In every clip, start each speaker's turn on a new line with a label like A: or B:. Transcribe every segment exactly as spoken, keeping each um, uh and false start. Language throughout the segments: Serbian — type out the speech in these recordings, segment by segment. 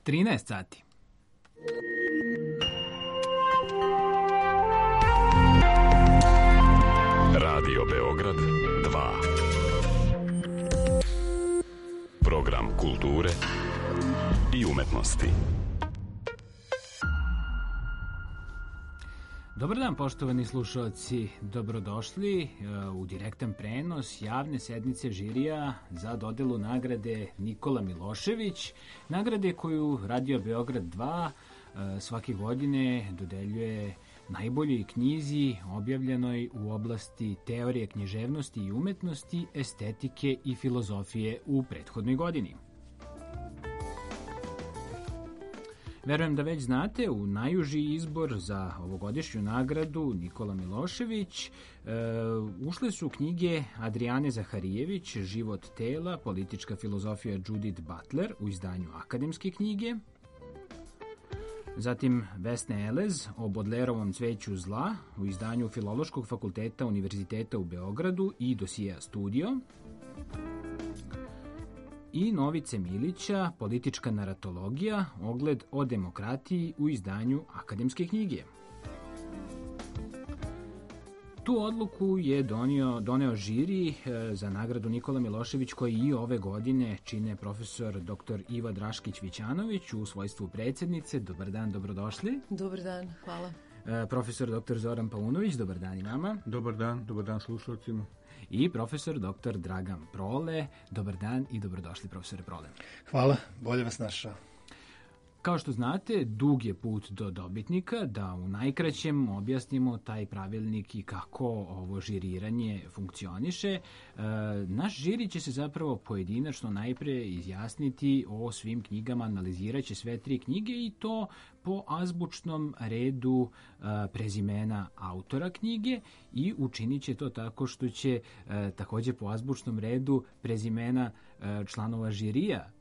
A: trinaest sati.
B: Radio Beograd dva. Program kulture i umetnosti.
A: Dobar dan, poštovani slušalci, dobrodošli u direktan prenos javne sednice žirija za dodelu nagrade Nikola Milošević, nagrade koju Radio Beograd dva svake godine dodeljuje najboljoj knjizi objavljenoj u oblasti teorije književnosti i umetnosti, estetike i filozofije u prethodnoj godini. Verujem da već znate, u najuži izbor za ovogodišnju nagradu Nikola Milošević e, ušle su knjige Adrijane Zaharijević, Život tela, politička filozofija Judith Butler u izdanju Akademske knjige, zatim Vesne Elez o Bodlerovom cveću zla u izdanju Filološkog fakulteta Univerziteta u Beogradu i dosija Studio, i Novice Milića, Politička naratologija, ogled o demokratiji u izdanju Akademske knjige. Tu odluku je donio, doneo žiri za nagradu Nikola Milošević, koji i ove godine čine profesor doktor Iva Draškić-Vićanović u svojstvu predsjednice. Dobar dan, dobrodošli.
C: Dobar dan, hvala.
A: Profesor doktor Zoran Paunović, dobar dan i vama.
D: Dobar dan, dobar dan slušalcima.
A: I profesor doktor Dragan Prole, dobar dan i dobrodošli, profesore Prole.
E: Hvala, bolje vas našao.
A: Kao što znate, dug je put do dobitnika, da u najkraćem objasnimo taj pravilnik i kako ovo žiriranje funkcioniše. E, naš žiri će se zapravo pojedinačno najpre izjasniti o svim knjigama, analiziraće sve tri knjige i to po azbučnom redu e, prezimena autora knjige i učinit će to tako što će e, također po azbučnom redu prezimena e, članova žirija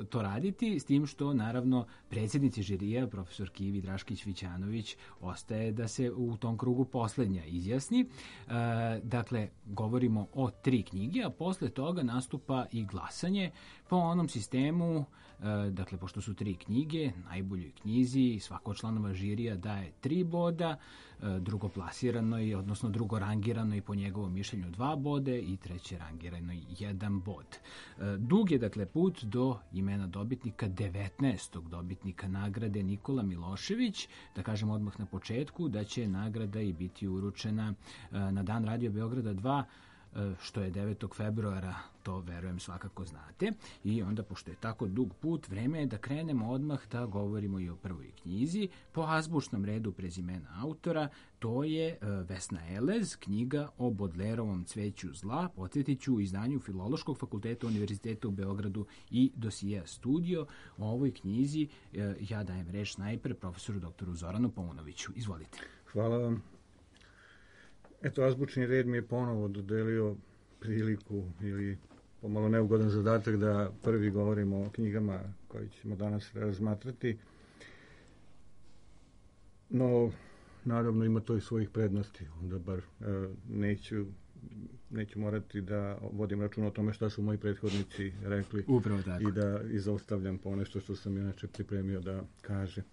A: to raditi, s tim što naravno predsjednici žirija, profesor Kivi Draškić-Vićanović, ostaje da se u tom krugu posljednja izjasni. E, dakle, govorimo o tri knjige, a posle toga nastupa i glasanje po onom sistemu, e, dakle, pošto su tri knjige, najboljoj knjizi svako članova žirija daje tri boda, e, drugoplasirano, odnosno drugorangirano i po njegovom mišljenju dva bode i treće rangirano jedan bod. E, dug je, dakle, put do imena dobitnika, devetnaestog dobitnika nagrade Nikola Milošević. Da kažem odmah na početku da će nagrada i biti uručena na dan Radio Beograda dva, što je devetog februara, to verujem svakako znate. I onda, pošto je tako dug put, vreme je da krenemo odmah da govorimo i o prvoj knjizi. Po azbučnom redu prezimena autora, to je Vesna Elez, knjiga o Bodlerovom cveću zla, podsjetit ću, u izdanju Filološkog fakulteta Univerziteta u Beogradu i dosija Studio. O ovoj knjizi ja dajem reč najpre profesoru doktoru Zoranu Paunoviću. Izvolite.
D: Hvala vam. Eto, azbučni red mi je ponovo dodelio priliku ili pomalo neugodan zadatak da prvi govorimo o knjigama koje ćemo danas razmatrati. No, naravno ima to i svojih prednosti, onda bar e, neću, neću morati da vodim račun o tome šta su moji prethodnici rekli.
A: Upravo tako.
D: I da izostavljam po nešto što sam inače pripremio da kažem.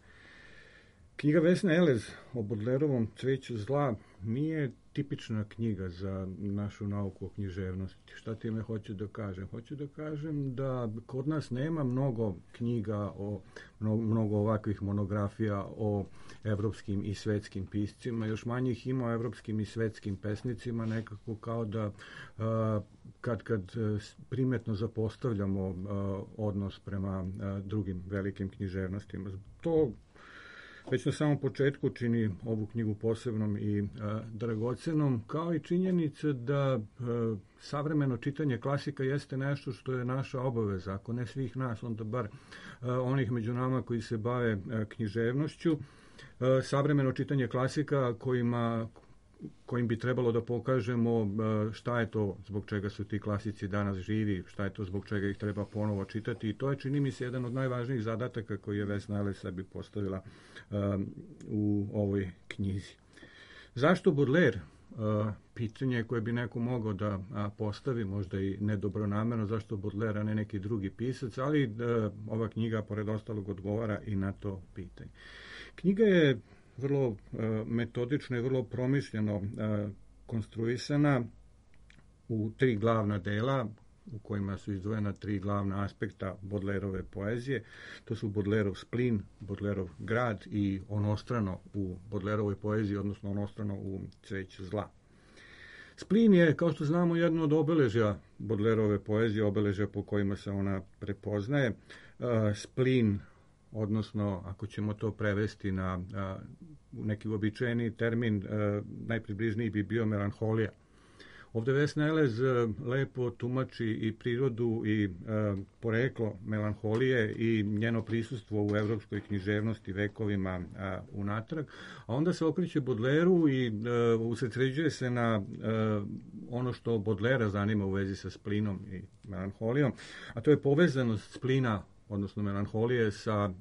D: Knjiga Vesne Elez o Bodlerovom cveću zla nije tipična knjiga za našu nauku o književnosti. Šta time hoću da kažem? Hoću da kažem da kod nas nema mnogo knjiga, o, mnogo, mnogo ovakvih monografija o evropskim i svetskim piscima, još manje ih ima o evropskim i svetskim pesnicima, nekako kao da a, kad, kad primetno zapostavljamo a, odnos prema a, drugim velikim književnostima. To već na samom početku čini ovu knjigu posebnom i a, dragocenom, kao i činjenica da a, savremeno čitanje klasika jeste nešto što je naša obaveza, ako ne svih nas, onda bar a, onih među nama koji se bave a, književnošću. A, savremeno čitanje klasika kojima kojim bi trebalo da pokažemo šta je to zbog čega su ti klasici danas živi, šta je to zbog čega ih treba ponovo čitati, i to je, čini mi se, jedan od najvažnijih zadataka koji je Vesna Elez sebi postavila um, u ovoj knjizi. Zašto Baudelaire? pitanje koje bi neko mogao da postavi, možda i nedobronamerno, zašto Baudelaire, a ne neki drugi pisac, ali ova knjiga, pored ostalog, odgovara i na to pitanje. Knjiga je vrlo metodično i vrlo promišljeno konstruisana u tri glavna dela, u kojima su izdvojena tri glavna aspekta Baudelaireove poezije. To su Baudelaireov splin, Baudelaireov grad i onostrano u Baudelaireovoj poeziji, odnosno onostrano u Cveću zla. Splin je, kao što znamo, jedno od obeležja Baudelaireove poezije, obeležja po kojima se ona prepoznaje. Splin, odnosno, ako ćemo to prevesti na neki uobičajeni termin, najpribližniji bi bio melanholija. Ovdje Vesna Elez lepo tumači i prirodu i e, poreklo melanholije i njeno prisustvo u evropskoj književnosti vekovima a, unatrag, a onda se okreće Baudelairu i e, usredsređuje se na e, ono što Baudelaira zanima u vezi sa splinom i melanholijom, a to je povezanost splina, odnosno melanholije, sa uh,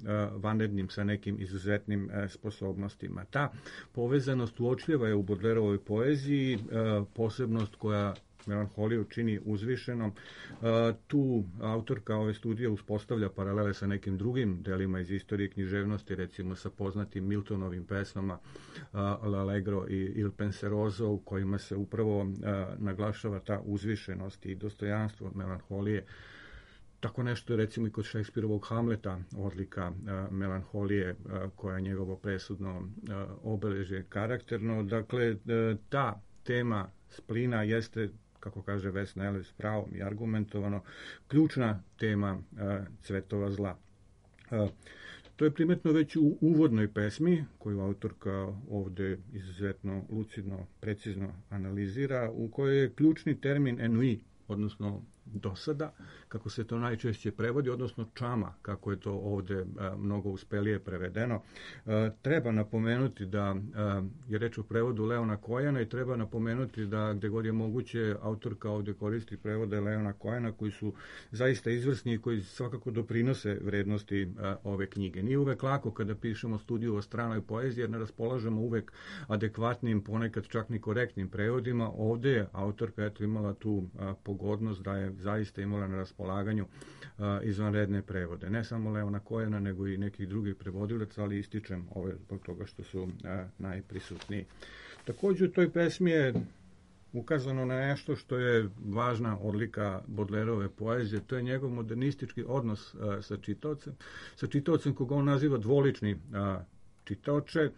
D: vanrednim, sa nekim izuzetnim uh, sposobnostima. Ta povezanost uočljiva je u Baudelaireovoj poeziji, uh, posebnost koja melanholiju čini uzvišenom. Uh, tu autorka ove studije uspostavlja paralele sa nekim drugim delima iz istorije književnosti, recimo sa poznatim Miltonovim pesmama uh, L'Allegro i Il Penseroso, u kojima se upravo uh, naglašava ta uzvišenost i dostojanstvo melanholije. Tako nešto je recimo i kod Šekspirovog Hamleta, odlika uh, melanholije uh, koja je njegovo presudno uh, obeležje karakterno. Dakle, uh, ta tema splina jeste, kako kaže Vesna Elez, s pravom i argumentovano, ključna tema uh, Cvetova zla. Uh, to je primetno već u uvodnoj pesmi, koju autorka ovde izuzetno lucidno, precizno analizira, u kojoj je ključni termin ennui, odnosno dosada, kako se to najčešće prevodi, odnosno čama, kako je to ovde a, mnogo uspelije prevedeno. A, treba napomenuti da a, je reč o prevodu Leona Kojana i treba napomenuti da gde god je moguće autorka ovde koristi prevode Leona Kojana koji su zaista izvrsni i koji svakako doprinose vrednosti a, ove knjige. Nije uvek lako kada pišemo studiju o stranoj poeziji jer ne raspolažemo uvek adekvatnim, ponekad čak ni korektnim prevodima. Ovde je autorka eto imala tu a, pogodnost da je zaista imala na raspolaganju a, izvanredne prevode. Ne samo Leona Kojana, nego i nekih drugih prevodilaca, ali ističem ove zbog toga što su a, najprisutniji. Također u toj pesmi je ukazano na nešto što je važna odlika Baudelaireove poezije, to je njegov modernistički odnos a, sa čitaocem, sa čitaocem koga on naziva dvolični a, čitaoče,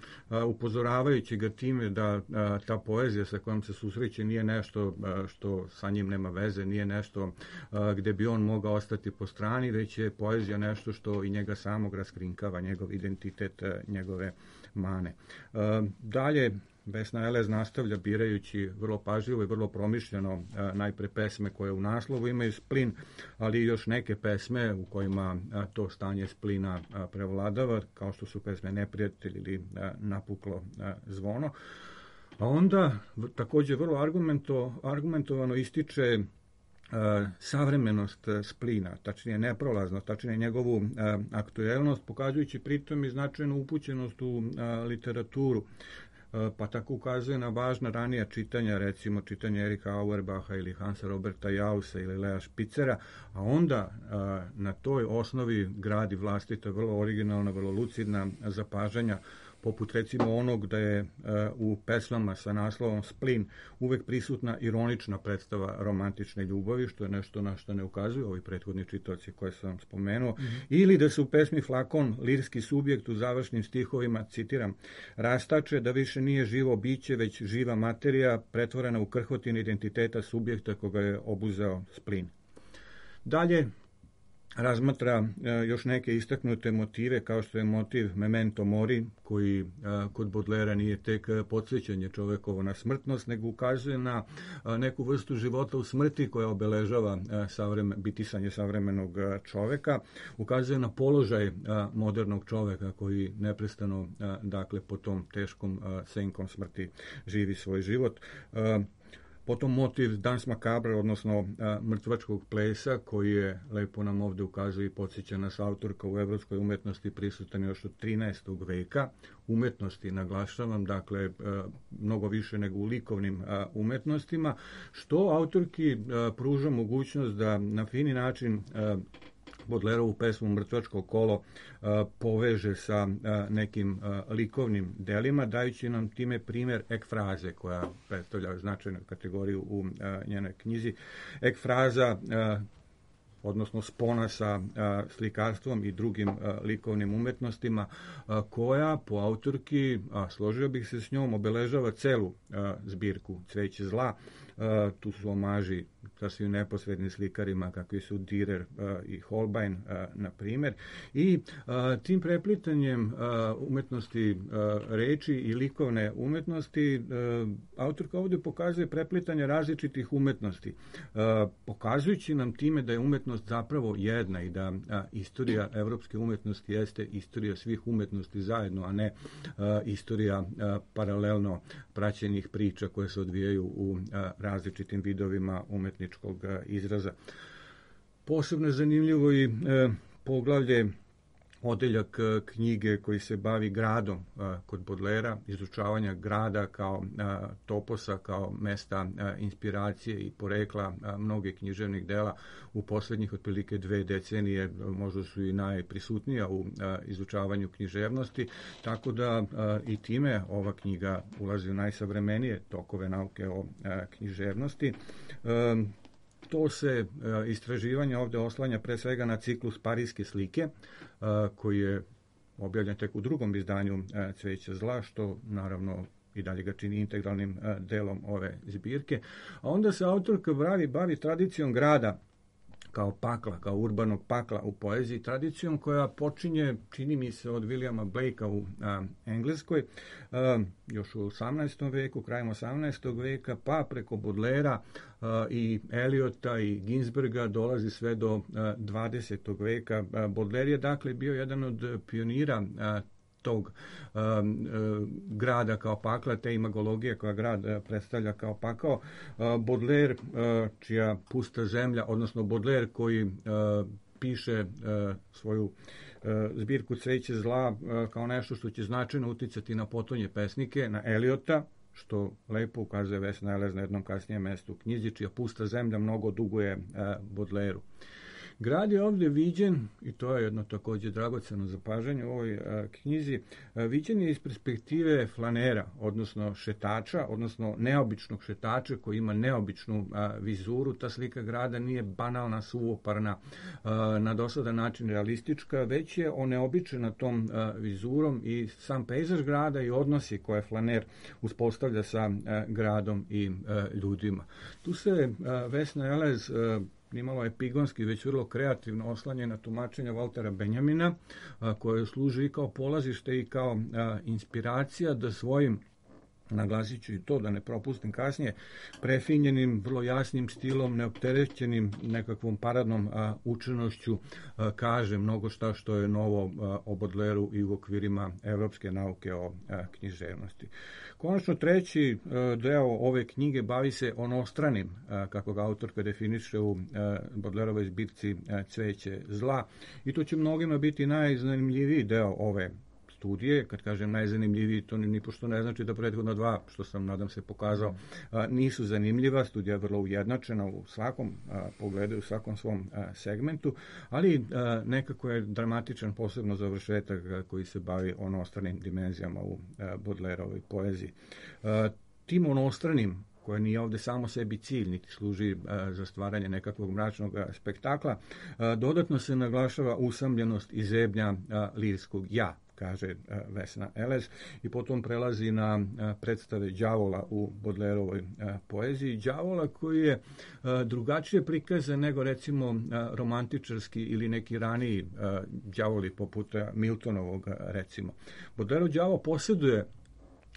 D: upozoravajući ga time da a, ta poezija sa kojom se susreće nije nešto a, što sa njim nema veze, nije nešto a, gde bi on mogao ostati po strani, već je poezija nešto što i njega samog raskrinkava, njegov identitet, a, njegove mane. A, dalje, Vesna Elez nastavlja birajući vrlo pažljivo i vrlo promišljeno a, najpre pesme koje u naslovu imaju splin, ali i još neke pesme u kojima a, to stanje splina a, prevladava, kao što su pesme Neprijatelj ili a, Napuklo a, zvono. A onda v, također vrlo argumento, argumentovano ističe a, savremenost splina, tačnije neprolaznost, tačnije njegovu a, aktuelnost, pokazujući pritom i značajnu upućenost u a, literaturu. Pa tako ukazuje na važna ranija čitanja, recimo čitanje Erika Auerbacha ili Hansa Roberta Jausa ili Lea Špicera, a onda a, na toj osnovi gradi vlastita, vrlo originalna, vrlo lucidna zapažanja, poput recimo onog da je uh, u pesmama sa naslovom Splin uvek prisutna ironična predstava romantične ljubavi, što je nešto na što ne ukazuju ovi prethodni čitaoci koje sam spomenuo, mm-hmm. ili da se u pesmi Flakon lirski subjekt u završnim stihovima, citiram, rastače da više nije živo biće, već živa materija pretvorena u krhotin identiteta subjekta koga je obuzeo splin. Dalje, razmatra e, još neke istaknute motive, kao što je motiv Memento Mori, koji e, kod Baudelaira nije tek podsjećanje čovekovo na smrtnost, nego ukazuje na e, neku vrstu života u smrti koja obeležava e, savreme, bitisanje savremenog e, čoveka, ukazuje na položaj e, modernog čoveka koji neprestano, e, dakle, po tom teškom e, senkom smrti živi svoj život. E, Potom motiv Dans Macabre, odnosno a, mrtvačkog plesa, koji je, lepo nam ovde ukazuje i podsjeća nas autorka, u evropskoj umetnosti prisutan još od trinaestog veka. Umetnosti, naglašavam, dakle, a, mnogo više nego u likovnim a, umetnostima, što autorki a, pruža mogućnost da na fini način a, Bodlerovu pesmu Mrtvačko kolo a, poveže sa a, nekim a, likovnim delima, dajući nam time primjer ekfraze, koja predstavlja značajnu kategoriju u a, njenoj knjizi. Ekfraza, a, odnosno spona sa a, slikarstvom i drugim a, likovnim umetnostima, a, koja po autorki, a, složio bih se s njom, obeležava celu a, zbirku Cveće zla. A, tu su omaži sasvim neposrednim slikarima kakvi su Dürer a, i Holbein, a, na primjer. I a, tim preplitanjem a, umetnosti a, reči i likovne umetnosti a, autorka ovdje pokazuje preplitanje različitih umetnosti, a, pokazujući nam time da je umetnost zapravo jedna i da a, istorija evropske umetnosti jeste istorija svih umetnosti zajedno, a ne a, istorija a, paralelno praćenih priča koje se odvijaju u a, različitim vidovima umetničkog a, izraza. Posebno je zanimljivo i e, poglavlje, odeljak knjige koji se bavi gradom a, kod Bodlera, izučavanja grada kao a, toposa, kao mesta a, inspiracije i porekla a, mnoge književnih dela u posljednjih otprilike dve decenije, možda su i najprisutnija u a, izučavanju književnosti, tako da a, i time ova knjiga ulazi u najsavremenije tokove nauke o a, književnosti. A, To se a, istraživanje ovdje oslanja pre svega na ciklus Parijske slike, a, koji je objavljen tek u drugom izdanju a, Cveća zla, što naravno i dalje ga čini integralnim a, delom ove zbirke. A onda se autorka bavi, bavi tradicijom grada kao pakla, kao urbanog pakla u poeziji, tradicijom koja počinje, čini mi se, od Williama Blakea u a, Engleskoj, a, još u osamnaestom veku, krajem osamnaestog veka, pa preko Bodlera a, i Eliota i Ginsberga dolazi sve do a, dvadesetog veka. A, Bodler je dakle bio jedan od pionira a, tog um, uh, grada kao pakla, te imagologije koja grad uh, predstavlja kao pakao. Uh, Baudelaire, uh, čija Pusta zemlja, odnosno Baudelaire koji uh, piše uh, svoju uh, zbirku Cveće zla uh, kao nešto što će značajno uticati na potonje pesnike, na Eliota, što lepo ukazuje Vesna Elez na jednom kasnijem mestu u knjizi, čija Pusta zemlja mnogo duguje uh, Baudelairu. Grad je ovdje viđen, i to je jedno također dragoceno zapažanje u ovoj a, knjizi, a, viđen je iz perspektive flanera, odnosno šetača, odnosno neobičnog šetača koji ima neobičnu a, vizuru. Ta slika grada nije banalna, suvoparna, a, na dosadan način realistička, već je oneobičena tom a, vizurom i sam pejzaž grada i odnosi koje flaner uspostavlja sa a, gradom i a, ljudima. Tu se a, Vesna Elez a, nimalo epigonski, već vrlo kreativno oslanje na tumačenja Waltera Benjamina, a, koje služi i kao polazište i kao a, inspiracija da svojim, naglasit ću i to da ne propustim kasnije, prefinjenim, vrlo jasnim stilom, neopterećenim nekakvom paradnom a, učenošću a, kaže mnogo šta što je novo a, o Baudelairu i u okvirima evropske nauke o a, književnosti. Konačno treći a, deo ove knjige bavi se onostranim, a, kako ga autorka definiše u a, Baudelairovoj zbirci a, Cveće zla, i to će mnogima biti najzanimljiviji deo ove studije. Kad kažem najzanimljiviji, to ni pošto ne znači da prethodno dva, što sam nadam se pokazao, a, nisu zanimljiva. Studija je vrlo ujednačena u svakom a, pogledu, u svakom svom a, segmentu, ali a, nekako je dramatičan posebno završetak a, koji se bavi onostranim dimenzijama u Baudelairovoj poeziji. A, tim onostranim, koje nije ovdje samo sebi cilj, niti služi a, za stvaranje nekakvog mračnog a, spektakla, a, dodatno se naglašava usamljenost i zebnja a, lirskog ja, kaže a, Vesna Elez, i potom prelazi na a, predstave đavola u Baudelairovoj a, poeziji. Đavola koji je a, drugačije prikazan nego recimo a, romantičarski ili neki raniji a, đavoli poput a, Miltonovog a, recimo. Baudelairov đavo posjeduje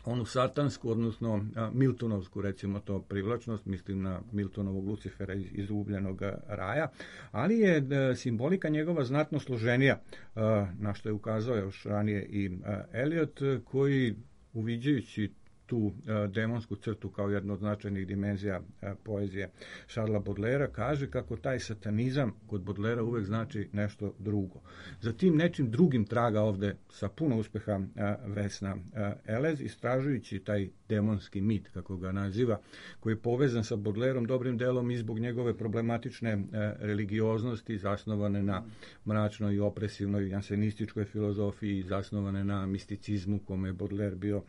D: onu satansku, odnosno a, Miltonovsku, recimo to, privlačnost, mislim na Miltonovog Lucifera iz Izgubljenog raja, ali je a, simbolika njegova znatno složenija, a, na što je ukazao još ranije i a, Eliot, koji, uviđajući tu uh, demonsku crtu kao jednu od značajnih dimenzija uh, poezije Charlesa Baudelaira, kaže kako taj satanizam kod Baudelaira uvek znači nešto drugo. Za tim nečim drugim traga ovde sa puno uspeha uh, Vesna uh, Elez, istražujući taj demonski mit, kako ga naziva, koji je povezan sa Baudelairom dobrim delom i zbog njegove problematične uh, religioznosti, zasnovane na mračnoj i opresivnoj jansenističkoj filozofiji, zasnovane na misticizmu kome je Baudelaire bio uh,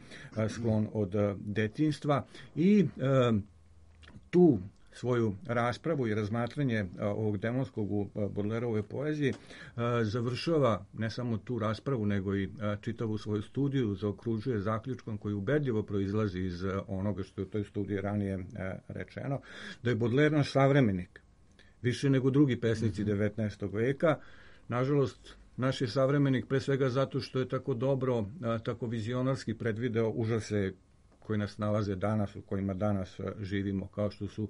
D: sklon od uh, detinjstva, i uh, tu svoju raspravu i razmatranje uh, ovog demonskog u uh, Baudelaireove poeziji uh, završava ne samo tu raspravu, nego i uh, čitavu svoju studiju zaokružuje zaključkom koji ubedljivo proizlazi iz uh, onoga što je u toj studiji ranije uh, rečeno, da je Baudelaire naš savremenik, više nego drugi pesnici mm-hmm. devetnaestog veka. Nažalost, naš je savremenik pre svega zato što je tako dobro, a, tako vizionarski predvideo užase koji nas nalaze danas, u kojima danas a, živimo, kao što su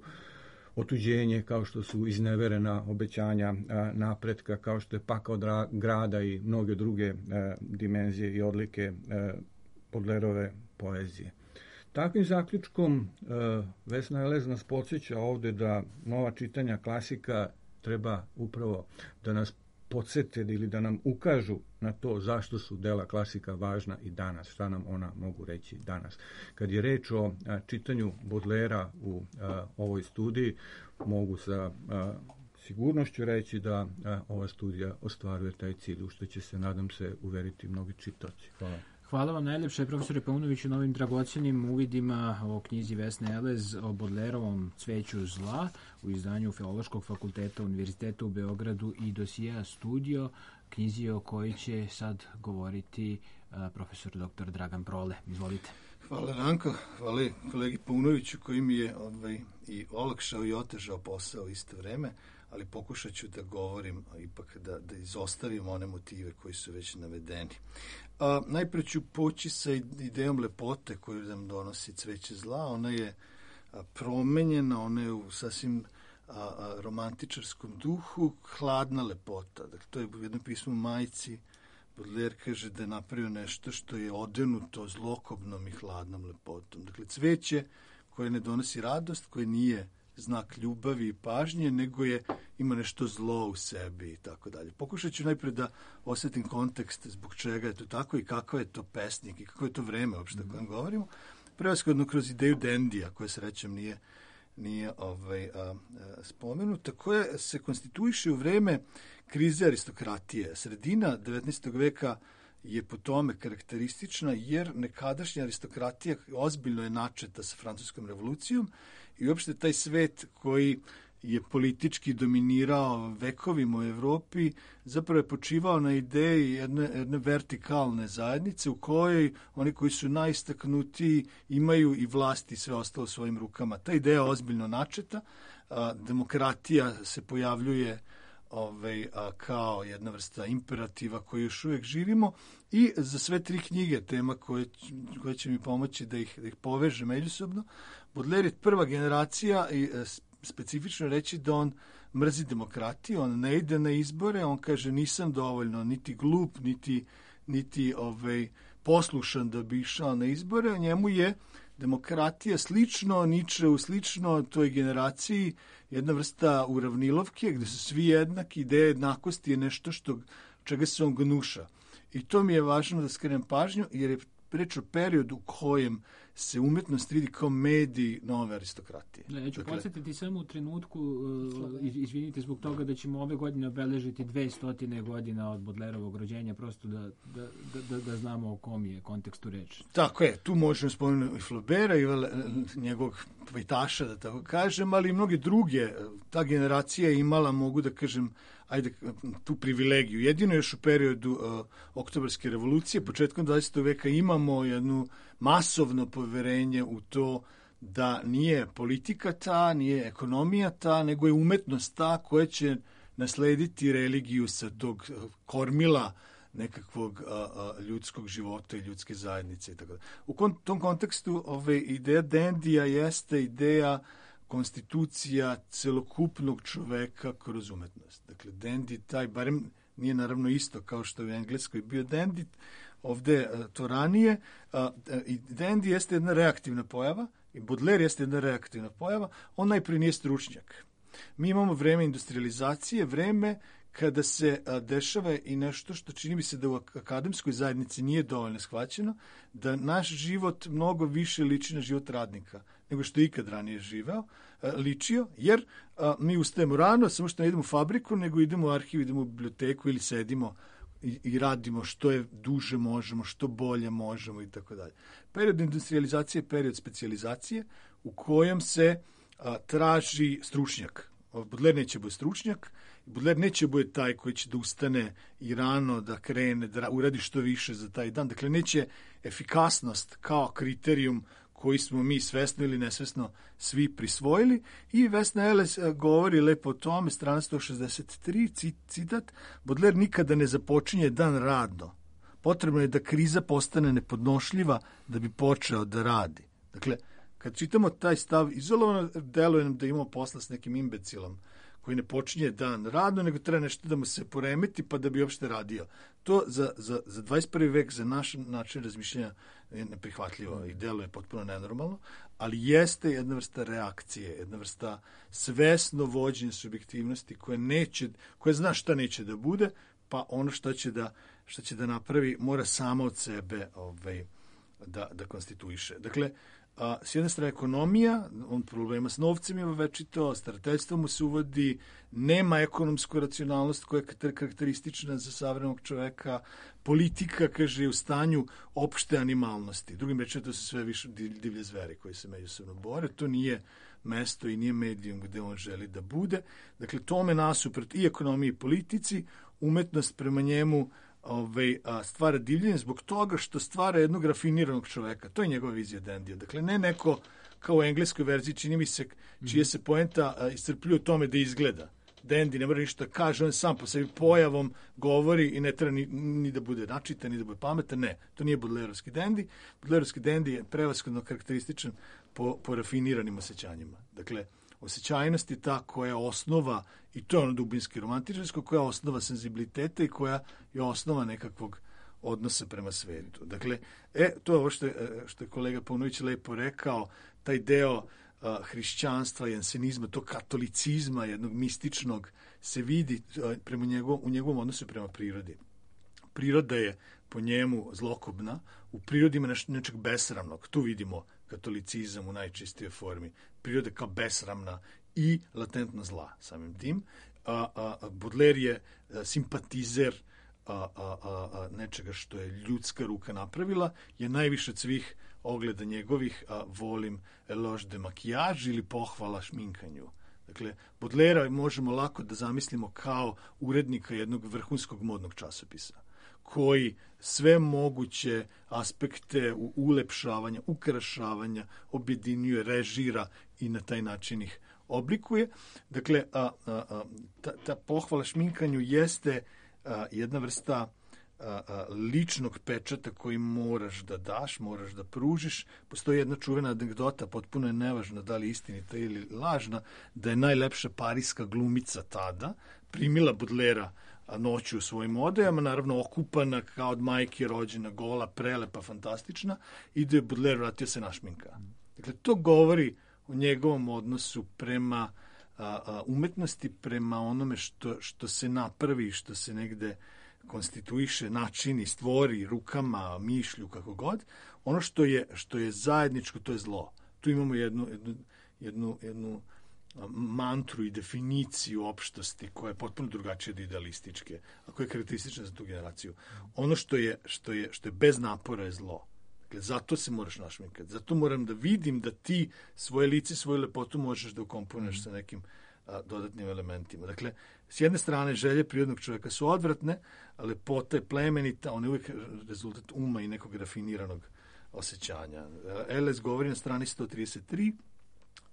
D: otuđenje, kao što su izneverena obećanja a, napretka, kao što je pakao dra, grada i mnoge druge a, dimenzije i odlike a, Baudelairove poezije. Takvim zaključkom a, Vesna Elez nas podsjeća ovde da nova čitanja klasika treba upravo da nas podsjete ili da nam ukažu na to zašto su dela klasika važna i danas, šta nam ona mogu reći danas. Kad je reč o a, čitanju Baudelaira u a, ovoj studiji, mogu sa a, sigurnošću reći da a, ova studija ostvaruje taj cilj, u što će se, nadam se, uveriti mnogi čitaoci. Hvala.
A: Hvala vam najlepše, profesore Paunoviću, na ovim dragocenim uvidima o knjizi Vesne Elez o Baudelairovom Cveću zla u izdanju Filološkog fakulteta Univerziteta u Beogradu i dosija Studio, knjizi o kojoj će sad govoriti uh, profesor doktor Dragan Prole. Izvolite.
E: Hvala Ranko, hvala kolegi Paunoviću koji mi je ovaj, i olakšao i otežao posao u isto vreme, ali pokušat ću da govorim, ipak da, da izostavim one motive koji su već navedeni. A, najpre ću poći sa idejom lepote koju nam donosi Cveće zla. Ona je a, promenjena, ona je u sasvim a, a, romantičarskom duhu, hladna lepota. Dakle, to je u jednom pismu Majci. Baudelaire kaže da je napravio nešto što je odenuto zlokobnom i hladnom lepotom. Dakle, cveće koje ne donosi radost, koje nije znak ljubavi i pažnje, nego je, ima nešto zlo u sebi i tako dalje. Pokušat ću najprej da osjetim kontekst zbog čega je to tako i kakav je to pesnik i kako je to vreme uopšte o kojem govorimo. Prevashodno kroz ideju Dandija, koja srećem nije, nije ovaj, a, a, spomenuta, koja se konstituiše u vreme krize aristokratije. Sredina devetnaestog veka je po tome karakteristična jer nekadašnja aristokratija ozbiljno je načeta sa francuskom revolucijom i uopšte taj svet koji je politički dominirao vekovima u Evropi zapravo je počivao na ideji jedne, jedne vertikalne zajednice u kojoj oni koji su najistaknutiji imaju i vlast i sve ostalo u svojim rukama. Ta ideja je ozbiljno načeta, a, demokratija se pojavljuje Ovaj, a, kao jedna vrsta imperativa koju još uvijek živimo i za sve tri knjige, tema koje, koje će mi pomoći da ih, da ih poveže međusobno. Baudelaire je prva generacija i e, specifično reći da on mrzi demokratiju, on ne ide na izbore, on kaže nisam dovoljno niti glup, niti, niti ovaj, poslušan da bi išao na izbore, njemu je demokratija slično, Ničeu slično toj generaciji, jedna vrsta uravnilovke gde su svi jednaki, ideja jednakosti je nešto što, čega se on gnuša. I to mi je važno da skrenem pažnju, jer je reč o periodu u kojem se umetnost vidi kao medij nove aristokratije.
A: Da, ja ću
E: dakle,
A: podsjetiti samo u trenutku, uh, izvinite zbog toga da ćemo ove godine obeležiti dvestotine godina od Baudelairovog rođenja, prosto da, da, da, da znamo o kom je kontekstu reči.
E: Tako je, tu možemo spomenuti i Flaubera i njegovog pajtaša, da tako kažem, ali i mnoge druge. Ta generacija je imala, mogu da kažem, ajde, tu privilegiju. Jedino još u periodu uh, Oktobarske revolucije, početkom dvadesetog veka, imamo jednu masovno poverenje u to da nije politika ta, nije ekonomija ta, nego je umetnost ta koja će naslediti religiju sa tog kormila nekakvog a, a, ljudskog života i ljudske zajednice i tako da. U kon, tom kontekstu ove ideja Dandija jeste ideja konstitucija celokupnog čoveka kroz umetnost. Dakle, Dandy taj, barem nije naravno isto kao što je u Engleskoj bio Dandy, ovde to ranije, i dandy jeste jedna reaktivna pojava, i Baudelaire jeste jedna reaktivna pojava, on najprije nije stručnjak. Mi imamo vreme industrializacije, vreme kada se a, dešava i nešto što čini mi se da u akademskoj zajednici nije dovoljno shvaćeno, da naš život mnogo više liči na život radnika nego što je ikad ranije živeo, a, ličio, jer a, mi ustajemo rano, samo što ne idemo u fabriku, nego idemo u arhiv, idemo u biblioteku ili sedimo i, i radimo što je duže možemo, što bolje možemo i tako dalje. Period industrializacije je period specijalizacije u kojem se a, traži stručnjak. Baudelaire neće bude stručnjak, Baudelaire neće bude taj koji će da ustane i rano da krene, da uradi što više za taj dan. Dakle, neće efikasnost kao kriterijum koji smo mi svesno ili nesvesno svi prisvojili. I Vesna Eles govori lepo o tome, strana sto šezdeset tri, citat, Baudelaire nikada ne započinje dan radno. Potrebno je da kriza postane nepodnošljiva da bi počeo da radi. Dakle, kad čitamo taj stav, izolovano deluje nam da imamo posla s nekim imbecilom koji ne počinje dan radno, nego treba nešto da mu se poremeti pa da bi uopšte radio. To za, za, za dvadeset prvi vek, za naš način razmišljanja je neprihvatljivo i deluje potpuno nenormalno, ali jeste jedna vrsta reakcije, jedna vrsta svesno vođenja subjektivnosti koja neće, koja zna šta neće da bude, pa ono što će da, što će da napravi mora samo od sebe ovaj, da, da konstituiše. Dakle, a, s jedne strane ekonomija, on problema s novcem ima večito, starateljstvo mu se uvodi, nema ekonomsku racionalnost koja je karakteristična za savremenog čoveka, politika, kaže, je u stanju opšte animalnosti. Drugim rečima, to su sve više divlje zveri koji se međusobno bore, to nije mesto i nije medijum gde on želi da bude. Dakle, tome nasuprot i ekonomiji i politici, umetnost prema njemu Ove, a, stvara divljenje zbog toga što stvara jednog rafiniranog čoveka. To je njegova vizija dandija. Dakle, ne neko kao u engleskoj verziji, čini mi se, čije se poenta a, iscrpljuje u tome da izgleda. Dandy ne mora ništa kaže, on sam po sebi pojavom govori i ne treba ni, ni da bude načitan, ni da bude pametan. Ne, to nije Baudelaireovski dandy. Baudelaireovski dandy je prevashodno karakterističan po, po rafiniranim osjećanjima. Dakle, osjećajnost je ta koja je osnova, i to je ono dubinski romantičarsko, koja je osnova senzibiliteta i koja je osnova nekakvog odnosa prema svetu. Dakle, e, to je ovo što je, što je kolega Paunović lepo rekao, taj deo a, hrišćanstva, jansenizma, to katolicizma, jednog mističnog, se vidi a, prema njegov, u njegovom odnosu prema prirodi. Priroda je po njemu zlokobna, u prirodi ima neš, nečeg besramnog. Tu vidimo katolicizam u najčistijoj formi. Priroda kao besramna i latentna zla samim tim. A, a, a Baudelaire je a, simpatizer a, a, a, a, nečega što je ljudska ruka napravila, je najviše od svih ogleda njegovih a, volim eloge de maquillage ili pohvala šminkanju. Dakle, Baudelaire možemo lako da zamislimo kao urednika jednog vrhunskog modnog časopisa, koji sve moguće aspekte ulepšavanja, ukrašavanja objedinjuje, režira i na taj način ih oblikuje. Dakle, a, a, a, ta, ta pohvala šminkanju jeste a, jedna vrsta a, a, ličnog pečata koji moraš da daš, moraš da pružiš. Postoji jedna čuvena anegdota, potpuno je nevažna da li istinita ili lažna, da je najlepša parijska glumica tada primila Baudelairea noću u svojim odejama, naravno okupana kao od majke rođena, gola, prelepa, fantastična, i da je Baudelaire vratio se našminka. Dakle, to govori o njegovom odnosu prema a, a, umetnosti, prema onome što, što se napravi, što se negde konstituiše, načini, stvori rukama, mišlju, kako god. Ono što je, što je zajedničko, to je zlo. Tu imamo jednu, jednu, jednu, jednu mantru i definiciju opštosti koja je potpuno drugačija od idealističke, a koja je karakteristična za tu generaciju. Ono što je, što je, što je bez napora je zlo. Dakle, zato se moraš našminkati. Zato moram da vidim da ti svoje lice, svoju lepotu možeš da ukomponuješ sa nekim a, dodatnim elementima. Dakle, s jedne strane, želje prirodnog čovjeka su odvratne, a lepota je plemenita, on je uvijek rezultat uma i nekog rafiniranog osjećanja. Eles govori na strani sto trideset tri,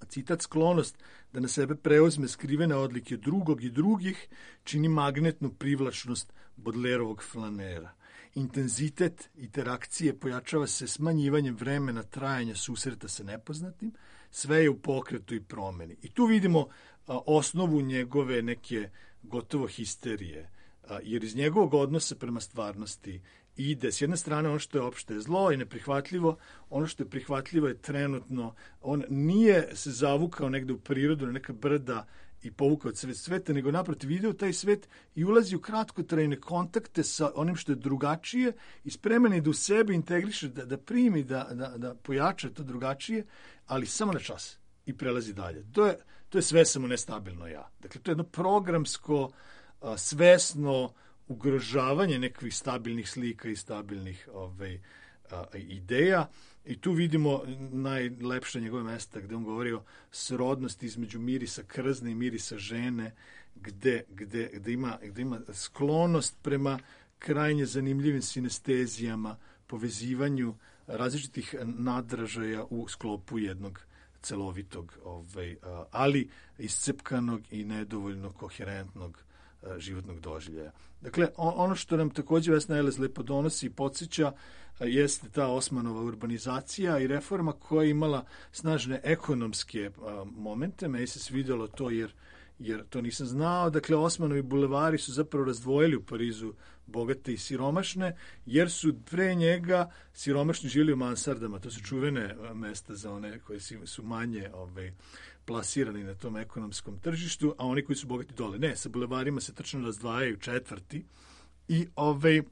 E: citat, sklonost da na sebe preuzme skrivene odlike drugog i drugih čini magnetnu privlačnost Baudelaireovog flanera. Intenzitet interakcije pojačava se smanjivanjem vremena trajanja susreta sa nepoznatim, sve je u pokretu i promeni. I tu vidimo a, osnovu njegove neke gotovo histerije, a, jer iz njegovog odnosa prema stvarnosti ide. S jedne strane ono što je opšte zlo i neprihvatljivo, ono što je prihvatljivo je trenutno, on nije se zavukao negde u prirodu, na neka brda i povukao od svet sveta, nego naprotiv ide u taj svet i ulazi u kratkotrajne kontakte sa onim što je drugačije i spreman je da u sebi integriše, da, da primi, da, da, da pojača to drugačije, ali samo na čas i prelazi dalje. To je, to je sve samo nestabilno ja. Dakle, to je jedno programsko, a, svesno ugrožavanje nekih stabilnih slika i stabilnih ovaj, a, ideja. I tu vidimo najlepše njegove mesta gde on govori o srodnosti između mirisa krzne i mirisa žene, gde, gde, gde, ima, gde ima sklonost prema krajnje zanimljivim sinestezijama, povezivanju različitih nadražaja u sklopu jednog celovitog, ovaj, ali iscepkanog i nedovoljno koherentnog životnog doživljaja. Dakle, ono što nam takođe Vesna Elez lepo donosi i podsjeća jeste ta Osmanova urbanizacija i reforma koja je imala snažne ekonomske momente. Meni se svidjelo to jer, jer to nisam znao. Dakle, Osmanovi bulevari su zapravo razdvojili u Parizu bogate i siromašne, jer su pre njega siromašni živjeli u mansardama. To su čuvene mesta za one koje su manje ovaj, plasirani na tom ekonomskom tržištu, a oni koji su bogati dole. Ne, sa bulevarima se tačno razdvajaju četvrti i ovaj,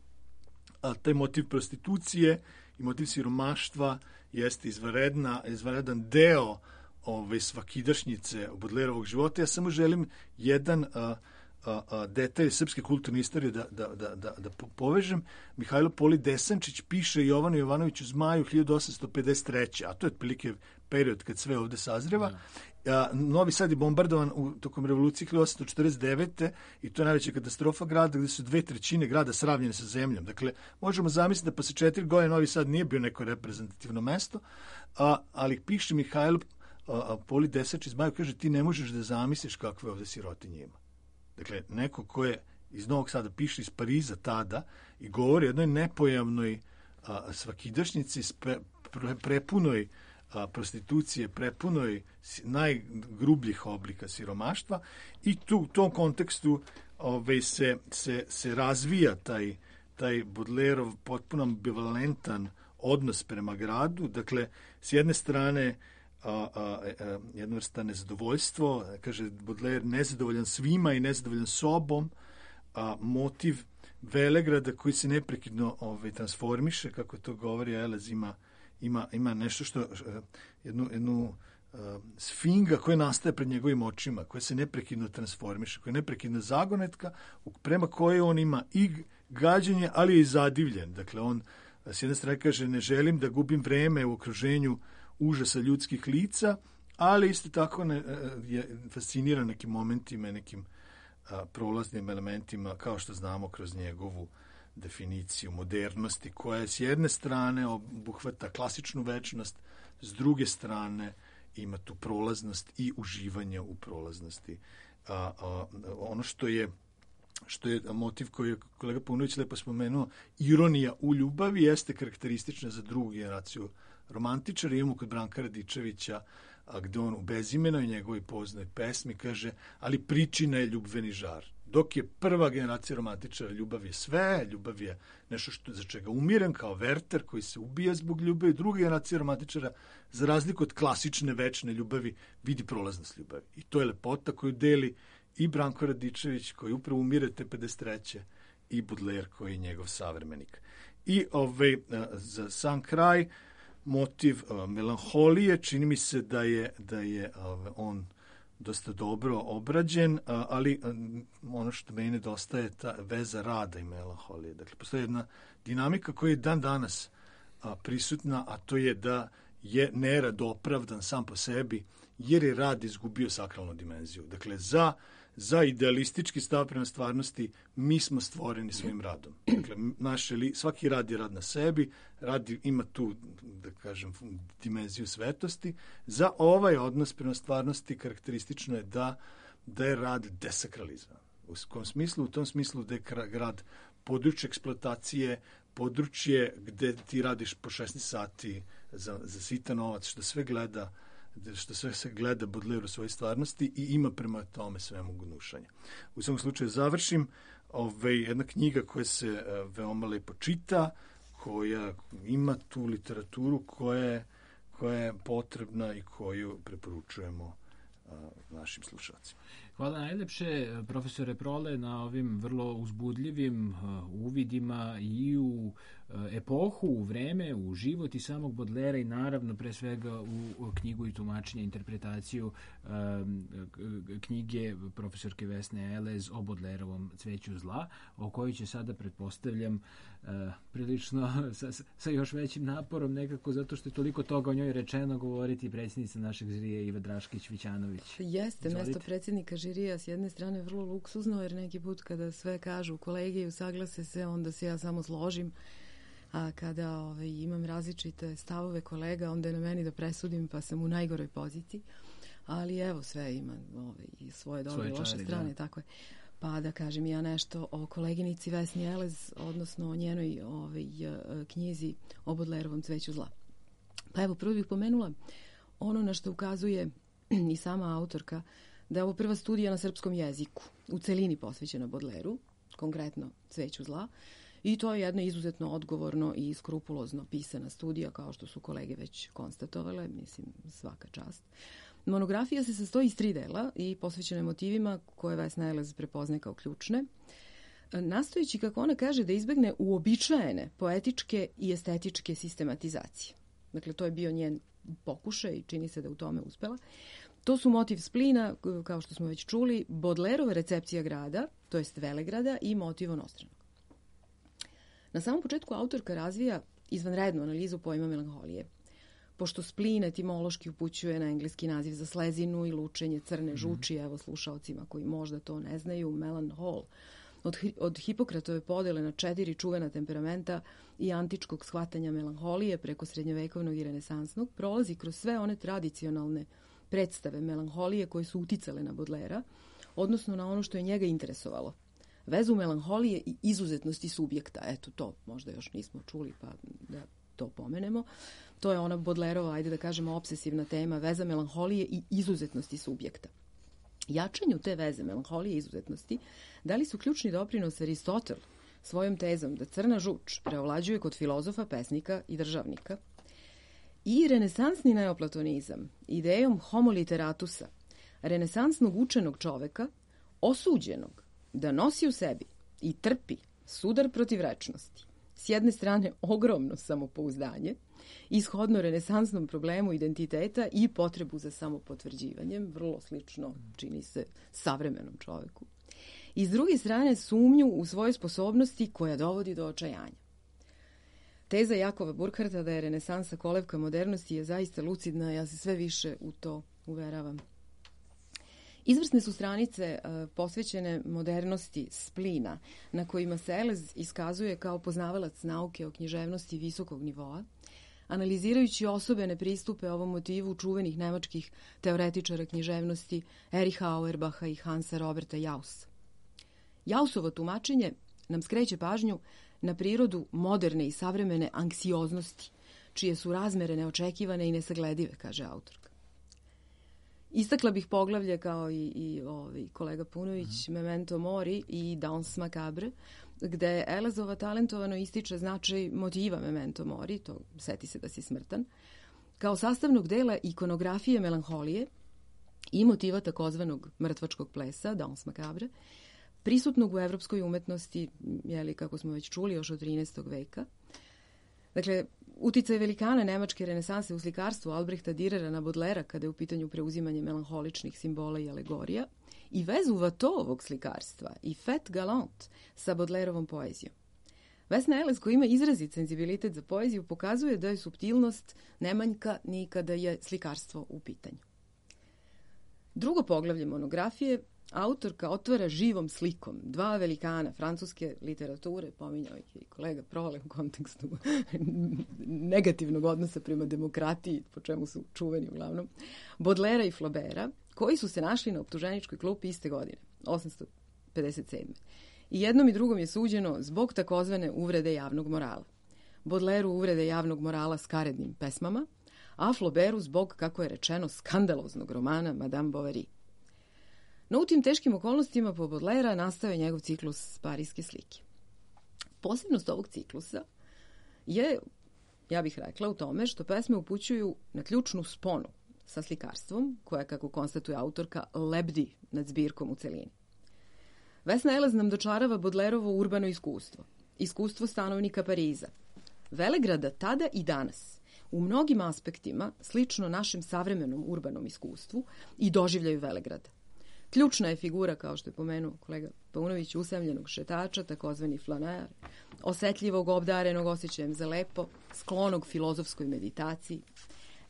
E: a taj motiv prostitucije i motiv siromaštva jeste izvanredna, izvanredan deo ove svakidašnjice Bodlerovog života. Ja samo želim jedan a, a, a, detalj srpske kulturne istorije da, da, da, da, da povežem. Mihajlo Poli Desančić piše Jovanu Jovanoviću Zmaju hiljadu osamsto pedeset treće. a to je otprilike period kad sve ovde sazreva. Ja. A, Novi Sad je bombardovan u tokom revolucije hiljadu osamsto četrdeset devete. i to je najveća katastrofa grada gde su dve trećine grada sravnjene sa zemljom. Dakle, možemo zamisliti da posle četiri godine Novi Sad nije bio neko reprezentativno mesto, a, ali piše Mihajlo a, Poli Desančić Zmaju, kaže ti ne možeš da zamisliš kakve ovde sirotinje ima. Dakle, neko ko je iz Novog Sada piše iz Pariza tada i govori o jednoj nepojavnoj a, svakidašnjici pre, pre, prepunoj a, prostitucije, prepunoj najgrubljih oblika siromaštva i tu u tom kontekstu ovaj, se, se, se razvija taj, taj Bodlerov potpuno ambivalentan odnos prema gradu. Dakle, s jedne strane a, a, a, jedna vrsta nezadovoljstvo, kaže Baudelaire, nezadovoljan svima i nezadovoljan sobom, a motiv Velegrada koji se neprekidno ovaj, transformiše, kako to govori Elez, ima Ima, ima nešto što, jednu, jednu uh, sfinga koja nastaje pred njegovim očima, koja se neprekidno transformiše, koja je neprekidno zagonetka, prema kojoj on ima i gađenje, ali je i zadivljen. Dakle, on s jedne strane kaže, ne želim da gubim vreme u okruženju užasa ljudskih lica, ali isto tako ne, je fasciniran nekim momentima, nekim a, prolaznim elementima, kao što znamo kroz njegovu definiciju modernosti, koja s jedne strane obuhvata klasičnu večnost, s druge strane ima tu prolaznost i uživanje u prolaznosti. A, a, ono što je što je motiv koji je kolega Paunović lepo spomenuo, ironija u ljubavi jeste karakteristična za drugu generaciju romantičara. Imamo kod Branka Radičevića, a gde on u Bezimenoj njegovoj poznoj pesmi kaže, ali pričina je ljubveni žar. Dok je prva generacija romantičara, ljubav je sve, ljubav je nešto što, za čega umiren, kao Werther koji se ubija zbog ljubavi. Druga generacija romantičara, za razliku od klasične večne ljubavi, vidi prolaznost ljubavi. I to je lepota koju deli i Branko Radičević, koji upravo umire te pedeset treće i Baudelaire, koji je njegov savremenik. I ovaj, za sam kraj, motiv melanholije, čini mi se da je, da je on dosta dobro obrađen, ali ono što meni nedostaje je ta veza rada i melanholije. Dakle, postoji jedna dinamika koja je dan danas prisutna, a to je da je nerad opravdan sam po sebi, jer je rad izgubio sakralnu dimenziju. Dakle, za, za idealistički stav prema stvarnosti mi smo stvoreni svojim radom. Dakle, naše li, svaki rad je rad na sebi, rad ima tu, da kažem, dimenziju svetosti. Za ovaj odnos prema stvarnosti karakteristično je da, da je rad desakralizovan. U kom smislu? U tom smislu da je rad područje eksploatacije, područje gde ti radiš po šesnaest sati za, za sitan novac, što sve gleda što sve se gleda Baudelaire u svojoj stvarnosti i ima prema tome svemu gnušanja. U svom slučaju završim ove, jedna knjiga koja se uh, veoma lepo čita, koja ima tu literaturu koja je, koja je potrebna i koju preporučujemo uh, našim slušalcima.
A: Hvala najlepše, profesore Prole, na ovim vrlo uzbudljivim uh, uvidima i u uh, epohu, u vreme, u život i samog Bodlera i naravno pre svega u, u knjigu i tumačenje, interpretaciju uh, knjige profesorke Vesne Elez o Bodlerovom Cveću zla, o kojoj će sada, pretpostavljam, uh, prilično sa, sa još većim naporom nekako, zato što je toliko toga o njoj rečeno, govoriti predsjednica našeg žirija Iva Draškić-Vićanović.
C: Jeste,
A: Izvolite.
C: Mesto predsjednika žirija s jedne strane vrlo luksuzno, jer neki put kada sve kažu kolege i usaglase se, onda se ja samo složim, a kada ovaj, imam različite stavove kolega, onda je na meni da presudim, pa sam u najgoroj poziciji, ali evo, sve ima ovaj, i svoje dobre i loše strane, da. Tako je. Pa da kažem ja nešto o koleginici Vesni Elez, odnosno o njenoj ovaj, knjizi o Bodlerovom Cveću zla. Pa evo, prvo bih pomenula ono na što ukazuje i sama autorka, da je ovo prva studija na srpskom jeziku, u celini posvećena Bodleru, konkretno Cveću zla, i to je jedna izuzetno odgovorno i skrupulozno pisana studija, kao što su kolege već konstatovale, mislim, svaka čast. Monografija se sastoji iz tri dela i posvećena motivima koje Vesna Elez prepozne kao ključne, nastojeći, kako ona kaže, da izbegne uobičajene poetičke i estetičke sistematizacije. Dakle, to je bio njen pokušaj i čini se da u tome uspela. To su motiv splina, kao što smo već čuli, Bodlerova recepcija grada, to jest Velegrada, i motiv onostranog. Na samom početku autorka razvija izvanrednu analizu pojma melanholije. Pošto splin etimološki upućuje na engleski naziv za slezinu i lučenje crne žuči, evo slušaocima koji možda to ne znaju, melanhol, od, od Hipokratove podele na četiri čuvena temperamenta i antičkog shvatanja melanholije preko srednjovekovnog i renesansnog, prolazi kroz sve one tradicionalne predstave melanholije koje su uticale na Bodlera, odnosno na ono što je njega interesovalo. Vezu melanholije i izuzetnosti subjekta. Eto, to možda još nismo čuli, pa da to pomenemo. To je ona Bodlerova, ajde da kažemo, obsesivna tema, veza melanholije i izuzetnosti subjekta. Jačanju te veze melanholije i izuzetnosti dali su ključni doprinos Aristotel svojom tezom da crna žuč preovlađuje kod filozofa, pesnika i državnika, i renesansni neoplatonizam idejom homo literatusa, renesansnog učenog čoveka, osuđenog da nosi u sebi i trpi sudar protiv rečnosti. S jedne strane ogromno samopouzdanje, ishodno renesansnom problemu identiteta i potrebu za samopotvrđivanjem, vrlo slično čini se savremenom čoveku. I s druge strane sumnju u svoje sposobnosti koja dovodi do očajanja. Teza Jakova Burkharta da je renesansa kolevka modernosti je zaista lucidna, ja se sve više u to uveravam. Izvrsne su stranice uh, posvećene modernosti splina, na kojima se Elez iskazuje kao poznavalac nauke o književnosti visokog nivoa, analizirajući osobene pristupe ovom motivu čuvenih nemačkih teoretičara književnosti Ericha Auerbacha i Hansa Roberta Jaussa. Jaussovo tumačenje nam skreće pažnju na prirodu moderne i savremene anksioznosti, čije su razmere neočekivane i nesagledive, kaže autorka. Istakla bih poglavlje kao i, i ovaj, kolega Punović, mm. Memento Mori i Danse Macabre, gde Elezova talentovano ističe značaj motiva Memento Mori, to seti se da si smrtan, kao sastavnog dela ikonografije melanholije i motiva takozvanog mrtvačkog plesa, Danse Macabre, prisutnog u evropskoj umetnosti, jeli, kako smo već čuli, još od trinaestog veka. Dakle, uticaj velikana nemačke renesanse u slikarstvu Albrehta Dürera na Bodlera kada je u pitanju preuzimanje melanholičnih simbola i alegorija i vezu Vatovog slikarstva i Fête Galante sa Bodlerovom poezijom. Vesna Elez, koja ima izrazit senzibilitet za poeziju, pokazuje da je suptilnost ne manjka ni kada je slikarstvo u pitanju. Drugo poglavlje monografije autorka otvara živom slikom dva velikana francuske literature, pominjao ih i kolega Prole u kontekstu negativnog odnosa prema demokratiji, po čemu su čuveni uglavnom, Bodlera i Flaubera, koji su se našli na optuženičkoj klupi iste godine, osamsto pedeset sedme. I jednom i drugom je suđeno zbog takozvane uvrede javnog morala. Bodleru uvrede javnog morala skarednim pesmama, a Flauberu zbog, kako je rečeno, skandaloznog romana Madame Bovary. No u tim teškim okolnostima po Baudelaire nastao je njegov ciklus Parijske slike. Posebnost ovog ciklusa je, ja bih rekla, u tome što pesme upućuju na ključnu sponu sa slikarstvom, koja, kako konstatuje autorka, lebdi nad zbirkom u celini. Vesna Elez nam dočarava Baudelaireovo urbano iskustvo, iskustvo stanovnika Pariza, Velegrada tada i danas, u mnogim aspektima slično našem savremenom urbanom iskustvu i doživljaju Velegrada. Ključna je figura, kao što je pomenuo kolega Paunović, usamljenog šetača, takozvani flaner, osetljivog, obdarenog osjećajem za lepo, sklonog filozofskoj meditaciji,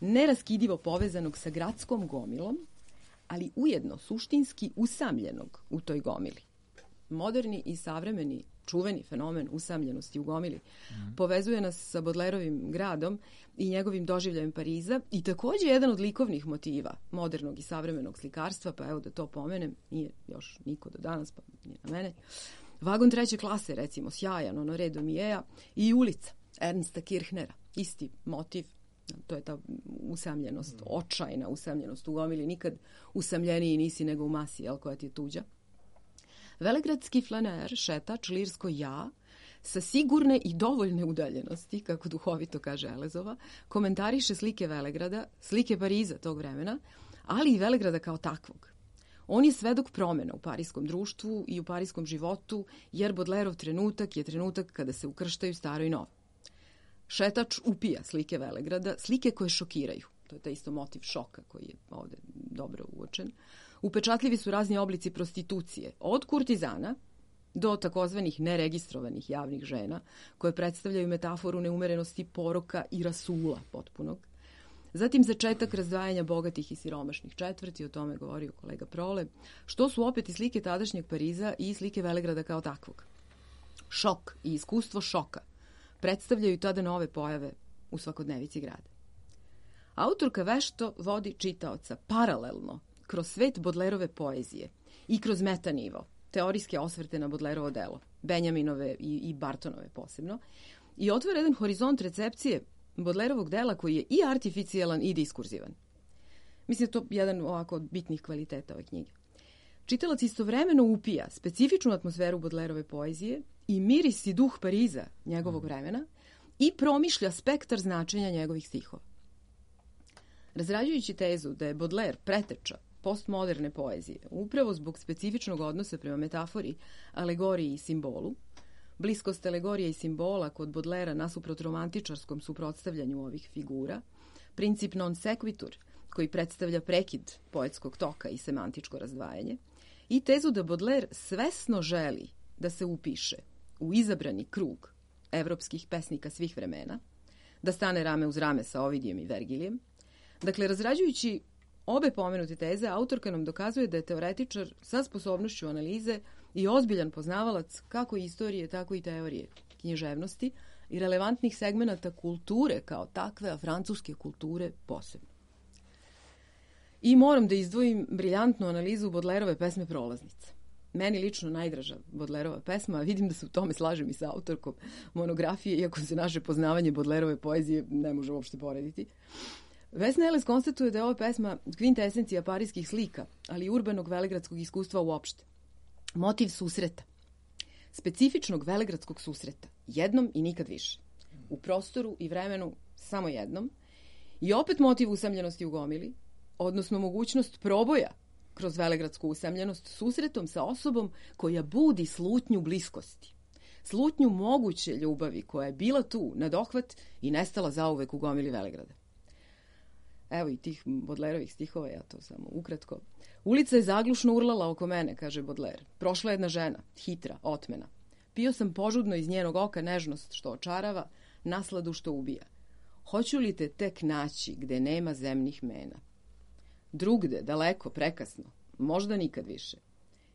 C: neraskidivo povezanog sa gradskom gomilom, ali ujedno suštinski usamljenog u toj gomili. Moderni i savremeni čuveni fenomen usamljenosti u gomili mm. povezuje nas sa Baudelaireovim gradom i njegovim doživljajem Pariza i takođe jedan od likovnih motiva modernog i savremenog slikarstva, pa evo da to pomenem, nije još niko do danas, pa nije na mene. Vagon treće klase, recimo, sjajan, Honoré Daumier i Ulica Ernsta Kirchnera, isti motiv, to je ta usamljenost, mm. očajna usamljenost u gomili, nikad usamljeniji nisi nego u masi, jel, koja ti je tuđa. Velegradski flaner, šetač, lirsko ja, sa sigurne i dovoljne udaljenosti, kako duhovito kaže Elezova, komentariše slike Velegrada, slike Pariza tog vremena, ali i Velegrada kao takvog. On je svedok promena u parijskom društvu i u parijskom životu, jer Baudelaireov trenutak je trenutak kada se ukrštaju staro i novo. Šetač upija slike Velegrada, slike koje šokiraju. To je taj isto motiv šoka koji je ovde dobro uočen. Upečatljivi su razni oblici prostitucije, od kurtizana do takozvanih neregistrovanih javnih žena, koje predstavljaju metaforu neumerenosti poroka i rasula potpunog. Zatim začetak razdvajanja bogatih i siromašnih četvrti, o tome govorio kolega Prole, što su opet i slike tadašnjeg Pariza i slike Velegrada kao takvog. Šok i iskustvo šoka predstavljaju tada nove pojave u svakodnevici grada. Autorka vešto vodi čitaoca paralelno kroz svet Baudelaireove poezije i kroz metanivo, teorijske osvrte na Baudelaireovo delo, Benjaminove i, i Bartonove posebno, i otvara jedan horizont recepcije Baudelaireovog dela koji je i artificijalan i diskurzivan. Mislim da je to jedan ovako od bitnih kvaliteta ove knjige. Čitalac istovremeno upija specifičnu atmosferu Baudelaireove poezije i miris i duh Pariza njegovog vremena i promišlja spektar značenja njegovih stihova. Razrađujući tezu da je Baudelaire preteča postmoderne poezije, upravo zbog specifičnog odnosa prema metafori, alegoriji i simbolu, bliskost alegorije i simbola kod Baudelairea nasuprot romantičarskom suprotstavljanju ovih figura, princip non sequitur, koji predstavlja prekid poetskog toka i semantičko razdvajanje, i tezu da Baudelaire svesno želi da se upiše u izabrani krug evropskih pesnika svih vremena, da stane rame uz rame sa Ovidijem i Vergilijem. Dakle, razrađujući obe pomenute teze, autorka nam dokazuje da je teoretičar sa sposobnošću analize i ozbiljan poznavalac kako istorije, tako i teorije književnosti i relevantnih segmenata kulture kao takve, a francuske kulture posebno. I moram da izdvojim briljantnu analizu Baudelaireove pesme Prolaznice. Meni lično najdraža Baudelaireova pesma, a vidim da se u tome slažem i sa autorkom monografije, iako se naše poznavanje Baudelaireove poezije ne može uopšte porediti. Vesna Elez konstatuje da je ova pesma kvintesencija parijskih slika, ali i urbanog velegradskog iskustva uopšte. Motiv susreta. Specifičnog velegradskog susreta. Jednom i nikad više. U prostoru i vremenu samo jednom. I opet motiv usamljenosti u gomili, odnosno mogućnost proboja kroz velegradsku usamljenost susretom sa osobom koja budi slutnju bliskosti. Slutnju moguće ljubavi koja je bila tu na dohvat i nestala zauvek u gomili Velegrada. Evo i tih Baudelaireovih stihova, ja to samo ukratko. Ulica je zaglušno urlala oko mene, kaže Baudelaire. Prošla jedna žena, hitra, otmena. Pio sam požudno iz njenog oka nežnost što očarava, nasladu što ubija. Hoću li te tek naći gde nema zemnih mena? Drugde, daleko, prekasno, možda nikad više.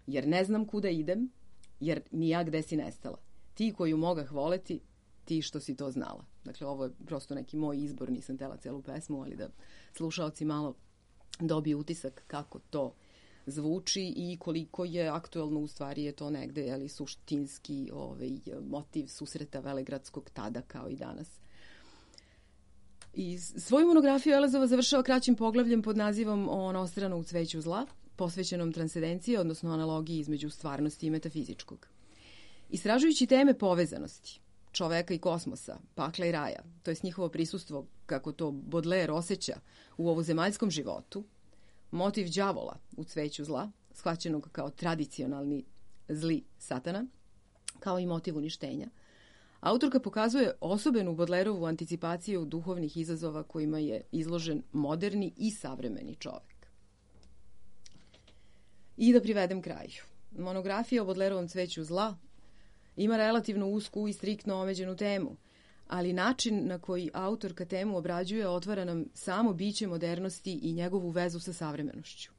C: Jer ne znam kuda idem, jer ni ja gde si nestala. Ti koju mogah voleti, ti što si to znala. Dakle, ovo je prosto neki moj izbor, nisam tela celu pesmu, ali da slušaoci malo dobiju utisak kako to zvuči i koliko je aktuelno, u stvari je to negde, ali suštinski ovaj, motiv susreta velegradskog tada kao i danas. I svoju monografiju Elezova završava kraćim poglavljem pod nazivom O onostrano u cveću zla, posvećenom transcendenciji, odnosno analogiji između stvarnosti i metafizičkog. Istražujući teme povezanosti čoveka i kosmosa, pakla i raja, to je njihovo prisustvo, kako to Baudelaire osjeća u ovozemaljskom životu, motiv đavola u Cveću zla, shvaćenog kao tradicionalni zli satana, kao i motiv uništenja, autorka pokazuje osobenu Baudelaireovu anticipaciju duhovnih izazova kojima je izložen moderni i savremeni čovek. I da privedem kraju. Monografija o Baudelaireovom Cveću zla ima relativno usku i striktno omeđenu temu, ali način na koji autorka temu obrađuje otvara nam samo biće modernosti i njegovu vezu sa savremenošću.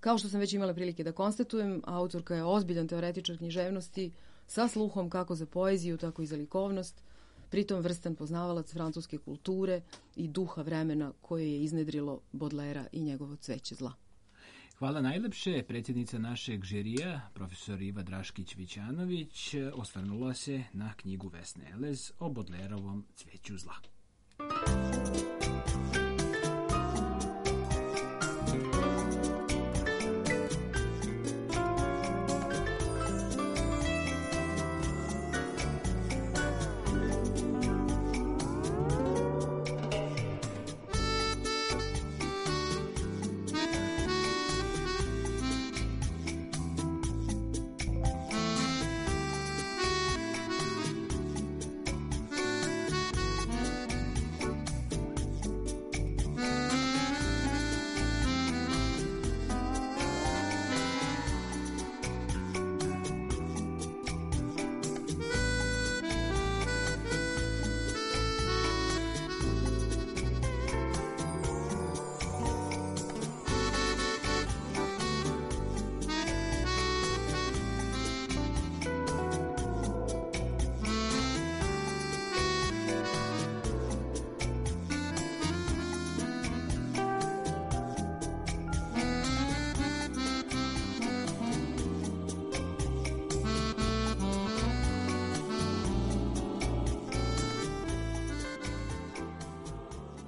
C: Kao što sam već imala prilike da konstatujem, autorka je ozbiljan teoretičar književnosti sa sluhom kako za poeziju, tako i za likovnost, pritom vrstan poznavalac francuske kulture i duha vremena koje je iznedrilo Baudelairea i njegovo Cveće zla.
A: Hvala najlepše. Predsjednica našeg žirija, profesor Iva Draškić-Vićanović, osvrnula se na knjigu Vesne Elez o Baudelaireovom Cveću zla.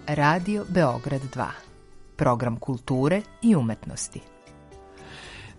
F: Radio Beograd dva. Program kulture i umetnosti.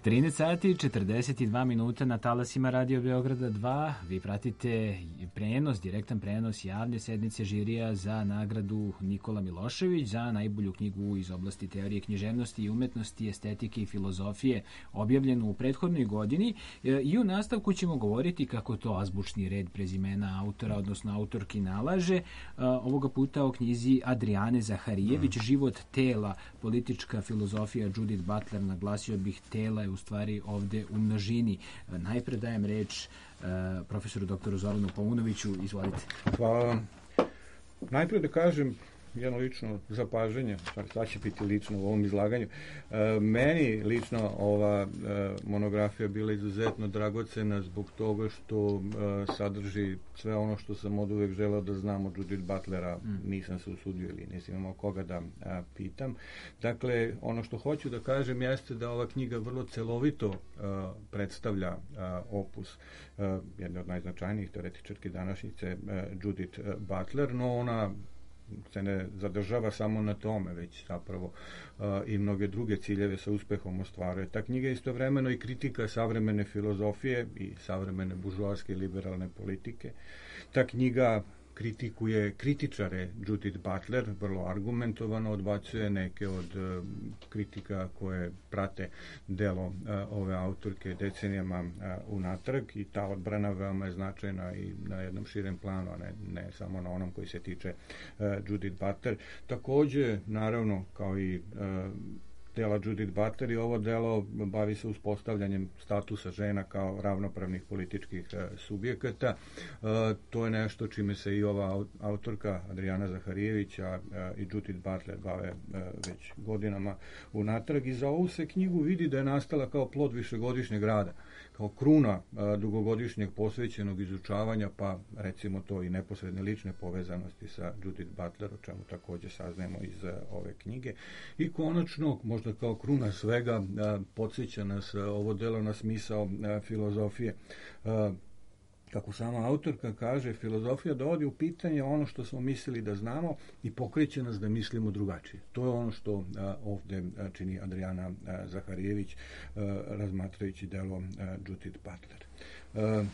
A: trinaest sati i četrdeset dva minuta na talasima Radio Beograda dva. Vi pratite prenos, direktan prenos javne sednice žirija za nagradu Nikola Milošević za najbolju knjigu iz oblasti teorije književnosti i umetnosti, estetike i filozofije, objavljenu u prethodnoj godini. I u nastavku ćemo govoriti kako to azbučni red prezimena autora, odnosno autorki nalaže. Ovoga puta o knjizi Adriane Zaharijević, Život tela, politička filozofija Judith Butler. Naglasio bih, tela je u stvari ovde u množini. Najpre dajem reč uh, profesoru doktoru Zoranu Paunoviću. Izvolite.
D: Hvala vam. Najpre da kažem jedno lično zapažanje, sad će biti lično u ovom izlaganju. E, meni lično ova e, monografija bila izuzetno dragocena zbog toga što e, sadrži sve ono što sam od uvek želeo da znam od Judith Butlera, mm. nisam se usudio ili nisam imao koga da a, pitam. Dakle, ono što hoću da kažem jeste da ova knjiga vrlo celovito a, predstavlja a, opus a, jedne od najznačajnijih teoretičarki današnjice, a, Judith Butler, no ona se ne zadržava samo na tome, već zapravo uh, i mnoge druge ciljeve sa uspehom ostvaruje. Ta knjiga je istovremeno i kritika savremene filozofije i savremene buržoaske liberalne politike. Ta knjiga kritikuje kritičare Judith Butler, vrlo argumentovano odbacuje neke od uh, kritika koje prate delo uh, ove autorke decenijama uh, unatrag, i ta odbrana veoma je značajna i na jednom širem planu, a ne, ne samo na onom koji se tiče uh, Judith Butler. Takođe, naravno, kao i uh, dela Judith Butler, i ovo delo bavi se uspostavljanjem statusa žena kao ravnopravnih političkih e, subjekata. E, to je nešto čime se i ova autorka Adriana Zaharijević a, a, i Judith Butler bave e, već godinama unatrag, i za ovu se knjigu vidi da je nastala kao plod višegodišnjeg rada, kao kruna a, dugogodišnjeg posvećenog izučavanja, pa recimo to i neposredne lične povezanosti sa Judith Butler, o čemu takođe saznajemo iz a, ove knjige. I konačno, možda kao kruna svega, a, podsjeća nas a, ovo delo na smisao a, filozofije. A, kako sama autorka kaže, filozofija dovodi u pitanje ono što smo mislili da znamo i pokreće nas da mislimo drugačije. To je ono što a, ovde a, čini Adriana a, Zaharijević a, razmatrajući delo a, Judith Butler. A,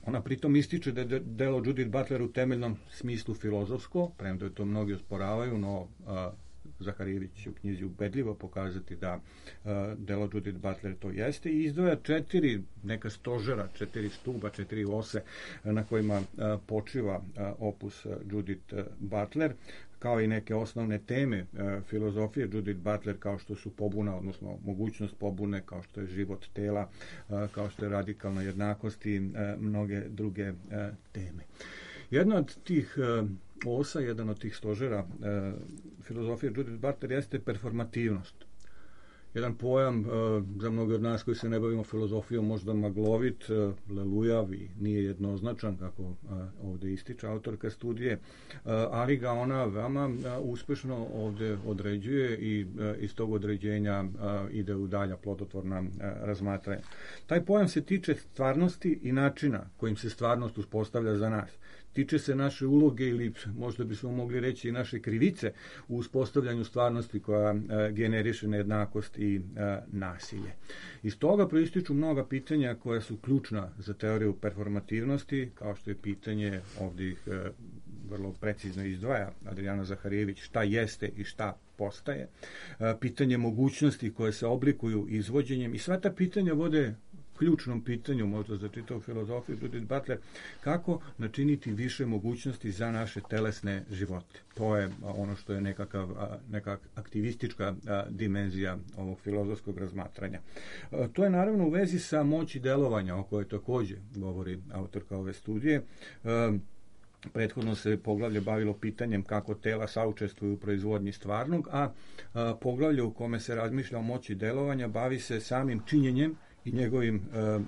D: ona pritom ističe da je delo Judith Butler u temeljnom smislu filozofsko, premda to mnogi osporavaju, no a, Zaharijević će u knjizi ubedljivo pokazati da uh, delo Judith Butler to jeste i izdvaja četiri neka stožera, četiri stuba, četiri ose na kojima uh, počiva uh, opus uh, Judith uh, Butler, kao i neke osnovne teme uh, filozofije Judith Butler, kao što su pobuna, odnosno mogućnost pobune, kao što je život tela, uh, kao što je radikalna jednakost i uh, mnoge druge uh, teme. Jedna od tih uh, osa, jedan od tih stožera uh, filozofije Judith Butler jeste performativnost. Jedan pojam uh, za mnoge od nas koji se ne bavimo filozofijom možda maglovit, uh, lelujav i nije jednoznačan, kako uh, ovde ističe autorka studije, uh, ali ga ona veoma uh, uspešno ovde određuje i uh, iz tog određenja uh, ide u dalja plodotvorna uh, razmatranja. Taj pojam se tiče stvarnosti i načina kojim se stvarnost uspostavlja za nas. Tiče se naše uloge ili možda bismo mogli reći i naše krivice u uspostavljanju stvarnosti koja e, generiše nejednakost i e, nasilje. Iz toga proističu mnoga pitanja koja su ključna za teoriju performativnosti, kao što je pitanje, ovdje ih e, vrlo precizno izdvaja Adriana Zaharijević, šta jeste i šta postaje, e, pitanje mogućnosti koje se oblikuju izvođenjem i sva ta pitanja vode ključnom pitanju, možda za čitavu filozofiju Judith Butler, kako načiniti više mogućnosti za naše telesne živote. To je ono što je nekakav, neka aktivistička dimenzija ovog filozofskog razmatranja. To je naravno u vezi sa moći delovanja, o kojoj takođe govori autorka ove studije. Prethodno se poglavlje bavilo pitanjem kako tela saučestvuju u proizvodnji stvarnog, a poglavlje u kome se razmišlja o moći delovanja bavi se samim činjenjem i njegovim e,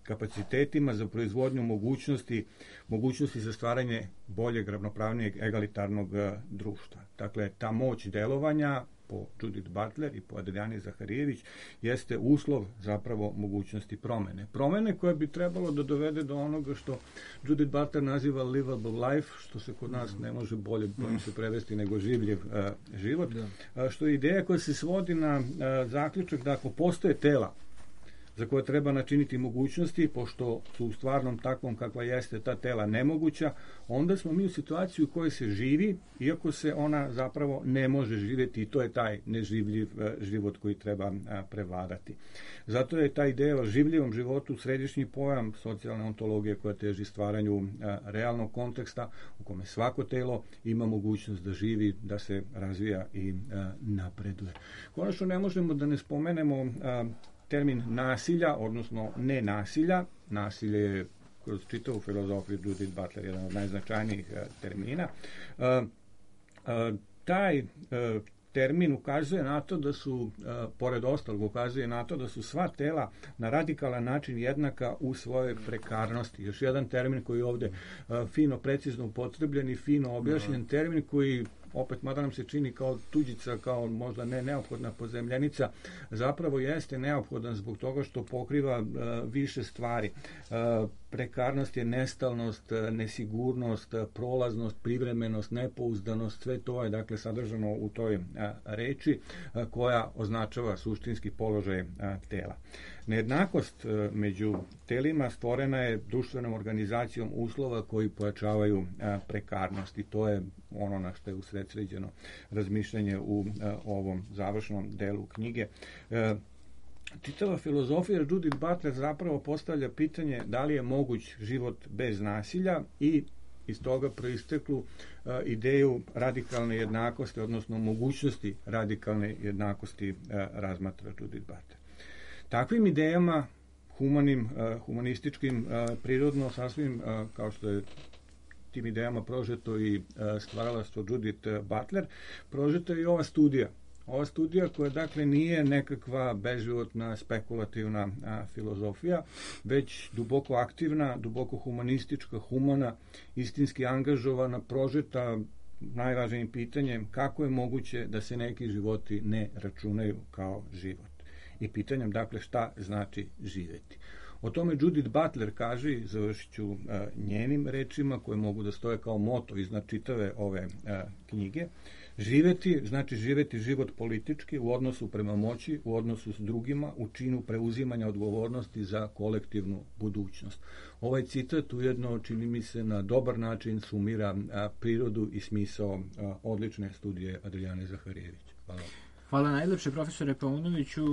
D: kapacitetima za proizvodnju mogućnosti, mogućnosti za stvaranje boljeg, ravnopravnijeg, egalitarnog e, društva. Dakle, ta moć delovanja po Judith Butler i po Adriani Zaharijević jeste uslov zapravo mogućnosti promene. Promene koje bi trebalo da dovede do onoga što Judith Butler naziva livable life, što se kod nas ne može bolje bojim se prevesti nego življiv uh, život, uh, što je ideja koja se svodi na uh, zaključak da ako postoje tela za koje treba načiniti mogućnosti, pošto su u stvarnom takvom kakva jeste ta tela nemoguća, onda smo mi u situaciji u kojoj se živi, iako se ona zapravo ne može živjeti i to je taj neživljiv život koji treba prevladati. Zato je ta ideja o življivom životu središnji pojam socijalne ontologije koja teži stvaranju realnog konteksta u kome svako telo ima mogućnost da živi, da se razvija i napreduje. Konačno ne možemo da ne spomenemo termin nasilja, odnosno nenasilja. Nasilje je kroz čitavu filozofiju Judith Butler jedan od najznačajnijih uh, termina. Uh, uh, taj uh, termin ukazuje na to da su, uh, pored ostalog, ukazuje na to da su sva tela na radikalan način jednaka u svojoj prekarnosti. Još jedan termin koji je ovde uh, fino, precizno upotrebljen i fino objašnjen, termin koji opet, mada nam se čini kao tuđica, kao možda ne neophodna pozemljenica, zapravo jeste neophodan zbog toga što pokriva uh, više stvari. Uh, prekarnost je nestalnost, nesigurnost, prolaznost, privremenost, nepouzdanost, sve to je dakle sadržano u toj uh, reči uh, koja označava suštinski položaj uh, tela. Nejednakost uh, među telima stvorena je društvenom organizacijom uslova koji pojačavaju uh, prekarnost i to je ono na što je usredsređeno razmišljanje u uh, ovom završnom delu knjige. Uh, Čitava filozofija Judith Butler zapravo postavlja pitanje da li je moguć život bez nasilja i iz toga proisteklu uh, ideju radikalne jednakosti, odnosno mogućnosti radikalne jednakosti uh, razmatra Judith Butler. Takvim idejama, humanim, uh, humanističkim, uh, prirodno, sasvim, uh, kao što je tim idejama prožeto i uh, stvaralaštvo Judith Butler, prožeto je i ova studija. Ova studija koja dakle nije nekakva beživotna, spekulativna a, filozofija, već duboko aktivna, duboko humanistička, humana, istinski angažovana, prožeta najvažnijim pitanjem kako je moguće da se neki životi ne računaju kao život. I pitanjem dakle šta znači živjeti. O tome Judith Butler kaže, i završit ću uh, njenim rečima koje mogu da stoje kao moto iznad čitave ove uh, knjige. Živeti, znači živeti život politički u odnosu prema moći, u odnosu s drugima, u činu preuzimanja odgovornosti za kolektivnu budućnost. Ovaj citat ujedno, čini mi se, na dobar način sumira a, prirodu i smisao a, odlične studije Adrijane Zaharijević. Hvala.
A: Hvala najlepše, profesore Paunoviću,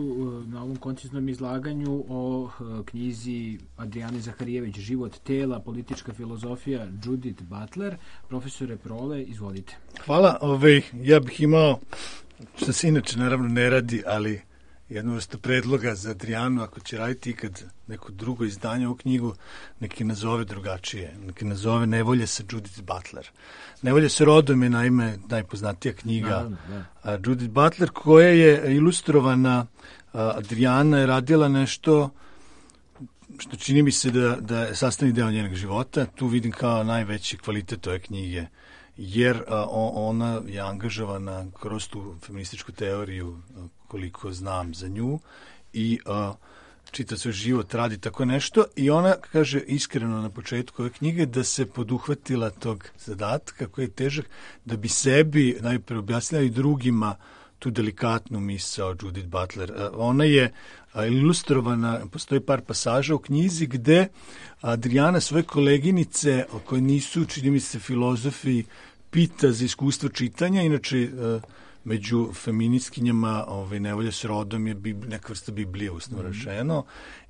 A: na ovom konciznom izlaganju o knjizi Adrijane Zaharijević Život tela, politička filozofija Judith Butler. Profesore Prole, izvolite.
E: Hvala. Ove, ja bih imao, što se inače naravno ne radi, ali jednu vrstu predloga za Adrijanu, ako će raditi ikad neko drugo izdanje u knjigu, neki nazove drugačije, neki nazove Nevolje sa Judith Butler. Nevolje sa rodom je naime najpoznatija knjiga Naravno, da. Judith Butler, koja je ilustrovana. Adrijana je radila nešto što čini mi se da, da je sastavni deo njenog života. Tu vidim kao najveći kvalitet ove knjige, jer a, ona je angažovana kroz tu feminističku teoriju, a, koliko znam za nju, i a, čita svoj život, radi tako nešto, i ona kaže iskreno na početku ove knjige da se poduhvatila tog zadatka koji je težak, da bi sebi najpre objasnila i drugima tu delikatnu misao Judith Butler. Ona je ilustrovana, postoji par pasaža u knjizi gde Adrijana svoje koleginice, koje nisu, čini mi se, filozofi, pita za iskustvo čitanja. Inače, među feministkinjama ovaj, Nevolja s rodom je bib, neka vrsta Biblije, usno mm-hmm. rečeno,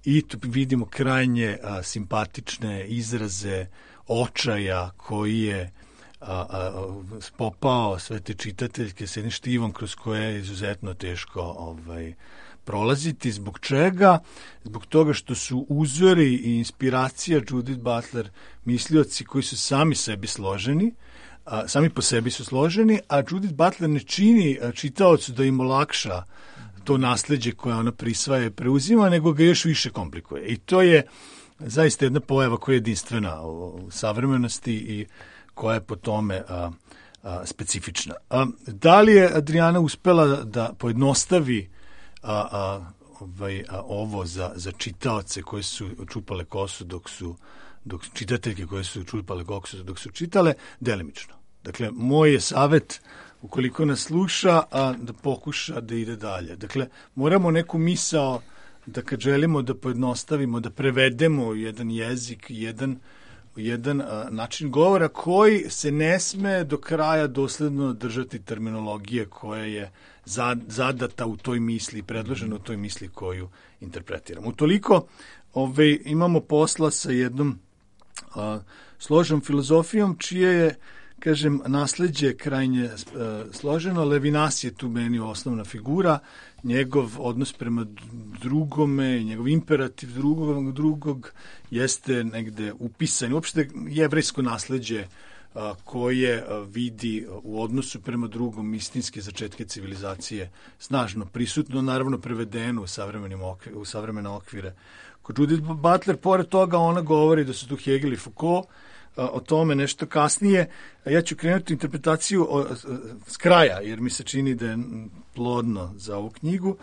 E: i tu vidimo krajnje a, simpatične izraze očaja koji je a, a, popao sve te čitateljke s jednim štivom kroz koje je izuzetno teško ovaj, prolaziti. Zbog čega? Zbog toga što su uzori i inspiracija Judith Butler mislioci koji su sami sebi složeni, a, sami po sebi su složeni, a Judith Butler ne čini čitaocu da im olakša to nasleđe koje ona prisvaja i preuzima, nego ga još više komplikuje. I to je zaista jedna pojava koja je jedinstvena u savremenosti i koja je po tome a, a, specifična. A, da li je Adrijana uspela da pojednostavi a, a, ovaj, a, ovo za, za čitaoce koji su čupale kosu dok su dok čitateljke koje su čupale kosu dok su čitale, delimično. Dakle, moj je savjet, ukoliko nas sluša, a, da pokuša da ide dalje. Dakle, moramo neku misao da kad želimo da pojednostavimo, da prevedemo jedan jezik, jedan, jedan a, način govora koji se ne sme do kraja dosledno držati terminologije koja je zadata u toj misli, predložena u toj misli koju interpretiramo. Utoliko ove, imamo posla sa jednom a, složenom filozofijom čije je, kažem, nasleđe krajnje uh, složeno. Levinas je tu meni osnovna figura, njegov odnos prema drugome, njegov imperativ drugog, drugog jeste negde upisan. Uopšte jevrejsko nasleđe uh, koje uh, vidi u odnosu prema drugom istinske začetke civilizacije snažno prisutno, naravno prevedeno u, savremenim okvir, u savremene okvire. Kod Judith Butler, pored toga, ona govori da su tu Hegel i Foucault, o tome nešto kasnije. Ja ću krenuti interpretaciju s kraja, jer mi se čini da je plodno za ovu knjigu.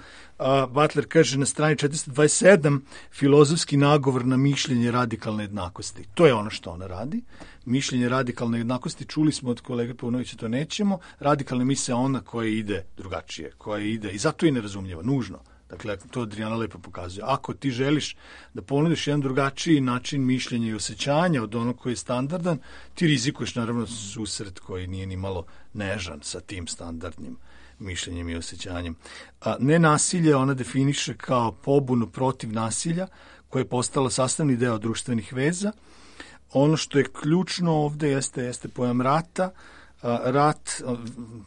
E: Butler kaže na strani četiristo dvadeset sedam filozofski nagovor na mišljenje radikalne jednakosti. To je ono što ona radi. Mišljenje radikalne jednakosti, čuli smo od kolege Paunovića, to nećemo. Radikalna misao je ona koja ide drugačije, koja ide, i zato je nerazumljiva, nužno. Dakle, to Adrijana lepo pokazuje. Ako ti želiš da ponudiš jedan drugačiji način mišljenja i osjećanja od onog koji je standardan, ti rizikuješ naravno susret koji nije ni malo nežan sa tim standardnim mišljenjem i osjećanjem. A, nenasilje ona definiše kao pobunu protiv nasilja koje je postalo sastavni deo društvenih veza. Ono što je ključno ovde jeste, jeste pojam rata. Rat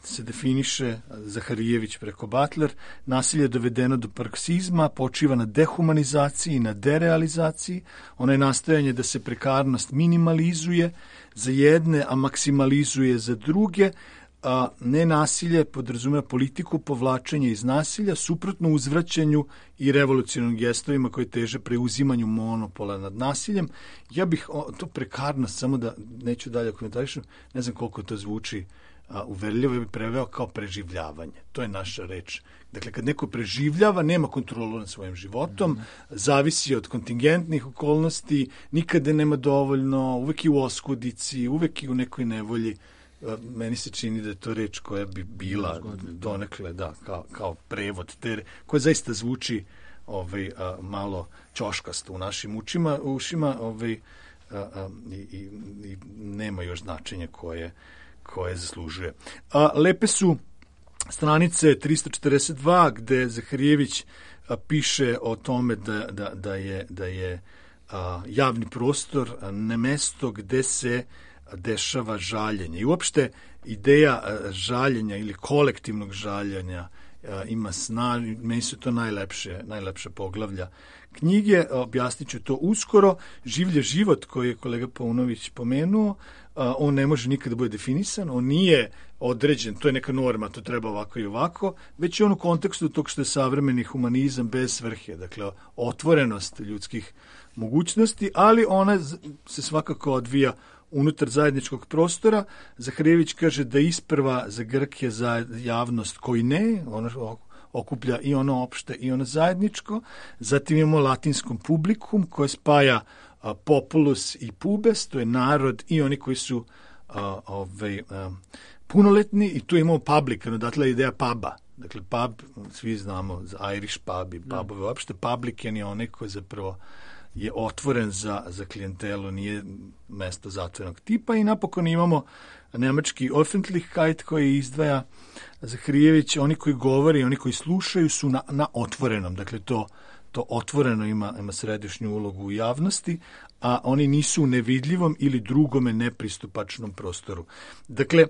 E: se definiše Zaharijević preko Butler, nasilje je dovedeno do paroksizma, počiva na dehumanizaciji, na derealizaciji, ono je nastojanje da se prekarnost minimalizuje za jedne, a maksimalizuje za druge, a nenasilje podrazumeva politiku povlačenja iz nasilja, suprotno uzvraćanju i revolucionarnim gestovima koji teže preuzimanju monopola nad nasiljem. Ja bih, o, to prekarnost, samo da neću dalje komentarišem, ne znam koliko to zvuči a, uverljivo, ja bih preveo kao preživljavanje. To je naša reč. Dakle, kad neko preživljava, nema kontrolu nad svojim životom, mm. zavisi od kontingentnih okolnosti, nikada nema dovoljno, uvek je u oskudici, uvek je u nekoj nevolji. Meni se čini da je to reč koja bi bila donekle, da, kao, kao prevod, te, koja zaista zvuči ovaj, a, malo ćoškasto u našim učima, ušima ovaj, a, a, i, i, i nema još značenja koje, koje zaslužuje. A, lepe su stranice tristo četrdeset dva gde Zaharijević a, piše o tome da, da, da je, da je a, javni prostor a, ne mesto gde se dešava žaljenje. I uopšte ideja žaljenja ili kolektivnog žaljenja ima snaž, meni su to najlepše, najlepše poglavlja knjige, objasnit ću to uskoro. Življe život koji je kolega Paunović pomenuo, on ne može nikada bude definisan, on nije određen, to je neka norma, to treba ovako i ovako, već je on u kontekstu tog što je savremeni humanizam bez svrhe, dakle otvorenost ljudskih mogućnosti, ali ona se svakako odvija unutar zajedničkog prostora. Zaharijević kaže da isprva za Grke za javnost koji ne, ono okuplja i ono opšte i ono zajedničko, zatim imamo latinskom publikum koje spaja a, populus i pubes, to je narod i oni koji su a, ovaj, a, punoletni, i tu imamo public, odatle je ideja puba. Dakle, pub, svi znamo za Irish pub i pubove, mm. uopšte publican je onaj koji zapravo je otvoren za, za klijentelu, nije mesto zatvorenog tipa. I napokon imamo nemački Öffentlichkeit koji izdvaja Zaharijević, oni koji govore i oni koji slušaju su na, na otvorenom, dakle to, to otvoreno ima, ima središnju ulogu u javnosti, a oni nisu u nevidljivom ili drugome nepristupačnom prostoru. Dakle,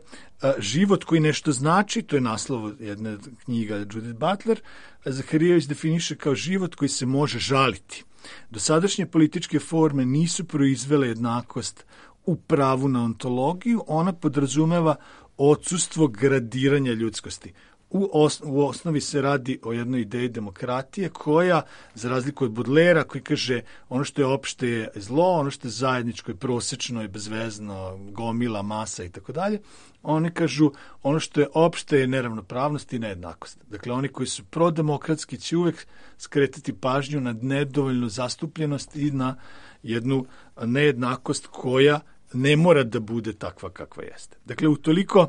E: život koji nešto znači, to je naslov jedne knjiga Judith Butler, Zaharijević definiše kao život koji se može žaliti. Dosadašnje političke forme nisu proizvele jednakost u pravu na ontologiju, ona podrazumeva odsustvo gradiranja ljudskosti. U, os, u osnovi se radi o jednoj ideji demokratije koja, za razliku od Baudelaira, koji kaže ono što je opšte je zlo, ono što je zajedničko je prosečno i bezvezno, gomila, masa i tako dalje. Oni kažu ono što je opšte je neravnopravnost i nejednakost. Dakle, oni koji su prodemokratski će uvek skretati pažnju na nedovoljnu zastupljenost i na jednu nejednakost koja ne mora da bude takva kakva jeste. Dakle, utoliko,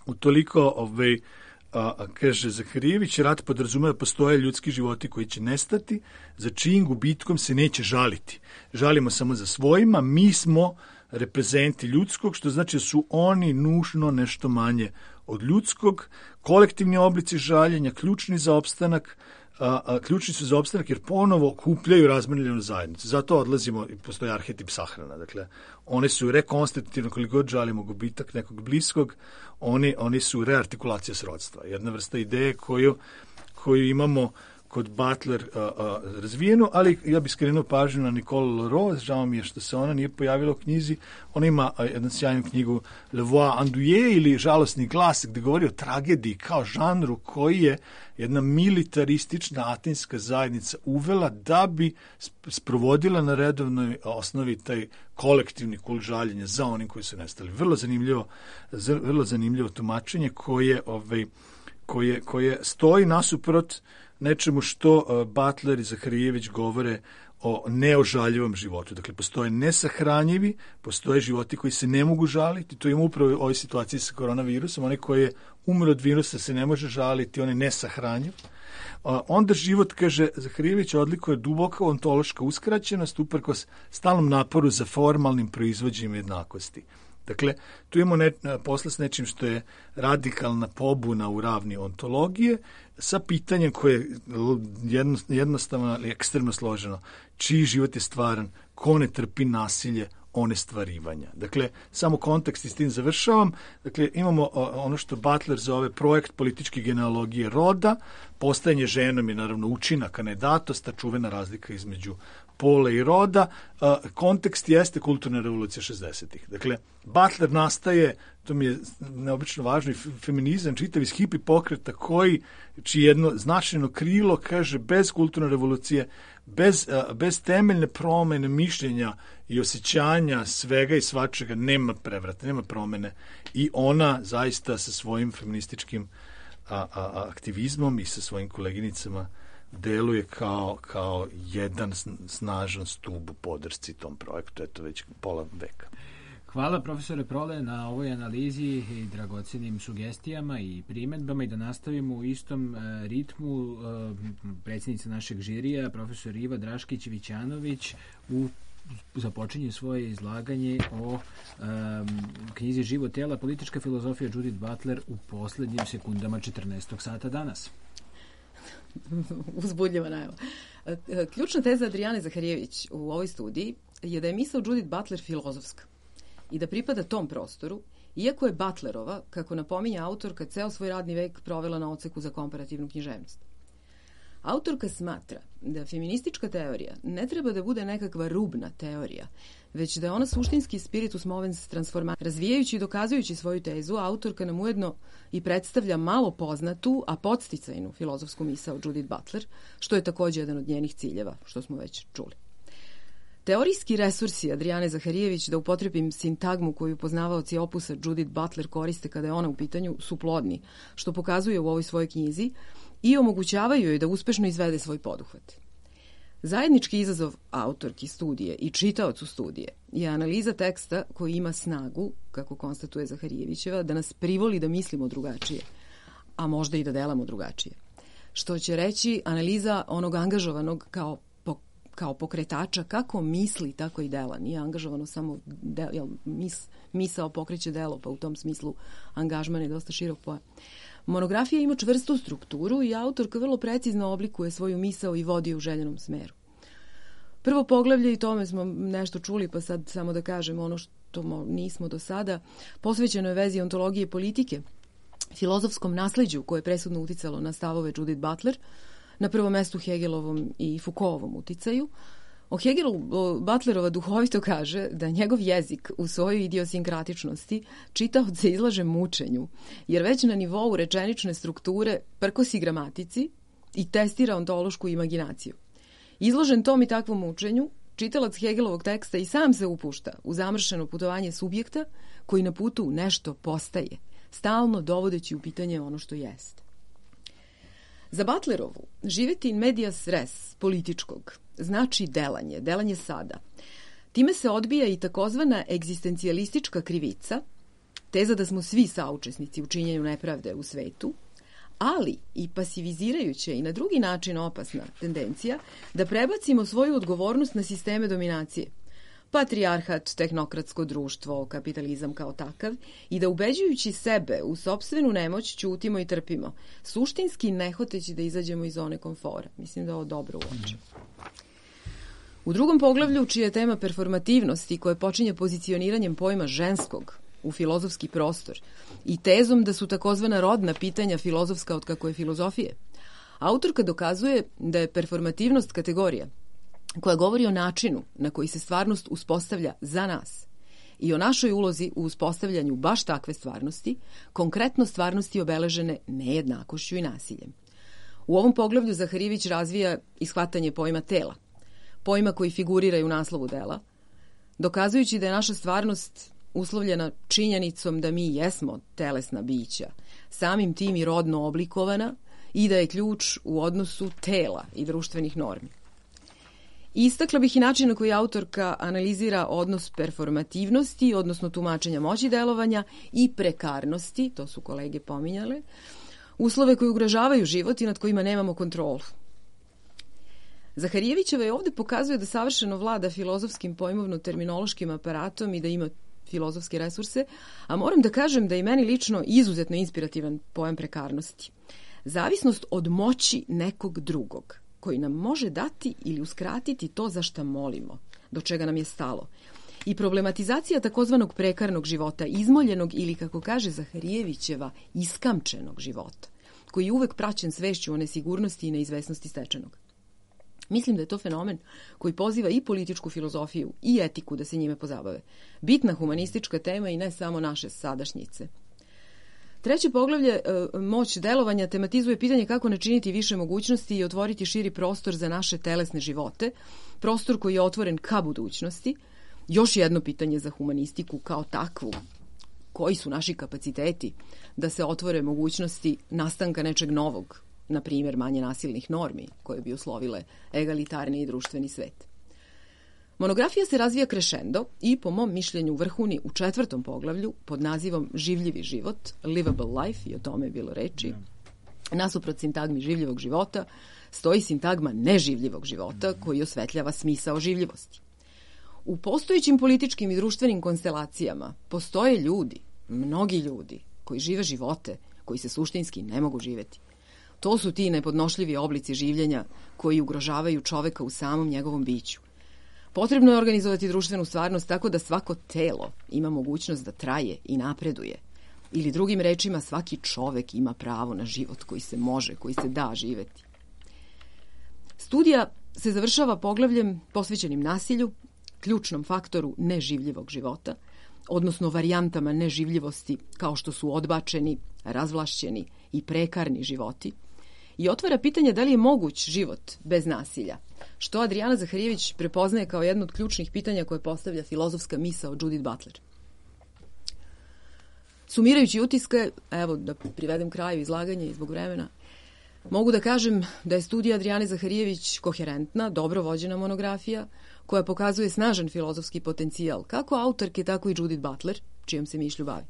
E: utoliko ovaj, a, a, kaže Zaharijević, rat podrazumeva da postoje ljudski životi koji će nestati, za čijim gubitkom se neće žaliti. Žalimo samo za svojima, mi smo reprezenti ljudskog, što znači da su oni nužno nešto manje od ljudskog. Kolektivni oblici žaljenja, ključni za opstanak, a, a, ključni su za opstanak jer ponovo okupljaju razmrljenu zajednicu. Zato odlazimo, i postoji arhetip sahrana. Dakle, one su rekonstitutivno, koliko god žalimo gubitak nekog bliskog, oni, oni su reartikulacija srodstva. Jedna vrsta ideje koju, koju imamo kod Butler a, a, razvijenu, ali ja bih skrenuo pažnju na Nicole Leroux, žao mi je što se ona nije pojavila u knjizi. Ona ima a, jednu sjajnu knjigu Le Voix endeuillé ili Žalosni glas, gde govori o tragediji kao žanru koji je jedna militaristična atinska zajednica uvela da bi sprovodila na redovnoj osnovi taj kolektivni kult žaljenja za onim koji su nestali. Vrlo zanimljivo, vrlo zanimljivo tumačenje koje, ovaj, koje, koje stoji nasuprot nečemu što uh, Butler i Zaharijević govore o neožaljivom životu. Dakle, postoje nesahranjivi, postoje životi koji se ne mogu žaliti. To ima upravo u ovoj situaciji sa koronavirusom. Onaj koji je umro od virusa se ne može žaliti, on je nesahranjiv. Uh, onda život, kaže Zaharijević, odlikuje duboka ontološka uskraćenost uprkos stalnom naporu za formalnim proizvođenjem jednakosti. Dakle, tu imamo ne, posla s nečim što je radikalna pobuna u ravni ontologije sa pitanjem koje je jedno, jednostavno ali ekstremno složeno. Čiji život je stvaran, ko ne trpi nasilje, onestvarivanja. Dakle, samo kontekst i s tim završavam. Dakle, imamo ono što Butler zove projekt političke genealogije roda, postajanje ženom je naravno učinak, a ne datost, ta čuvena razlika između pola i roda, a, kontekst jeste kulturna revolucija šezdesetih. Dakle, Butler nastaje, to mi je neobično važno, i feminizam, čitav iz hipi pokreta koji, čiji jedno značajno krilo kaže bez kulturne revolucije, bez, a, bez temeljne promene mišljenja i osjećanja svega i svačega nema prevrata, nema promene i ona zaista sa svojim feminističkim a, a, a, aktivizmom i sa svojim koleginicama deluje kao, kao jedan snažan stub u podršci tom projektu, eto već pola veka.
A: Hvala profesore Prole na ovoj analizi i dragocenim sugestijama i primedbama i da nastavimo u istom uh, ritmu. Uh, predsjednica našeg žirija, profesor Iva Draškić-Vićanović, u započinje svoje izlaganje o um, knjizi Život tela, politička filozofija Judith Butler u poslednjim sekundama četrnaestog sata danas.
C: Uzbudljiva najava. Ključna teza Adrijane Zaharijević u ovoj studiji je da je misao Judith Butler filozofska i da pripada tom prostoru, iako je Butlerova, kako napominje autorka, ceo svoj radni vek provela na odseku za komparativnu književnost. Autorka smatra da feministička teorija ne treba da bude nekakva rubna teorija, već da je ona suštinski spiritus movens transformacija. Razvijajući i dokazujući svoju tezu, autorka nam ujedno i predstavlja malo poznatu, a podsticajnu filozofsku misao Judith Butler, što je takođe jedan od njenih ciljeva, što smo već čuli. Teorijski resursi Adrijane Zaharijević, da upotrebim sintagmu koju poznavaoci opusa Judith Butler koriste kada je ona u pitanju, su plodni, što pokazuje u ovoj svojoj knjizi, i omogućavaju joj da uspešno izvede svoj poduhvat. Zajednički izazov autorki studije i čitaocu studije je analiza teksta koji ima snagu, kako konstatuje Zaharijevićeva, da nas privoli da mislimo drugačije, a možda i da delamo drugačije. Što će reći analiza onog angažovanog kao kao pokretača, kako misli, tako i dela. Nije angažovano samo del, jel, mis, misao pokreće delo, pa u tom smislu angažman je dosta širok pojam. Monografija ima čvrstu strukturu i autorka vrlo precizno oblikuje svoju misao i vodi u željenom smeru. Prvo poglavlje, i tome smo nešto čuli, pa sad samo da kažem ono što nismo do sada, posvećeno je vezi ontologije i politike, filozofskom nasleđu koje je presudno uticalo na stavove Judith Butler, na prvom mestu Hegelovom i Foucaultovom uticaju. O Hegelu Butlerova duhovito kaže da njegov jezik u svojoj idiosinkratičnosti čitaoce izlaže mučenju, jer već na nivou rečenične strukture prkosi gramatici i testira ontološku imaginaciju. Izložen tom i takvom mučenju, čitalac Hegelovog teksta i sam se upušta u zamršeno putovanje subjekta koji na putu nešto postaje, stalno dovodeći u pitanje ono što jeste. Za Butlerovu živeti in medias res političkog znači delanje, delanje sada. Time se odbija i takozvana egzistencijalistička krivica, teza da smo svi saučesnici u činjenju nepravde u svetu, ali i pasivizirajuća i na drugi način opasna tendencija da prebacimo svoju odgovornost na sisteme dominacije. Patrijarhat, tehnokratsko društvo, kapitalizam kao takav, i da ubeđujući sebe u sopstvenu nemoć ćutimo i trpimo, suštinski ne hoteći da izađemo iz zone komfora. Mislim da ovo dobro uočimo. U drugom poglavlju, čija je tema performativnosti, koje počinje pozicioniranjem pojma ženskog u filozofski prostor i tezom da su takozvana rodna pitanja filozofska od kako je filozofije, autorka dokazuje da je performativnost kategorija koja govori o načinu na koji se stvarnost uspostavlja za nas i o našoj ulozi u uspostavljanju baš takve stvarnosti, konkretno stvarnosti obeležene nejednakošću i nasiljem. U ovom poglavlju Zaharijević razvija ishvatanje pojma tela, pojma koji figurira i u naslovu dela, dokazujući da je naša stvarnost uslovljena činjenicom da mi jesmo telesna bića, samim tim i rodno oblikovana, i da je ključ u odnosu tela i društvenih normi. Istakla bih i način na koji autorka analizira odnos performativnosti, odnosno tumačenja moći delovanja, i prekarnosti, to su kolege pominjale, uslove koji ugrožavaju život i nad kojima nemamo kontrolu. Zaharijevićeva je ovde pokazuje da savršeno vlada filozofskim pojmovno-terminološkim aparatom i da ima filozofske resurse, a moram da kažem da je meni lično izuzetno inspirativan pojam prekarnosti. Zavisnost od moći nekog drugog, koji nam može dati ili uskratiti to za šta molimo, do čega nam je stalo. I problematizacija takozvanog prekarnog života, izmoljenog ili, kako kaže Zaharijevićeva, iskamčenog života, koji je uvek praćen svešću o nesigurnosti i neizvesnosti stečenog. Mislim da je to fenomen koji poziva i političku filozofiju i etiku da se njime pozabave. Bitna humanistička tema i ne samo naše sadašnjice. Treće poglavlje, moć delovanja, tematizuje pitanje kako načiniti više mogućnosti i otvoriti širi prostor za naše telesne živote, prostor koji je otvoren ka budućnosti. Još jedno pitanje za humanistiku kao takvu. Koji su naši kapaciteti da se otvore mogućnosti nastanka nečeg novog, na primjer manje nasilnih normi koje bi uslovile egalitarni i društveni svet. Monografija se razvija krešendo i, po mom mišljenju, vrhuni u četvrtom poglavlju pod nazivom Življivi život, Livable Life, i o tome je bilo reči. Nasuprot sintagmi življivog života stoji sintagma neživljivog života koji osvetljava smisao življivosti. U postojećim političkim i društvenim konstelacijama postoje ljudi, mnogi ljudi, koji žive živote koji se suštinski ne mogu živeti. To su ti nepodnošljivi oblici življenja koji ugrožavaju čoveka u samom njegovom biću. Potrebno je organizovati društvenu stvarnost tako da svako telo ima mogućnost da traje i napreduje. Ili drugim rečima, svaki čovek ima pravo na život koji se može, koji se da živeti. Studija se završava poglavljem posvećenim nasilju, ključnom faktoru neživljivog života, odnosno varijantama neživljivosti kao što su odbačeni, razvlašćeni i prekarni životi, i otvara pitanje da li je moguć život bez nasilja, što Adrijana Zaharijević prepoznaje kao jedno od ključnih pitanja koje postavlja filozofska misao Judith Butler. Sumirajući utiske, evo da privedem kraju izlaganje i zbog vremena, mogu da kažem da je studija Adrijane Zaharijević koherentna, dobro vođena monografija, koja pokazuje snažan filozofski potencijal, kako autorke, tako i Judith Butler, čijom se mišlju bavi.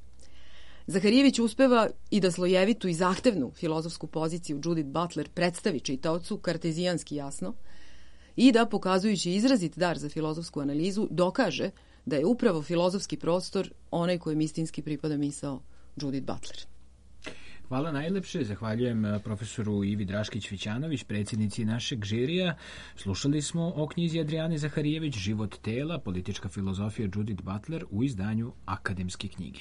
C: Zaharijević uspeva i da slojevitu i zahtevnu filozofsku poziciju Judith Butler predstavi čitaocu kartezijanski jasno i da, pokazujući izrazit dar za filozofsku analizu, dokaže da je upravo filozofski prostor onaj kojem istinski pripada misao Judith Butler.
A: Hvala najlepše, zahvaljujem profesoru Ivi Draškić-Vićanović, predsjednici našeg žirija. Slušali smo o knjizi Adrijane Zaharijević Život tela, politička filozofija Judith Butler u izdanju Akademske knjige.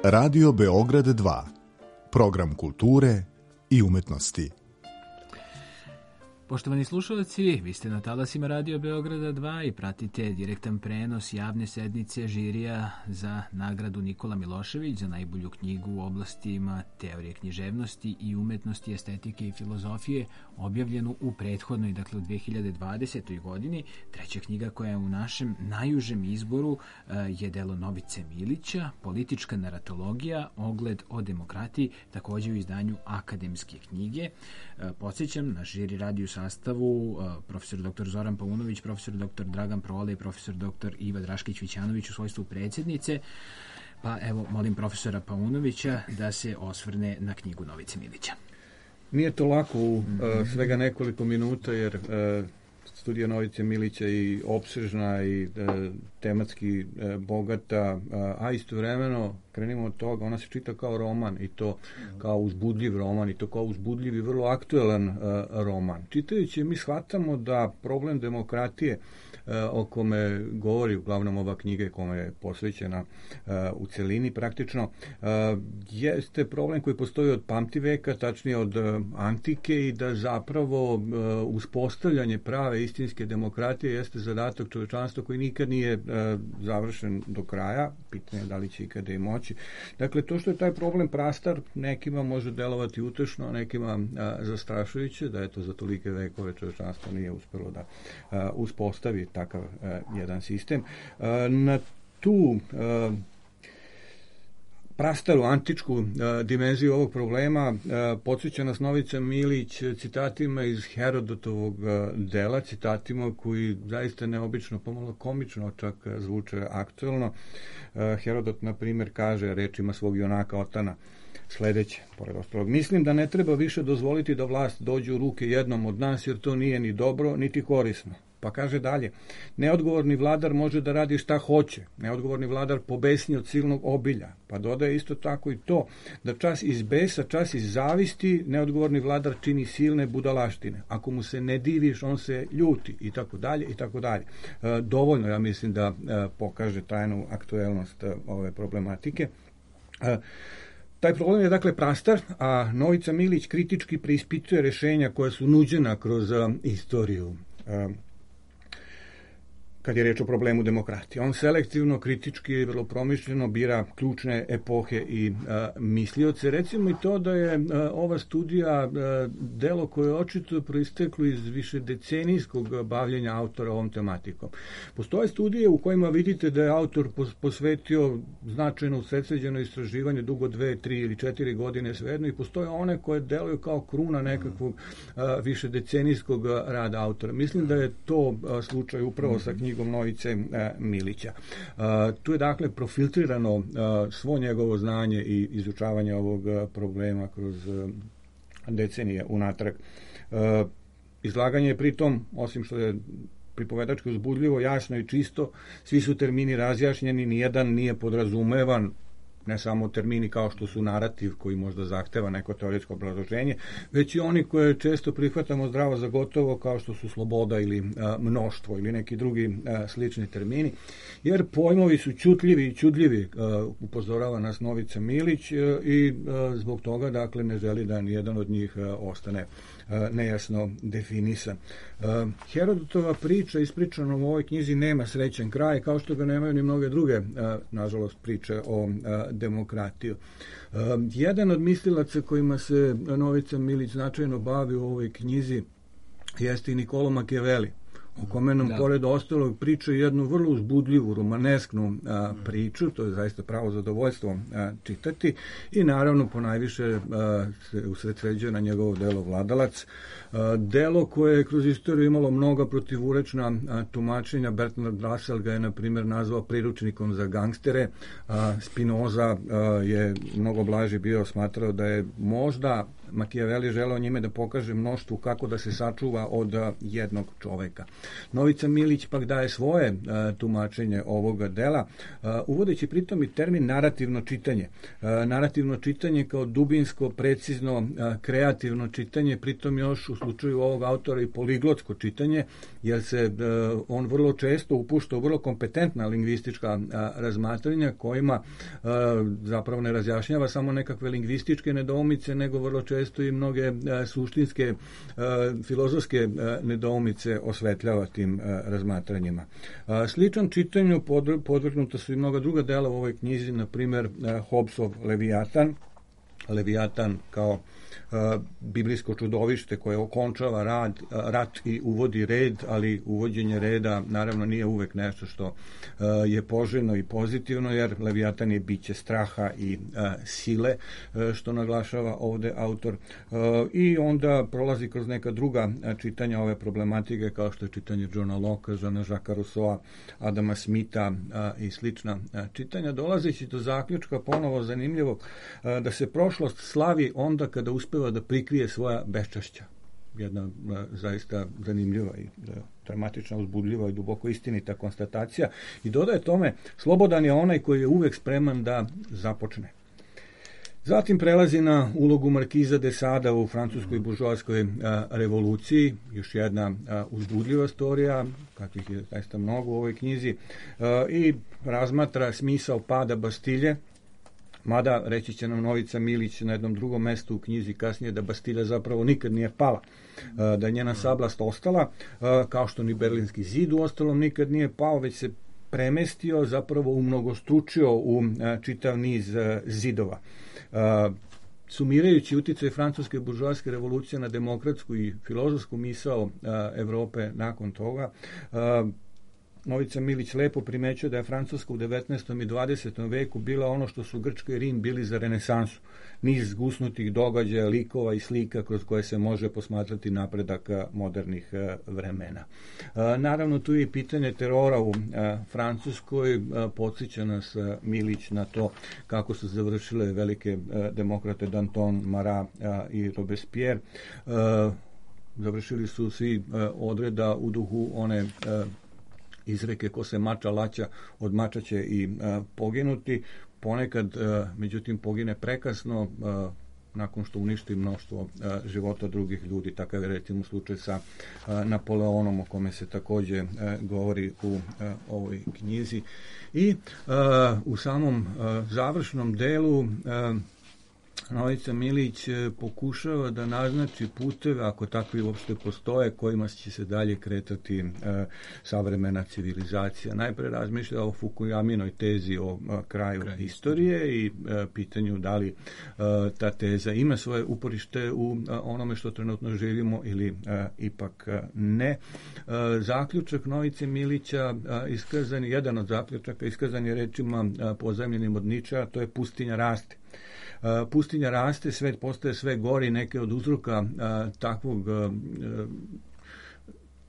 G: Radio Beograd dva. Program kulture i umetnosti.
A: Poštovani slušalci, vi ste na talasima Radio Beograda dva i pratite direktan prenos javne sednice žirija za nagradu Nikola Milošević za najbolju knjigu u oblastima teorije književnosti i umetnosti, estetike i filozofije, objavljenu u prethodnoj, dakle u dve hiljade dvadesetoj. godini. Treća knjiga koja je u našem najužem izboru je delo Novice Milića, Politička naratologija, ogled o demokratiji, također u izdanju Akademske knjige. Podsjećam, na žiri radiju sastavu profesor doktor Zoran Paunović, profesor doktor Dragan Prole i profesor doktor Iva Draškić-Vićanović u svojstvu predsjednice. Pa evo, molim profesora Paunovića da se osvrne na knjigu Novice Milića.
D: Nije to lako u uh, svega nekoliko minuta, jer uh, studija Novice Milića je i opsežna i uh, tematski uh, bogata, uh, a istovremeno, krenimo od toga, ona se čita kao roman i to kao uzbudljiv roman i to kao uzbudljiv i vrlo aktuelan uh, roman. Čitajući mi shvatamo da problem demokratije uh, o kome govori uglavnom ova knjiga kome je posvećena uh, u celini praktično, uh, jeste problem koji postoji od pamtiveka, tačnije od uh, antike, i da zapravo uh, uspostavljanje prave istinske demokratije jeste zadatak čovečanstva koji nikad nije uh, završen do kraja. Pitanje je da li će ikada i moći. Dakle, to što je taj problem prastar, nekima može delovati utešno, nekima a, zastrašujuće, da je to za tolike vekove čovečanstvo nije uspelo da a, uspostavi takav a, jedan sistem. A, na tu a, prastaru antičku uh, dimenziju ovog problema uh, podsjeća nas Novica Milić citatima iz Herodotovog uh, dela, citatima koji zaista neobično, pomalo komično čak uh, zvuče aktuelno. Uh, Herodot, na primjer, kaže rečima svog junaka Otana sledeće, pored ostalog: mislim da ne treba više dozvoliti da vlast dođe u ruke jednom od nas, jer to nije ni dobro, niti korisno. Pa kaže dalje: neodgovorni vladar može da radi šta hoće, neodgovorni vladar pobesni od silnog obilja. Pa dodaje isto tako i to, da čas iz besa, čas iz zavisti, neodgovorni vladar čini silne budalaštine. Ako mu se ne diviš, on se ljuti, i tako dalje, i tako dalje. E, dovoljno, ja mislim, da e, pokaže tajnu aktuelnost e, ove problematike. E, Taj problem je dakle prastar, a Novica Milić kritički preispituje rešenja koja su nuđena kroz uh, istoriju. Uh, kad je reč o problemu demokratije. On selektivno, kritički i vrlo promišljeno bira ključne epohe i a, mislioce. Recimo i to da je a, ova studija a, delo koje je očito proisteklo iz višedecenijskog bavljenja autora ovom tematikom. Postoje studije u kojima vidite da je autor posvetio značajno usredsređeno istraživanje dugo dve, tri ili četiri godine svejedno, i postoje one koje deluju kao kruna nekakvog a, višedecenijskog rada autora. Mislim da je to a, slučaj upravo sa knjigom Novice Milića. Tu je dakle profiltrirano svo njegovo znanje i izučavanje ovog problema kroz decenije unatrag. Izlaganje je pritom, osim što je pripovedački uzbudljivo, jasno i čisto, svi su termini razjašnjeni, nijedan nije podrazumevan, ne samo termini kao što su narativ, koji možda zahteva neko teoretsko obrazloženje, već i oni koje često prihvatamo zdravo za gotovo, kao što su sloboda ili a, mnoštvo ili neki drugi a, slični termini, jer pojmovi su čutljivi i čudljivi, a, upozorava nas Novica Milić, a, i a, zbog toga dakle ne želi da nijedan od njih a, ostane a, nejasno definisan. A, Herodotova priča ispričana u ovoj knjizi nema srećan kraj, kao što ga nemaju ni mnoge druge, a, nažalost, priče o a, demokratiju. Uh, jedan od mislilaca kojima se Novica Milić značajno bavi u ovoj knjizi jeste i Niccolo Machiavelli, o kome nam, da, pored ostalog, priča jednu vrlo uzbudljivu, romanesknu a, priču, to je zaista pravo zadovoljstvo a, čitati, i naravno ponajviše a, se usredsređuje na njegovo delo Vladalac, a, delo koje je kroz istoriju imalo mnoga protivurečna a, tumačenja. Bertrand Russell ga je, na primjer, nazvao priručnikom za gangstere, a Spinoza a, je mnogo blaže bio, smatrao da je možda Machiavelli želeo njime da pokaže mnoštvu kako da se sačuva od a, jednog čoveka. Novica Milić pak daje svoje a, tumačenje ovoga dela, a, uvodeći pritom i termin narativno čitanje. A, narativno čitanje kao dubinsko, precizno, a, kreativno čitanje, pritom još u slučaju ovog autora i poliglotsko čitanje, jer se a, on vrlo često upušta u vrlo kompetentna lingvistička a, razmatranja, kojima a, zapravo ne razjašnjava samo nekakve lingvističke nedoumice, nego vrlo često i mnoge a, suštinske a, filozofske a, nedoumice osvetljava tim a, razmatranjima. A, sličan čitanju pod, podvrgnuta su i mnoga druga dela u ovoj knjizi, na primjer Hobbesov Leviatan, Leviatan kao a, biblijsko čudovište koje okončava rad, a, rat i uvodi red, ali uvođenje reda naravno nije uvek nešto što a, je poželjno i pozitivno, jer Leviatan je biće straha i a, sile, a, što naglašava ovde autor, a, i onda prolazi kroz neka druga a, čitanja ove problematike, kao što je čitanje Johna Locke, Jeana-Jacquesa Rousseaua, Adama Smitha a, i slična a, čitanja, dolazeći do zaključka ponovo zanimljivog, a, da se prošlost slavi onda kada uspeva da prikrije svoja beščašća. Jedna a, zaista zanimljiva i a, dramatična, uzbudljiva i duboko istinita konstatacija, i dodaje tome: slobodan je onaj koji je uvek spreman da započne. Zatim prelazi na ulogu Markiza de Sada u francuskoj buržoaskoj revoluciji, još jedna a, uzbudljiva storija, kakvih je zaista mnogo u ovoj knjizi, a, i razmatra smisao pada Bastilje, mada reći će nam Novica Milić na jednom drugom mestu u knjizi kasnije da Bastilja zapravo nikad nije pala, da je njena sablast ostala, kao što ni Berlinski zid uostalom nikad nije pao, već se premestio, zapravo umnogostručio u čitav niz zidova. Sumirajući uticaj francuske buržoaske revolucije na demokratsku i filozofsku misao Evrope nakon toga, Novica Milić lepo primećuje da je Francuska u devetnaestom i dvadesetom veku bila ono što su Grčka i Rim bili za renesansu. Niz zgusnutih događaja, likova i slika kroz koje se može posmatrati napredak modernih vremena. Naravno, tu je i pitanje terora u Francuskoj. Podsjeća nas Milić na to kako su završile velike demokrate Danton, Marat i Robespierre. Završili su svi odreda u duhu one izreke ko se mača laća, od mača će i poginuti. Ponekad, međutim, pogine prekasno nakon što uništi mnoštvo života drugih ljudi. Takav je recimo slučaj sa Napoleonom, o kome se također govori u ovoj knjizi. I u samom završnom delu Novica Milić pokušava da naznači puteve, ako takvi uopšte postoje, kojima će se dalje kretati e, savremena civilizacija. Najpre razmišlja o Fukuyaminoj tezi o a, kraju Kraj istorije i a, pitanju da li a, ta teza ima svoje uporište u a, onome što trenutno živimo ili a, ipak a, ne. A, zaključak Novice Milića a, iskazan, jedan od zaključaka iskazan je rečima a, pozajmljenim od Niča, to je pustinja raste. Uh, pustinja raste, svet postaje sve gori, neke od uzroka uh, takvog uh,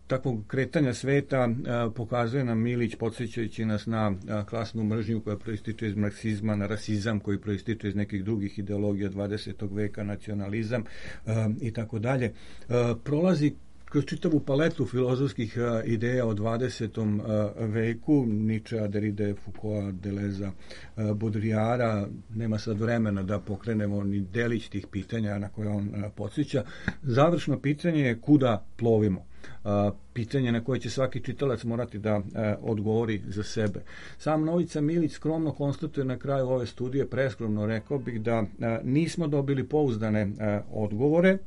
D: takvog kretanja sveta uh, pokazuje nam Milić, podsjećajući nas na uh, klasnu mržnju koja proističe iz marksizma, na rasizam koji proističe iz nekih drugih ideologija dvadesetog veka, nacionalizam uh, i tako dalje. Uh, prolazi kroz čitavu paletu filozofskih uh, ideja o dvadesetom uh, veku, Ničea, Derride, Foucaulta, Deleuza, uh, Baudrillarda. Nema sad vremena da pokrenemo ni delić tih pitanja na koje on uh, podsjeća. Završno pitanje je kuda plovimo. Uh, pitanje na koje će svaki čitalac morati da uh, odgovori za sebe. Sam Novica Milić skromno konstatuje na kraju ove studije, preskromno rekao bih, da uh, nismo dobili pouzdane uh, odgovore,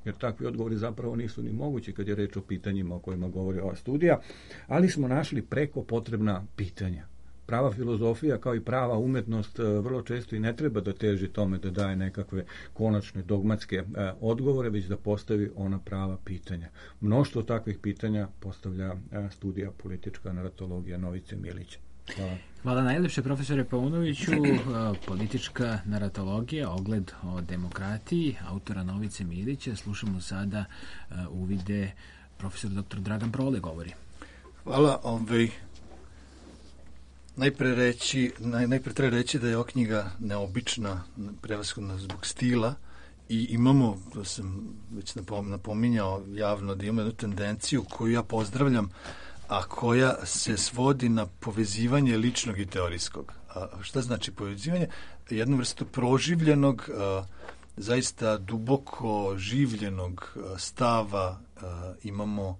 D: jer takvi odgovori zapravo nisu ni mogući kad je reč o pitanjima o kojima govori ova studija, ali smo našli preko potrebna pitanja. Prava filozofija, kao i prava umetnost, vrlo često i ne treba da teži tome da daje nekakve konačne dogmatske e, odgovore, već da postavi ona prava pitanja. Mnoštvo takvih pitanja postavlja e, studija politička naratologija Novice Milića. Hvala.
A: Hvala najlepše, profesore Paunoviću. Politička naratologija, ogled o demokratiji, autora Novice Milića. Slušamo sada uh, uvide profesor doktor Dragan Prole govori.
E: Hvala. Ovaj, najpre, reći, naj, najpre treba reći da je ova knjiga neobična, prevashodno zbog stila, i imamo, to sam već napominjao javno, da imamo jednu tendenciju koju ja pozdravljam, a koja se svodi na povezivanje ličnog i teorijskog. A šta znači povezivanje? Jednu vrstu proživljenog, a, zaista duboko življenog a, stava a, imamo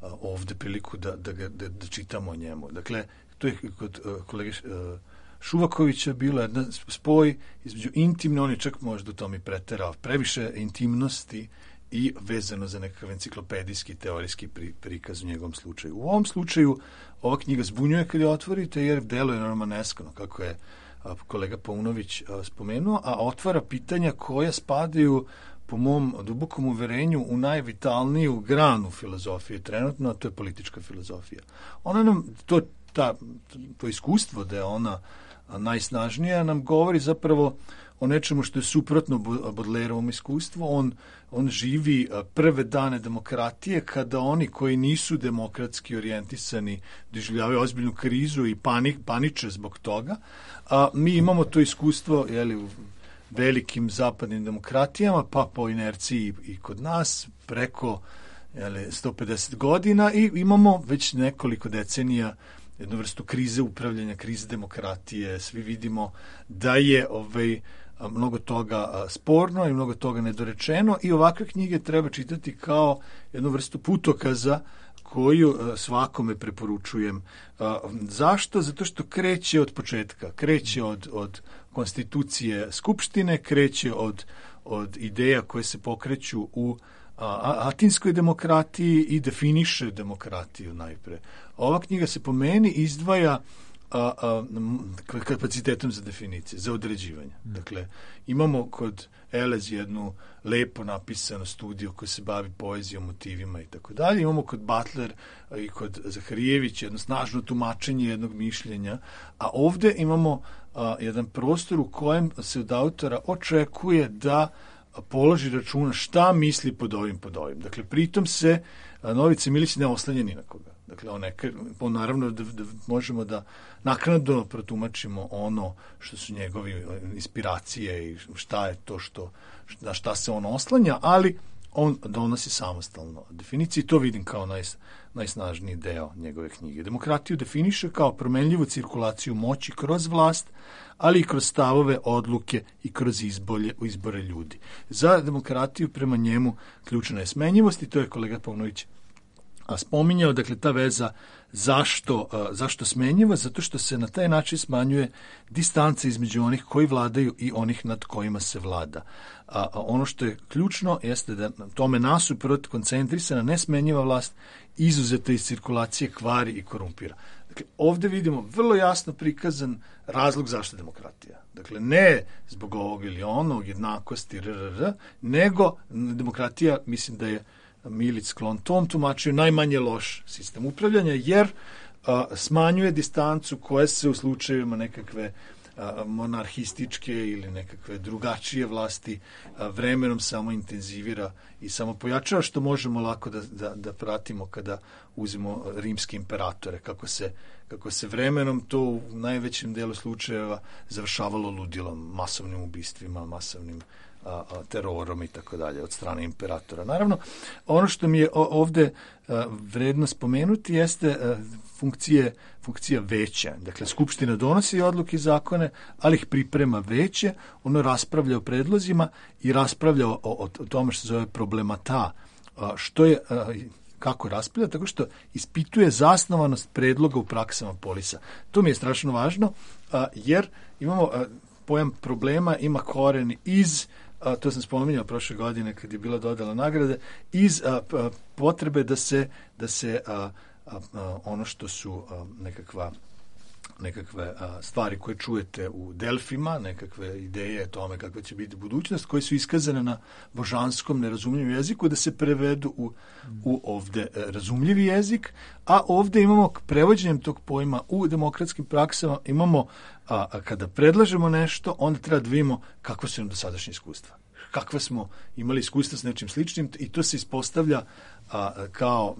E: a, ovde priliku da, da, da, da čitamo o njemu. Dakle, to je kod a, kolege a, Šuvakovića bilo jedan spoj između intimne, on je čak možda u tom i preterao, previše intimnosti i vezano za nekakav enciklopedijski, teorijski pri, prikaz u njegovom slučaju. U ovom slučaju ova knjiga zbunjuje kad je otvorite, jer deluje romaneskano, kako je a, kolega Paunović a, spomenuo, a otvara pitanja koja spadaju, po mom dubokom uverenju, u najvitalniju granu filozofije trenutno, a to je politička filozofija. Ona nam, to, ta, to iskustvo da je ona najsnažnija, nam govori zapravo o nečemu što je suprotno Baudelaireovom iskustvu. On, on živi prve dane demokratije, kada oni koji nisu demokratski orijentisani doživljavaju ozbiljnu krizu i panik, paniče zbog toga. A mi imamo to iskustvo, jeli, u velikim zapadnim demokratijama, pa po inerciji i kod nas, preko jeli, sto pedeset godina, i imamo već nekoliko decenija jednu vrstu krize upravljanja, krize demokratije. Svi vidimo da je ovaj, mnogo toga sporno i mnogo toga nedorečeno, i ovakve knjige treba čitati kao jednu vrstu putokaza koju svakome preporučujem. Zašto? Zato što kreće od početka, kreće od, od konstitucije Skupštine, kreće od, od ideja koje se pokreću u a, atinskoj demokratiji i definiše demokratiju najpre. Ova knjiga se po meni izdvaja a, a, kapacitetom za definicije, za određivanje. Mm. Dakle, imamo kod Elez jednu lepo napisanu studiju koja se bavi poezijom, motivima i tako dalje. Imamo kod Butler i kod Zaharijević jedno snažno tumačenje jednog mišljenja, a ovde imamo a, jedan prostor u kojem se od autora očekuje da položi računa šta misli pod ovim, pod ovim. Dakle, pritom se a, Novica Milić ne oslanja ni na koga. Dakle, on, neka, on naravno da, da možemo da naknadno protumačimo ono što su njegovi inspiracije i šta je to što, na šta se on oslanja, ali on donosi samostalno definiciju i to vidim kao naj, najsnažniji deo njegove knjige. Demokratiju definiše kao promenljivu cirkulaciju moći kroz vlast, ali i kroz stavove, odluke i kroz izbolje, izbore ljudi. Za demokratiju prema njemu ključna je smenjivost i to je kolega Paunović a spominjao, dakle, ta veza zašto, a, zašto smenjiva, zato što se na taj način smanjuje distanca između onih koji vladaju i onih nad kojima se vlada. A, a ono što je ključno jeste da tome nasuprot koncentrisana nesmenjiva vlast izuzeta iz cirkulacije kvari i korumpira. Dakle, ovde vidimo vrlo jasno prikazan razlog zašto demokratija. Dakle, ne zbog ovog ili onog, jednakosti, rrr, nego demokratija, mislim da je Milić sklon tom tumačiju, najmanje loš sistem upravljanja, jer a, smanjuje distancu koja se u slučajevima nekakve a, monarhističke ili nekakve drugačije vlasti a, vremenom samo intenzivira i samo pojačava, što možemo lako da, da, da pratimo kada uzimo rimske imperatore, kako se, kako se vremenom to u najvećem delu slučajeva završavalo ludilom, masovnim ubistvima, masovnim A, a, terorom i tako dalje od strane imperatora. Naravno, ono što mi je ovde a, vredno spomenuti jeste a, funkcije, funkcija veća. Dakle, Skupština donosi odluke i zakone, ali ih priprema veće, ono raspravlja o predlozima i raspravlja o, o, o tome što se zove problemata, a, što je, a, kako raspravlja, tako što ispituje zasnovanost predloga u praksama polisa. To mi je strašno važno, a, jer imamo a, pojam problema, ima koren iz A, to sam spominjao prošle godine kad je bila dodala nagrade, iz a, a, potrebe da se, da se a, a, a, ono što su a, nekakva nekakve a, stvari koje čujete u Delfima, nekakve ideje o tome kakva će biti budućnost, koje su iskazane na božanskom nerazumljivom jeziku, da se prevedu u, u ovde razumljivi jezik, a ovde imamo prevođenjem tog pojma u demokratskim praksama, imamo, a, a kada predlažemo nešto, onda treba da vidimo kakva su nam dosadašnje iskustva. Kakva smo imali iskustva s nečim sličnim i to se ispostavlja a, kao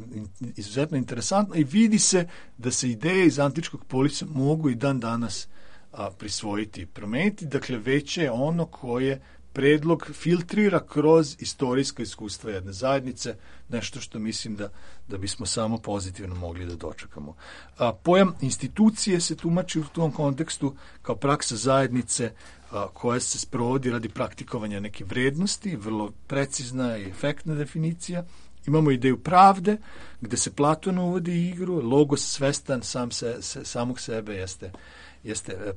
E: izuzetno interesantno i vidi se da se ideje iz antičkog polisa mogu i dan danas a, prisvojiti i promeniti. Dakle, veće je ono koje predlog filtrira kroz istorijska iskustva jedne zajednice, nešto što mislim da, da bismo samo pozitivno mogli da dočekamo. A, pojam institucije se tumači u tom kontekstu kao praksa zajednice a, koja se sprovodi radi praktikovanja neke vrednosti, vrlo precizna i efektna definicija. Imamo ideju pravde, gde se Platon uvodi igru, logos svestan sam se, se, samog sebe jeste, jeste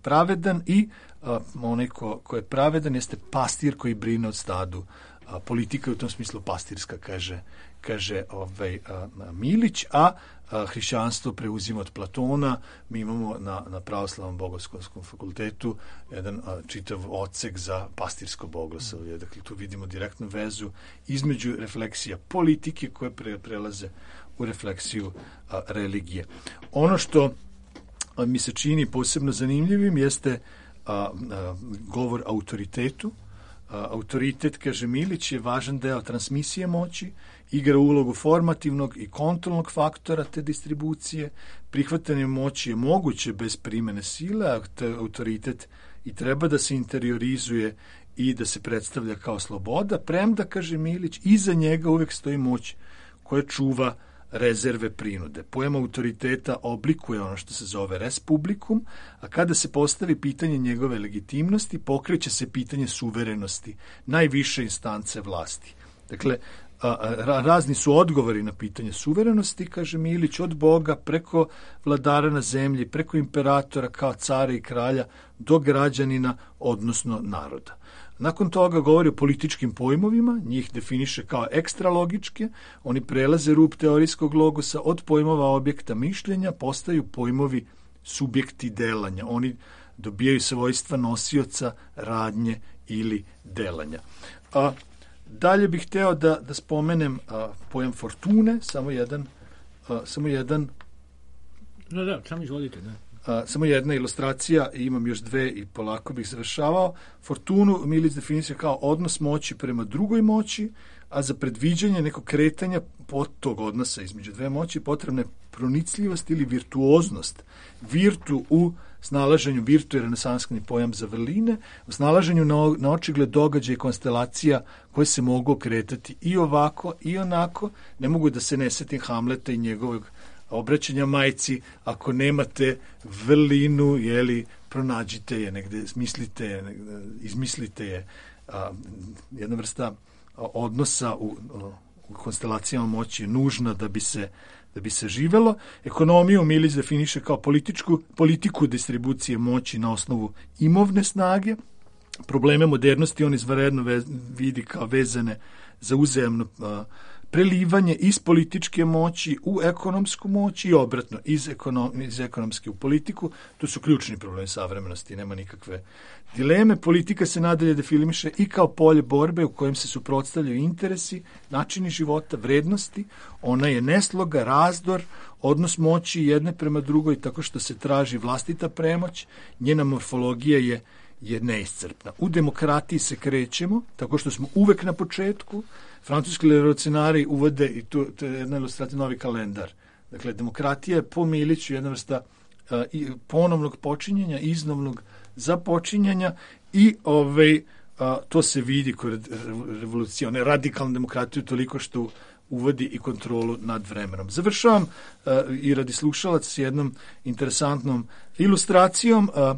E: pravedan i a, onaj ko, ko je pravedan jeste pastir koji brine od stadu. A, politika je u tom smislu pastirska, kaže, kaže ovaj, a, a, Milić, a, a hrišćanstvo preuzima od Platona. Mi imamo na, na pravoslavnom bogoslovskom fakultetu jedan a, čitav odsek za pastirsko bogoslovlje. Dakle, tu vidimo direktnu vezu između refleksija politike koje pre, prelaze u refleksiju a, religije. Ono što a, mi se čini posebno zanimljivim jeste a, a, govor autoritetu. A, autoritet, kaže Milić, je važan deo transmisije moći, igra ulogu formativnog i kontrolnog faktora te distribucije. Prihvatanje moći je moguće bez primene sile, a autoritet i treba da se interiorizuje i da se predstavlja kao sloboda, premda, kaže Milić, iza njega uvek stoji moć koja čuva rezerve prinude. Pojam autoriteta oblikuje ono što se zove res publicum, a kada se postavi pitanje njegove legitimnosti, pokreće se pitanje suverenosti, najviše instance vlasti. Dakle, a, a, razni su odgovori na pitanje suverenosti, kaže Milić, od Boga preko vladara na zemlji, preko imperatora kao cara i kralja do građanina, odnosno naroda. Nakon toga govori o političkim pojmovima, njih definiše kao ekstralogičke, oni prelaze rub teorijskog logosa, od pojmova objekta mišljenja postaju pojmovi subjekti delanja. Oni dobijaju svojstva nosioca radnje ili delanja. A, dalje bih hteo da, da spomenem a, pojam fortune, samo jedan, a, samo jedan
A: Da, da, samo izvolite, da.
E: A, samo jedna ilustracija, i imam još dve i polako bih završavao. Fortunu Milić definicija kao odnos moći prema drugoj moći, a za predviđanje nekog kretanja pod tog odnosa između dve moći potrebna je pronicljivost ili virtuoznost. Virtu u snalaženju, virtu je renesanskni pojam za vrline, u snalaženju na, na očigled događaja i konstelacija koje se mogu kretati i ovako i onako. Ne mogu da se ne setim Hamleta i njegovog obraćanja majci, ako nemate vrlinu, jeli, pronađite je negde, smislite je, negde, izmislite je. A, jedna vrsta odnosa u, u konstelacijama moći je nužna da bi se da bi se živelo. Ekonomiju Milić definiše kao političku, politiku distribucije moći na osnovu imovne snage. Probleme modernosti on izvanredno vez, vidi kao vezane za uzajamno a, prelivanje iz političke moći u ekonomsku moć i obratno, iz, ekonom, iz ekonomske u politiku. To su ključni problemi savremenosti, nema nikakve dileme. Politika se nadalje definiše i kao polje borbe u kojem se suprotstavljaju interesi, načini života, vrednosti. Ona je nesloga, razdor, odnos moći jedne prema drugoj tako što se traži vlastita premoć. Njena morfologija je je neiscrpna. U demokratiji se krećemo tako što smo uvek na početku. Francuski revolucionari uvode, i to, to je jedna ilustracija, novi kalendar. Dakle, demokratija je po Miliću jedna vrsta uh, ponovnog počinjenja, iznovnog započinjanja i ovaj, uh, to se vidi kod revolucije, one radikalne demokratije toliko što uvodi i kontrolu nad vremenom. Završavam uh, i radi slušalaca s jednom interesantnom ilustracijom uh, uh,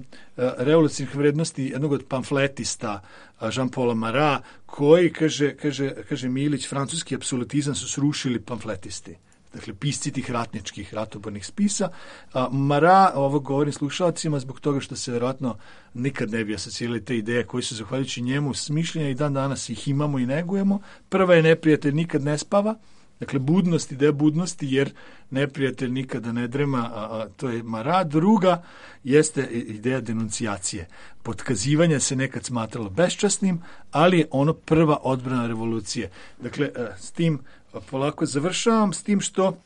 E: revolucionarnih vrednosti jednog od pamfletista uh, Jean-Paula Marat, koji, kaže, kaže, kaže Milić, francuski apsolutizam su srušili pamfletisti. Dakle, pisci tih ratničkih, ratobornih spisa. A, Marat, ovo govorim slušalcima zbog toga što se vjerojatno nikad ne bi asocijali te ideje koji su, zahvaljujući njemu, smišljenja i dan danas ih imamo i negujemo. Prva je neprijatelj nikad ne spava. Dakle, budnost, ideja budnosti, jer neprijatelj nikada ne drema, a, a to je Marat. Druga jeste ideja denuncijacije. Potkazivanje se nekad smatralo beščasnim, ali je ono prva odbrana revolucije. Dakle, s tim polako završavam, s tim što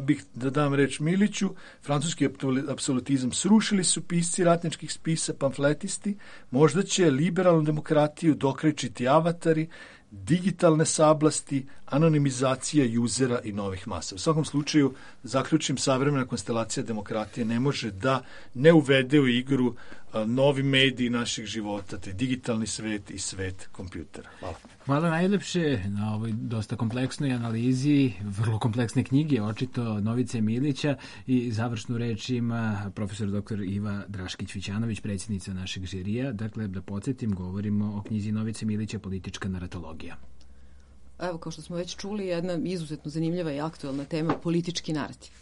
E: bih da dam reč Miliću. Francuski apsolutizam srušili su pisci ratničkih spisa, pamfletisti. Možda će liberalnu demokratiju dokrećiti avatari, digitalne sablasti, anonimizacija juzera i novih masa. U svakom slučaju, zaključim, savremena konstelacija demokratije ne može da ne uvede u igru a, novi mediji naših života, te digitalni svet i svet kompjutera. Hvala.
A: Hvala najlepše na ovoj dosta kompleksnoj analizi, vrlo kompleksne knjige, očito Novice Milića, i završnu reč ima profesor doktor Iva Draškić-Vićanović, predsjednica našeg žirija. Dakle, da podsjetim, govorimo o knjizi Novice Milića Politička naratologija.
C: Evo, kao što smo već čuli, jedna izuzetno zanimljiva i aktualna tema, politički narativ.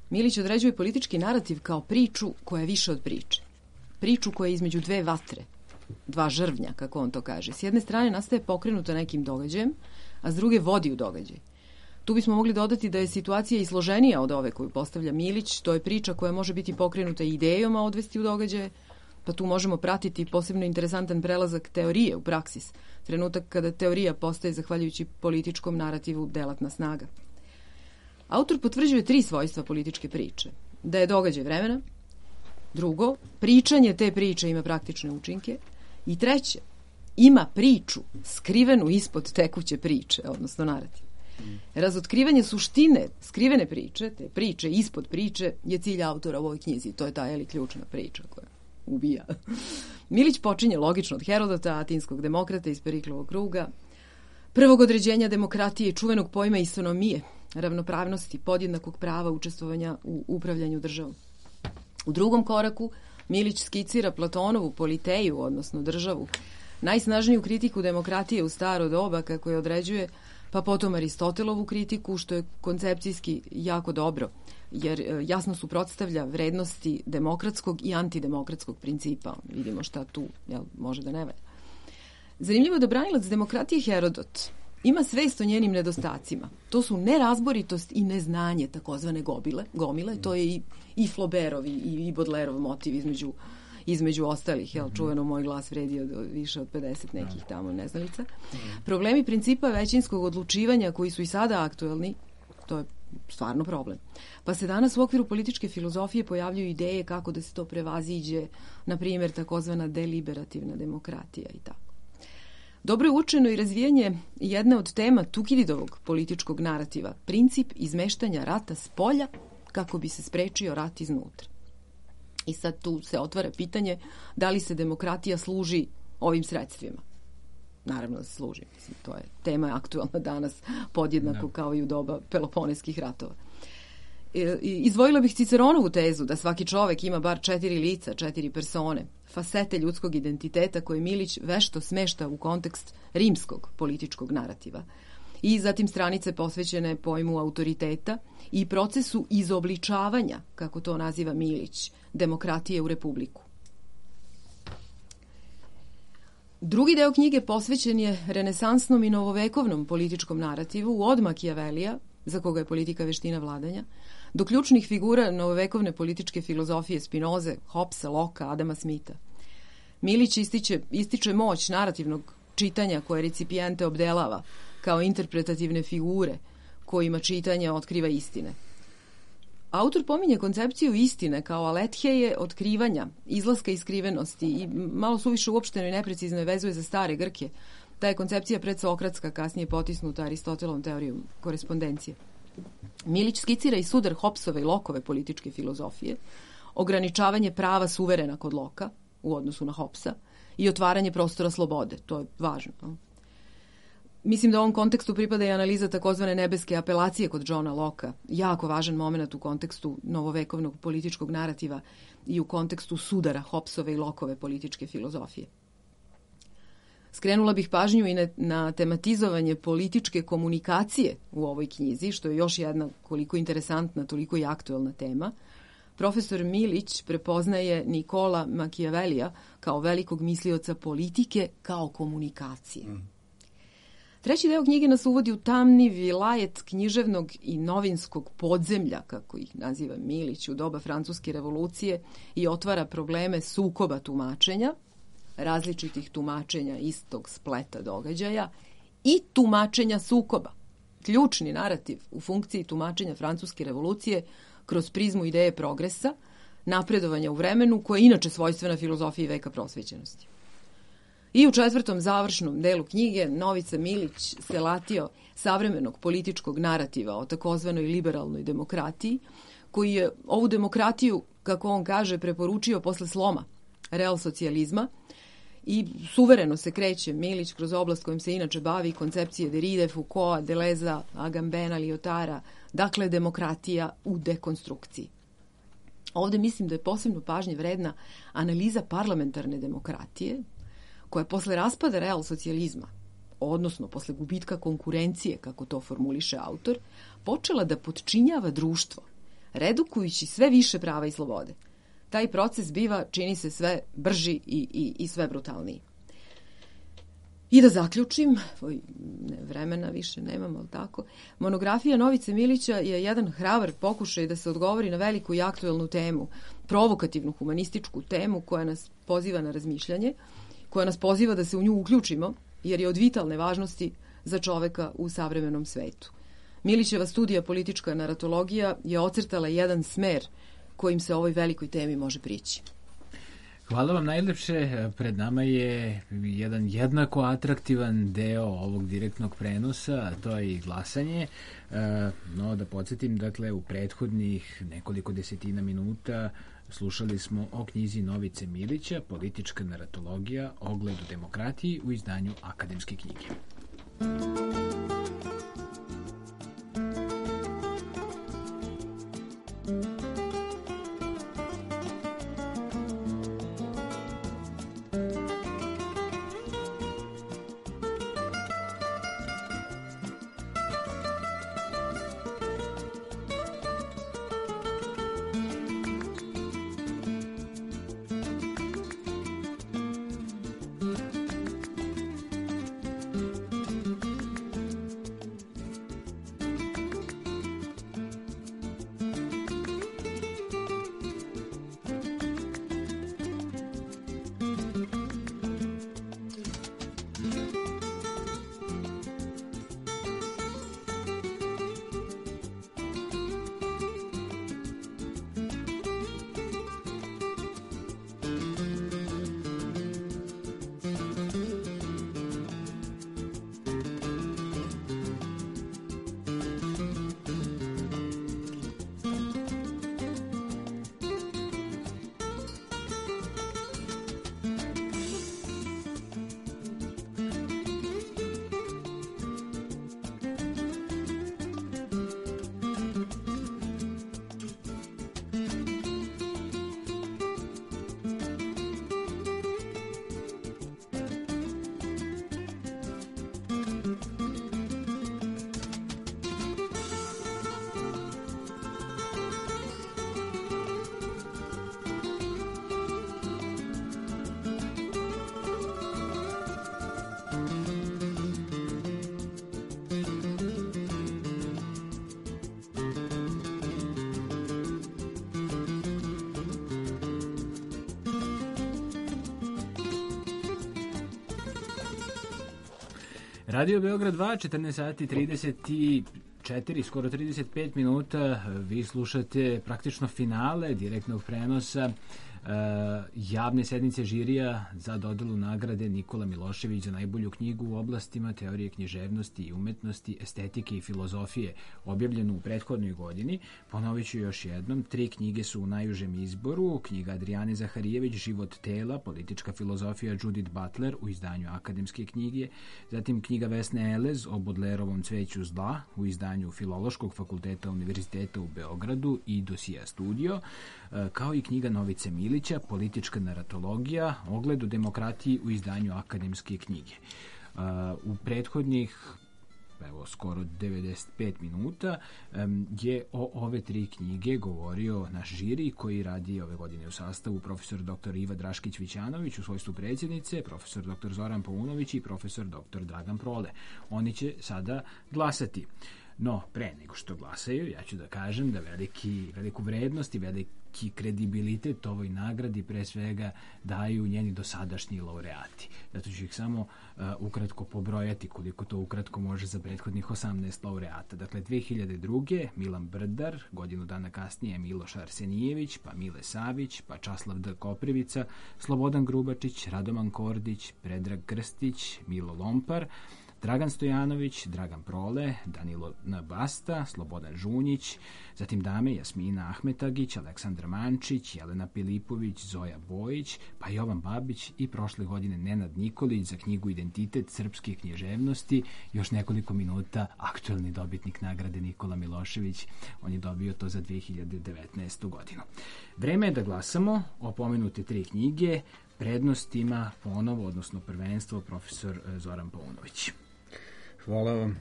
C: Milić određuje politički narativ kao priču koja je više od priče. Priču koja je između dve vatre, dva žrvnja, kako on to kaže. S jedne strane nastaje pokrenuta nekim događajem, a s druge vodi u događaj. Tu bismo mogli dodati da je situacija i složenija od ove koju postavlja Milić. To je priča koja može biti pokrenuta idejom, a odvesti u događaje, pa tu možemo pratiti posebno interesantan prelazak teorije u praksis, trenutak kada teorija postaje, zahvaljujući političkom narativu, delatna snaga. Autor potvrđuje tri svojstva političke priče. Da je događaj vremena, drugo, pričanje te priče ima praktične učinke, i treće, ima priču skrivenu ispod tekuće priče, odnosno narativ. Razotkrivanje suštine skrivene priče, te priče ispod priče, je cilj autora u ovoj knjizi. To je ta, jeli, ključna priča koja ubija. Milić počinje logično od Herodota, atinskog demokrata iz Periklovog kruga, prvog određenja demokratije i čuvenog pojma istonomije, ravnopravnosti, podjednakog prava učestvovanja u upravljanju državom. U drugom koraku Milić skicira Platonovu politeju, odnosno državu, najsnažniju kritiku demokratije u staro doba, kako je određuje, pa potom Aristotelovu kritiku, što je koncepcijski jako dobro, jer jasno suprotstavlja vrednosti demokratskog i antidemokratskog principa. Vidimo šta tu, jel, može da ne valja. Zanimljivo je da branilac demokratije Herodot ima svest o njenim nedostacima. To su nerazboritost i neznanje, takozvane gobile, gomile. To je i, i Flaubertov i, i Baudelaireov motiv između, između ostalih. Jel, čuveno moj glas vredi od, više od pedeset nekih tamo neznalica. Problemi principa većinskog odlučivanja koji su i sada aktuelni, to je stvarno problem. Pa se danas u okviru političke filozofije pojavljuju ideje kako da se to prevaziđe, na primjer takozvana deliberativna demokratija i tako. Dobro je učeno i razvijanje jedne od tema Tukididovog političkog narativa, princip izmeštanja rata s polja kako bi se sprečio rat iznutra. I sad tu se otvara pitanje da li se demokratija služi ovim sredstvima. Naravno da se služi. Mislim, to je tema aktualna danas podjednako da. Kao i u doba Peloponeskih ratova. Izdvojila bih Ciceronovu tezu da svaki čovek ima bar četiri lica, četiri persone, fasete ljudskog identiteta koje Milić vešto smešta u kontekst rimskog političkog narativa. I zatim stranice posvećene pojmu autoriteta i procesu izobličavanja, kako to naziva Milić, demokratije u republiku. Drugi deo knjige posvećen je renesansnom i novovekovnom političkom narativu od Makijavelija, za koga je politika veština vladanja, do ključnih figura novovekovne političke filozofije Spinoze, Hobbesa, Locke, Adama Smitha. Milić ističe, ističe moć narativnog čitanja koje recipijente obdelava kao interpretativne figure kojima čitanje otkriva istine. Autor pominje koncepciju istine kao alettheje otkrivanja, izlaska iz skrivenosti i malo suviše uopšteno i neprecizno je vezuje za stare Grke. Ta je koncepcija predsokratska, kasnije potisnuta Aristotelovom teorijom korespondencije. Milić skicira i sudar Hobbesove i Lockeove političke filozofije, ograničavanje prava suverena kod Locka u odnosu na Hobbesa i otvaranje prostora slobode. To je važno. No? Mislim da u ovom kontekstu pripada i analiza takozvane nebeske apelacije kod Johna Locka. Jako važan moment u kontekstu novovekovnog političkog narativa i u kontekstu sudara Hobbesove i Lockove političke filozofije. Skrenula bih pažnju i na tematizovanje političke komunikacije u ovoj knjizi, što je još jedna koliko interesantna, toliko i aktuelna tema. Profesor Milić prepoznaje Nikola Makijavelija kao velikog mislioca politike kao komunikacije. Mm. Treći deo knjige nas uvodi u tamni vilajet književnog i novinskog podzemlja, kako ih naziva Milić, u doba Francuske revolucije i otvara probleme sukoba tumačenja, različitih tumačenja istog spleta događaja i tumačenja sukoba. Ključni narativ u funkciji tumačenja Francuske revolucije kroz prizmu ideje progresa, napredovanja u vremenu, koja je inače svojstvena filozofiji veka prosvećenosti. I u četvrtom završnom delu knjige Novica Milić se latio savremenog političkog narativa o takozvanoj liberalnoj demokratiji, koji je ovu demokratiju, kako on kaže, preporučio posle sloma real socijalizma i suvereno se kreće Milić kroz oblast kojim se inače bavi koncepcije Derride, Foucaulta, Deleuza, Agambena, Lyotara, dakle demokratija u dekonstrukciji. Ovde mislim da je posebno pažnje vredna analiza parlamentarne demokratije, koja je posle raspada real socijalizma, odnosno posle gubitka konkurencije, kako to formuliše autor, počela da potčinjava društvo, redukujući sve više prava i slobode. Taj proces biva, čini se, sve brži i, i, i sve brutalniji. I da zaključim, oj, ne, vremena više nemam, ali tako, monografija Novice Milića je jedan hrabar pokušaj da se odgovori na veliku i aktuelnu temu, provokativnu humanističku temu koja nas poziva na razmišljanje, koja nas poziva da se u nju uključimo, jer je od vitalne važnosti za čoveka u savremenom svetu. Milićeva studija politička naratologija je ocrtala jedan smer kojim se ovoj velikoj temi može prići.
A: Hvala vam najlepše. Pred nama je jedan jednako atraktivan deo ovog direktnog prenosa, a to je i glasanje. No, da podsjetim, dakle, u prethodnih nekoliko desetina minuta slušali smo o knjizi Novice Milića, Politička naratologija, ogled u demokratiji u izdanju Akademske knjige. Radio Beograd dva, četrnaest sati trideset četiri, skoro trideset pet minuta. Vi slušate praktično finale direktnog prenosa Uh, javne sednice žirija za dodelu nagrade Nikola Milošević za najbolju knjigu u oblastima teorije književnosti i umetnosti, estetike i filozofije, objavljenu u prethodnoj godini. Ponovit ću još jednom, tri knjige su u najužem izboru: knjiga Adrijane Zaharijević Život tela, politička filozofija Judith Butler u izdanju akademske knjige, zatim knjiga Vesne Elez o Bodlerovom cveću zla u izdanju Filološkog fakulteta Univerziteta u Beogradu i Dosija studio, kao i knjiga Novice Milića Politička naratologija, ogled u demokratiji u izdanju akademske knjige. U prethodnih evo skoro devedeset pet minuta je o ove tri knjige govorio naš žiri koji radi ove godine u sastavu profesor doktor Iva Draškić-Vićanović u svojstvu predsjednice, profesor doktor Zoran Paunović i profesor doktor Dragan Prole. Oni će sada glasati. No, pre nego što glasaju, ja ću da kažem da veliki, veliku vrednost i veliki kredibilitet ovoj nagradi pre svega daju njeni dosadašnji laureati. Zato ću ih samo uh, ukratko pobrojati koliko to ukratko može za prethodnih osamnaest laureata. Dakle, dve hiljade druge. Milan Brdar, godinu dana kasnije Miloš Arsenijević, pa Mile Savić, pa Časlav D. Koprivica, Slobodan Grubačić, Radoman Kordić, Predrag Krstić, Milo Lompar, Dragan Stojanović, Dragan Prole, Danilo N. Basta, Slobodan Žunjić, zatim dame Jasmina Ahmetagić, Aleksandar Mančić, Jelena Pilipović, Zoja Bojić, pa Jovan Babić i prošle godine Nenad Nikolić za knjigu Identitet srpske književnosti. Još nekoliko minuta aktuelni dobitnik nagrade Nikola Milošević. On je dobio to za dve hiljade devetnaestu. godinu. Vreme je da glasamo o pomenute tri knjige. Prednost ima ponovo, odnosno prvenstvo, profesor Zoran Paunović.
D: Hvala vam.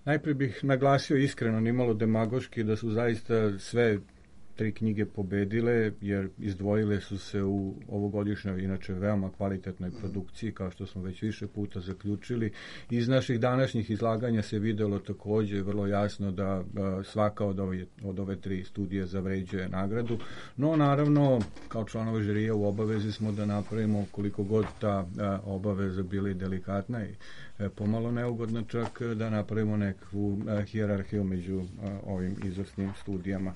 D: Najprije bih naglasio iskreno, nimalo demagoški, da su zaista sve tri knjige pobedile, jer izdvojile su se u ovogodišnjoj, inače veoma kvalitetnoj produkciji, kao što smo već više puta zaključili. Iz naših današnjih izlaganja se videlo takođe vrlo jasno da svaka od ove, od ove tri studije zavređuje nagradu, no naravno, kao članovi žirija u obavezi smo da napravimo koliko god ta obaveza bila i delikatna i pomalo neugodna, čak da napravimo nekakvu hijerarhiju među ovim izvrsnim studijama.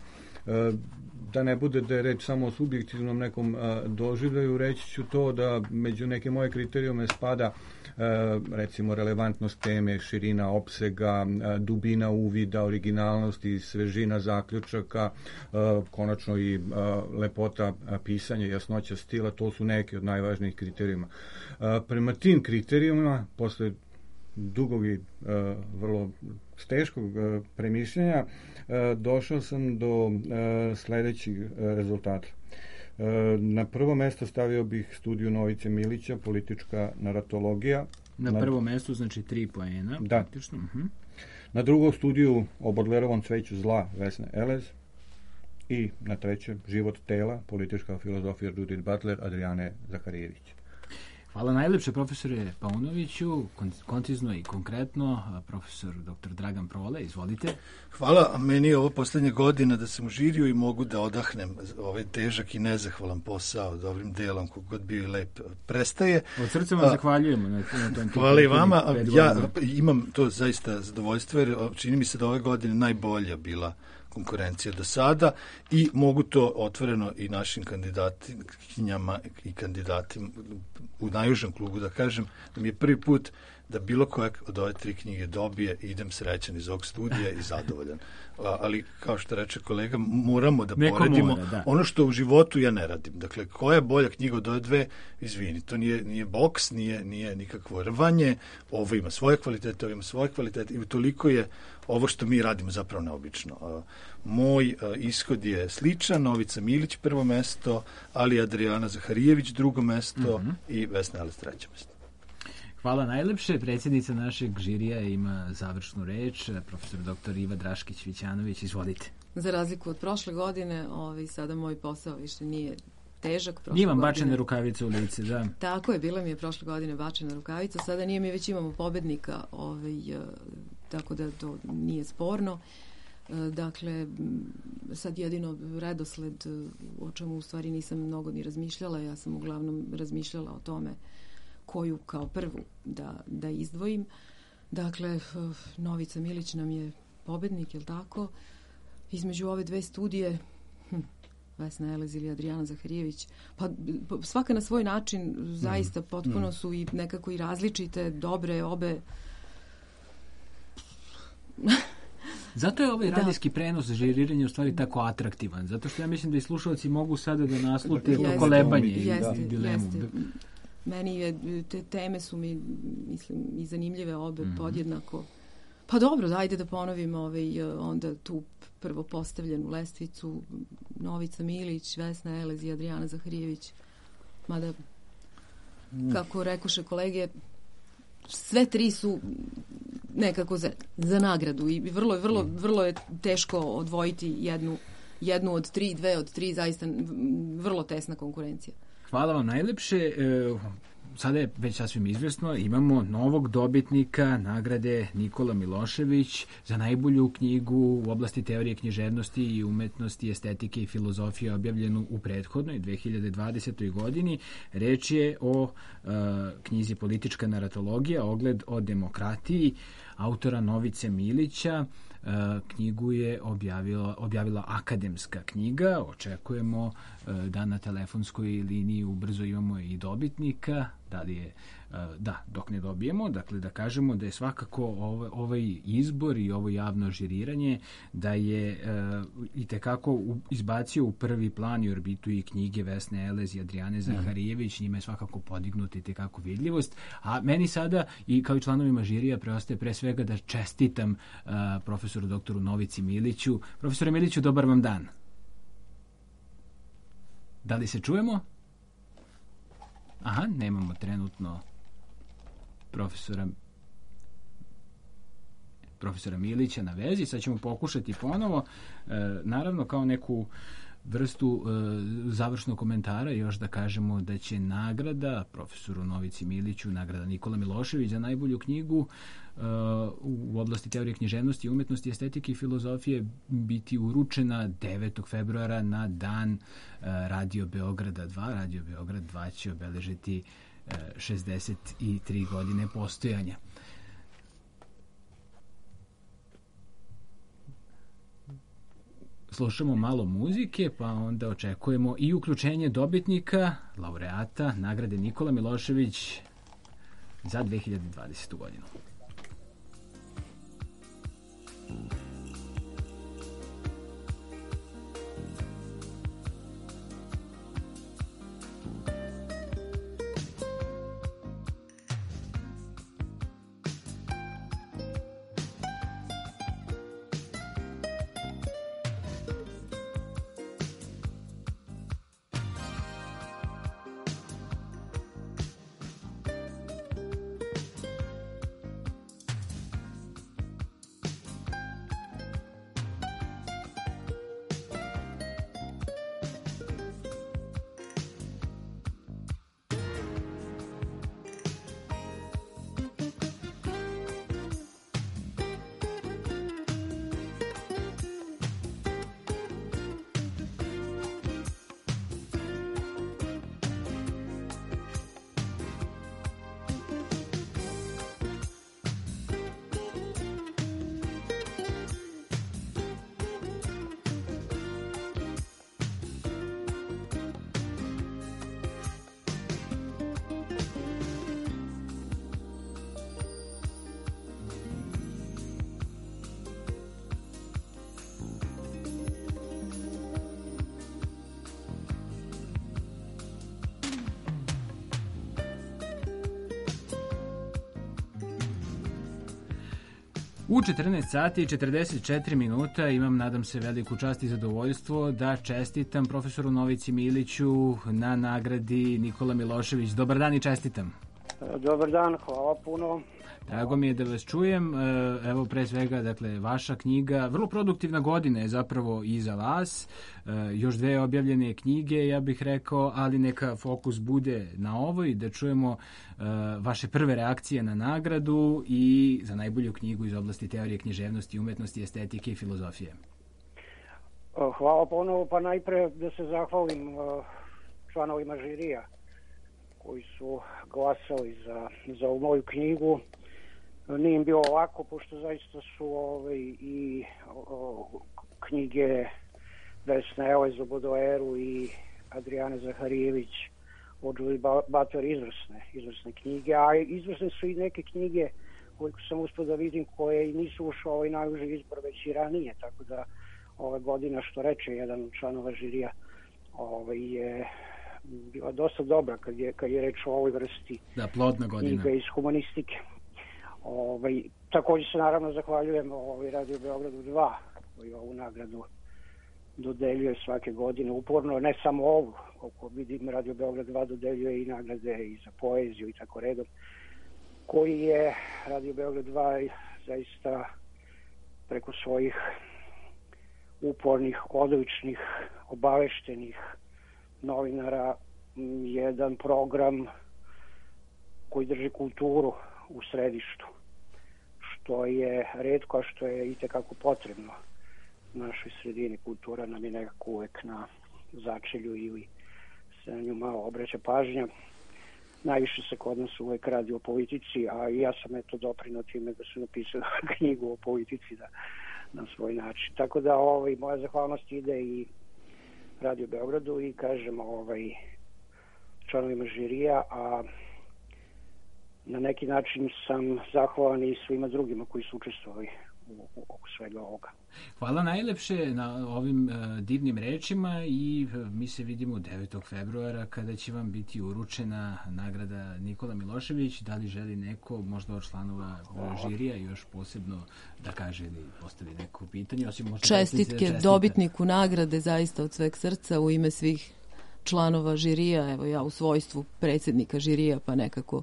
D: Da ne bude da je reč samo o subjektivnom nekom doživljaju, reći ću to da među neke moje kriterijume spada recimo relevantnost teme, širina opsega, dubina uvida, originalnost i svežina zaključaka, konačno i lepota pisanja, jasnoća stila. To su neki od najvažnijih kriterijuma. Prema tim kriterijumima, posle dugog i vrlo teškog premišljenja, došao sam do sledećih rezultata. Na prvo mesto stavio bih studiju Novice Milića, Politička naratologija.
A: Na, na prvo mesto, znači tri poena.
D: Da.
A: Praktično. Uh-huh.
D: Na drugo studiju o Bodlerovom cveću zla Vesne Elez. I na treće Život tela, Politička filozofija Judith Butler, Adrijane Zaharijević.
A: Hvala najlepše, profesore Paunoviću, koncizno i konkretno. Profesor doktor Dragan Prole, izvolite.
E: Hvala, meni je ovo poslednja godina da sam u žiriju i mogu da odahnem ovaj težak i nezahvalan posao dobrim delom, kogod bio i lep prestaje.
A: Od srca vam A, zahvaljujemo. Na, na tom
E: hvala i vama. Ja imam to zaista zadovoljstvo, jer čini mi se da ove godine najbolja bila konkurencija do sada i mogu to otvoreno i našim kandidatinjama i kandidatima u najužem klubu da kažem da mi je prvi put da bilo kojeg od ove tri knjige dobije i idem srećan iz ovog studija i zadovoljan. Ali, kao što reče kolega, moramo da Neko poredimo mora, da. ono što u životu ja ne radim. Dakle, koja je bolja knjiga od ove dve, izvini, to nije, nije boks, nije, nije nikakvo rvanje, ovo ima svoje kvalitete, ovo ima svoje kvalitete i toliko je ovo što mi radimo zapravo neobično. Moj ishod je sličan, Novica Milić prvo mesto, ali Adrijana Zaharijević drugo mesto mm-hmm. i Vesna Elez treće mesto.
A: Hvala najlepše. Predsjednica našeg žirija ima završnu reč, profesor doktor Iva Draškić-Vićanović, izvolite.
C: Za razliku od prošle godine, ovaj, sada moj posao više nije težak.
A: Imam bačene rukavice u lice, da.
C: Tako je, bila mi je prošle godine bačena rukavica, sada nije mi, već imamo pobednika, ovaj, tako da to nije sporno. Dakle, sad jedino redosled, o čemu u stvari nisam mnogo ni razmišljala, ja sam uglavnom razmišljala o tome koju kao prvu da, da izdvojim. Dakle, Novica Milić nam je pobednik, je li tako? Između ove dve studije, hm, Vesna Elez ili Adrijana Zaharijević, pa svaka na svoj način, zaista potpuno su i nekako i različite, dobre, obe.
A: Zato je ovaj
C: Da.
A: radijski prenos za žariranje u stvari tako atraktivan, zato što ja mislim da i slušalci mogu sada da naslute
C: Jeste,
A: to kolebanje i
C: jeste,
A: dilemu.
C: jeste. Meni je, te teme su mi, mislim, i zanimljive obe
A: Mhm.
C: podjednako. Pa dobro, ajde da ponovim ovaj, onda tu prvo postavljenu lestvicu, Novica Milić, Vesna Elez i Adrijana Zaharijević. Mada, kako rekoše kolege, sve tri su nekako za, za nagradu i vrlo, vrlo, vrlo je teško odvojiti jednu, jednu od tri, dve od tri, zaista vrlo tesna konkurencija.
A: Hvala vam najlepše. E, sada je već sasvim izvjesno, imamo novog dobitnika nagrade Nikola Milošević za najbolju knjigu u oblasti teorije književnosti i umetnosti, estetike i filozofije objavljenu u prethodnoj dve hiljade dvadesetoj. godini. Reč je o e, knjizi Politička naratologija, ogled o demokratiji, autora Novice Milića. E, knjigu je objavila, objavila Akademska knjiga. Očekujemo e, da na telefonskoj liniji ubrzo imamo i dobitnika. Da li je, e, da, dok ne dobijemo, dakle da kažemo da je svakako ovaj, ovaj izbor i ovo javno žiriranje da je e, itekako u, izbacio u prvi plan i orbitu i knjige Vesne Elez i Adrijane Zaharijević, njima je svakako podignuta itekako vidljivost, a meni sada i kao i članovima žirija preostaje pre svega da čestitam e, profesoru doktoru Novici Miliću. Profesore Miliću, dobar vam dan. Da li se čujemo? Aha, nemamo trenutno profesora profesora Milića na vezi. Sad ćemo pokušati ponovo. E, naravno, kao neku vrstu e, završnog komentara još da kažemo da će nagrada profesoru Novici Miliću, nagrada Nikola Milošević za najbolju knjigu e, u oblasti teorije književnosti, umetnosti, estetike i filozofije biti uručena devetog februara na dan e, Radio Beograda dva. Radio Beograd dva će obeležiti e, šezdeset tri godine postojanja. Slušamo malo muzike, pa onda očekujemo i uključenje dobitnika, laureata nagrade Nikola Milošević za dve hiljade dvadesetu. godinu. U četrnaest sati i četrdeset četiri minuta imam, nadam se, veliku čast i zadovoljstvo da čestitam profesoru Novici Miliću na nagradi Nikola Milošević. Dobar dan i čestitam.
H: Dobar dan, hvala puno.
A: Drago mi je da vas čujem. Evo, pre svega, dakle, vaša knjiga, vrlo produktivna godina je zapravo i za vas. Još dve objavljene knjige, ja bih rekao, ali neka fokus bude na ovoj, da čujemo vaše prve reakcije na nagradu i za najbolju knjigu iz oblasti teorije književnosti, umetnosti, estetike i filozofije.
H: Hvala ponovo, pa najpre da se zahvalim članovima žirija koji su glasali za, za ovu moju knjigu. Nije im bilo lako, pošto zaista su ovaj, i o, knjige Vesne Elez o Baudelaireu i Adrijane Zaharijević od Julie Butler izvrsne, izvrsne knjige, a izvrsne su i neke knjige koje sam uspio da vidim koje i nisu ušle ovaj najuži izbor već i ranije, tako da ove godina, što reče jedan od članova žirija, ovaj, je bila dosta dobra kad je, kad je reč o ovoj vrsti
A: da, plodna godina.
H: Knjiga iz humanistike. Ovaj, također se naravno zahvaljujem ovaj, Radio Beogradu dva koji ovu nagradu dodeljuje svake godine uporno, ne samo ovu, koliko vidim Radio Beograd dva dodeljuje i nagrade i za poeziju i tako redom, koji je Radio Beograd dva zaista preko svojih upornih, odličnih, obaveštenih novinara jedan program koji drži kulturu u središtu, što je retko, a što je itekako potrebno našoj sredini. Kultura nam je nekako uvek na začelju ili se na nju malo obraća pažnja. Najviše se kod nas uvek radi o politici, a i ja sam eto doprinao time da su napisali knjigu o politici da, na svoj način. Tako da ovaj, moja zahvalnost ide i Radio Beogradu i kažem ovaj, članovima žirija, a na neki način sam zahvalan i svima drugima koji su učestvovali u, u, u svega ovoga.
A: Hvala najlepše na ovim uh, divnim rečima i uh, mi se vidimo devetog februara kada će vam biti uručena nagrada Nikola Milošević. Da li želi neko, možda od članova uh, žirija još posebno da kaže ili postavi neko pitanje? Osim možda
C: čestitke dobitniku nagrade zaista od sveg srca u ime svih članova žirija, evo ja u svojstvu predsjednika žirija pa nekako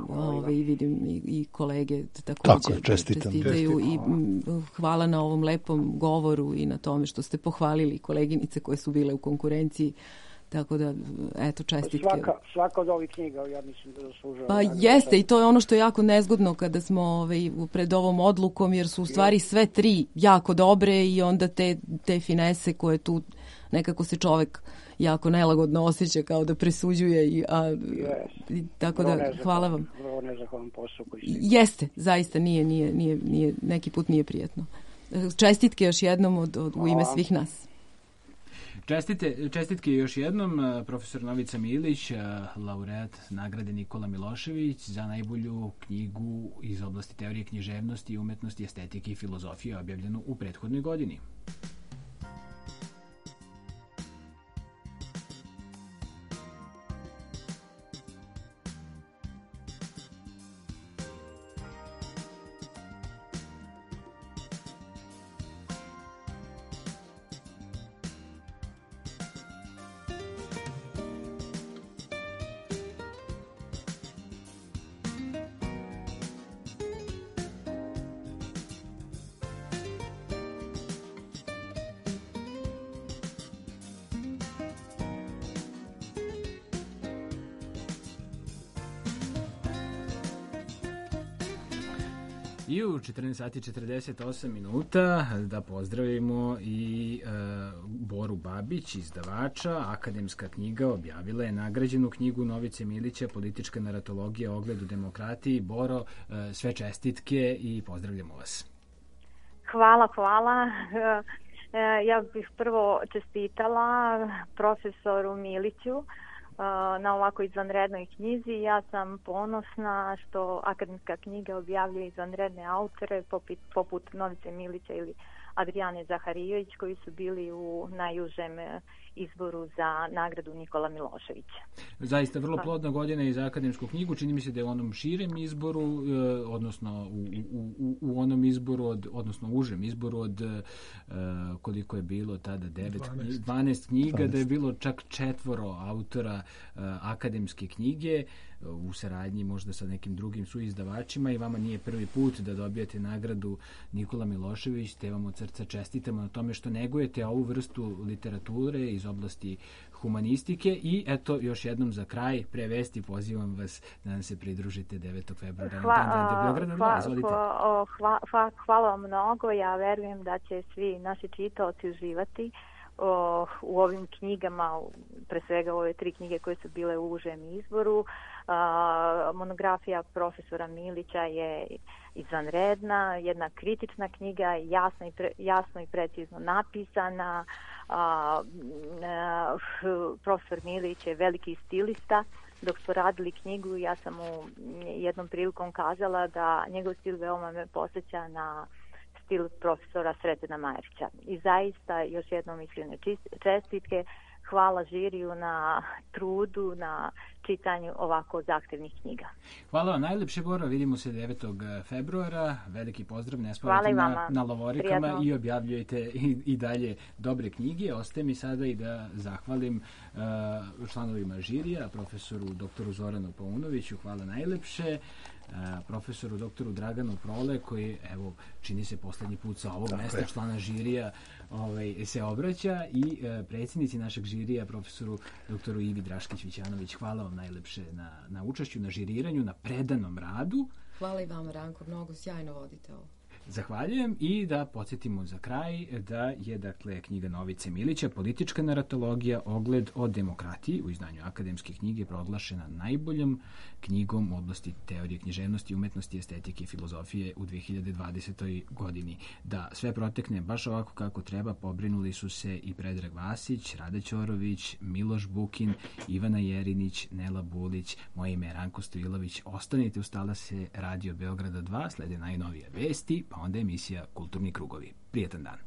C: Ove, i vidim i, i kolege također čestitaju i m, hvala na ovom lepom govoru i na tome što ste pohvalili koleginice koje su bile u konkurenciji, tako da eto čestitke.
H: Svaka, svaka od ovih knjiga ja mislim da zaslužava.
C: Pa jeste i to je ono što je jako nezgodno kada smo ovaj, pred ovom odlukom, jer su u stvari sve tri jako dobre i onda te, te finese koje tu nekako se čovek jako nelagodno osjeća kao da presuđuje i, a, yes. i tako da hvala vam.
H: Vrlo nezahvalan posao koji ste.
C: Jeste, zaista nije, nije, nije, nije, neki put nije prijatno. Čestitke još jednom od, od, u ime svih nas.
A: Čestite, čestitke još jednom, profesor Novica Milić, laureat nagrade Nikola Milošević za najbolju knjigu iz oblasti teorije književnosti, umetnosti, estetike i filozofije objavljenu u prethodnoj godini. I u četrnaest sati četrdeset osam minuta da pozdravimo i e, Boru Babić, izdavača. Akademska knjiga objavila je nagrađenu knjigu Novice Milića Politička naratologija o ogledu demokratiji. Boro, e, sve čestitke i pozdravljamo vas.
I: Hvala, hvala. E, ja bih prvo čestitala profesoru Miliću na ovako izvanrednoj knjizi. Ja sam ponosna što akademska knjiga objavljuje izvanredne autore poput, poput Novice Milića ili Adrijane Zaharijević koji su bili u najužem izboru za nagradu Nikola Miloševića.
A: Zaista vrlo plodna godina i za akademsku knjigu. Čini mi se da je u onom širem izboru, odnosno u, u, u, u onom izboru, od, odnosno užem izboru od koliko je bilo tada, devet, dvanaest knjiga, dvanaest. Da je bilo čak četvoro autora akademske knjige u saradnji možda sa nekim drugim suizdavačima i vama nije prvi put da dobijete nagradu Nikola Milošević, te vam od srca čestitamo na tome što negujete ovu vrstu literature iz oblasti humanistike i eto još jednom za kraj prevesti pozivam vas da nam se pridružite devetog februara na Dan Radio Beograda dva. Izvolite.
I: Hva, hva, hva, hvala vam mnogo, ja verujem da će svi naši čitaoci uživati o, u ovim knjigama, pre svega ove tri knjige koje su bile u užem izboru. A, monografija profesora Milića je izvanredna, jedna kritična knjiga, jasno i, pre, jasno i precizno napisana. A, a, profesor Milić je veliki stilista. Dok smo radili knjigu, ja sam mu jednom prilikom kazala da njegov stil veoma me posjeća na stil profesora Sretena Majerića. I zaista još jednom iskrene čestitke, hvala žiriju na trudu, na čitanju ovako zahtevnih knjiga.
A: Hvala vam najlepše, Bora. Vidimo se devetog februara. Veliki pozdrav, ne spavajte na, na lovorikama. Prijatno. I objavljujete i, i dalje dobre knjige. Ostaje mi sada i da zahvalim uh, članovima žirija, profesoru doktoru Zoranu Paunoviću, hvala najlepše, uh, profesoru doktoru Draganu Prole, koji, evo, čini se poslednji put sa ovog mesta je. člana žirija ovaj, se obraća, i uh, predsjednici našeg žirija, profesoru doktoru Ivi Draškić-Vićanović. Hvala vam najlepše na, na učešću, na žiriranju, na predanom radu.
C: Hvala i vama, Ranko, mnogo sjajno vodite ovo.
A: Zahvaljujem, i da podsjetimo za kraj da je, dakle, knjiga Novice Milića, Politička naratologija, ogled o demokratiji, u izdanju Akademske knjige, proglašena najboljom knjigom u oblasti teorije književnosti, umetnosti, estetike i filozofije u dve hiljade dvadesetoj. godini. Da sve protekne baš ovako kako treba, pobrinuli su se i Predrag Vasić, Rada Ćorović, Miloš Bukin, Ivana Jerinić, Nela Bulić. Moje ime je Ranko Stojilović. Ostanite uz talase Radio Beograda dva, slede najnovije vesti, pa onda emisija Kulturni krugovi. Prijetan dan.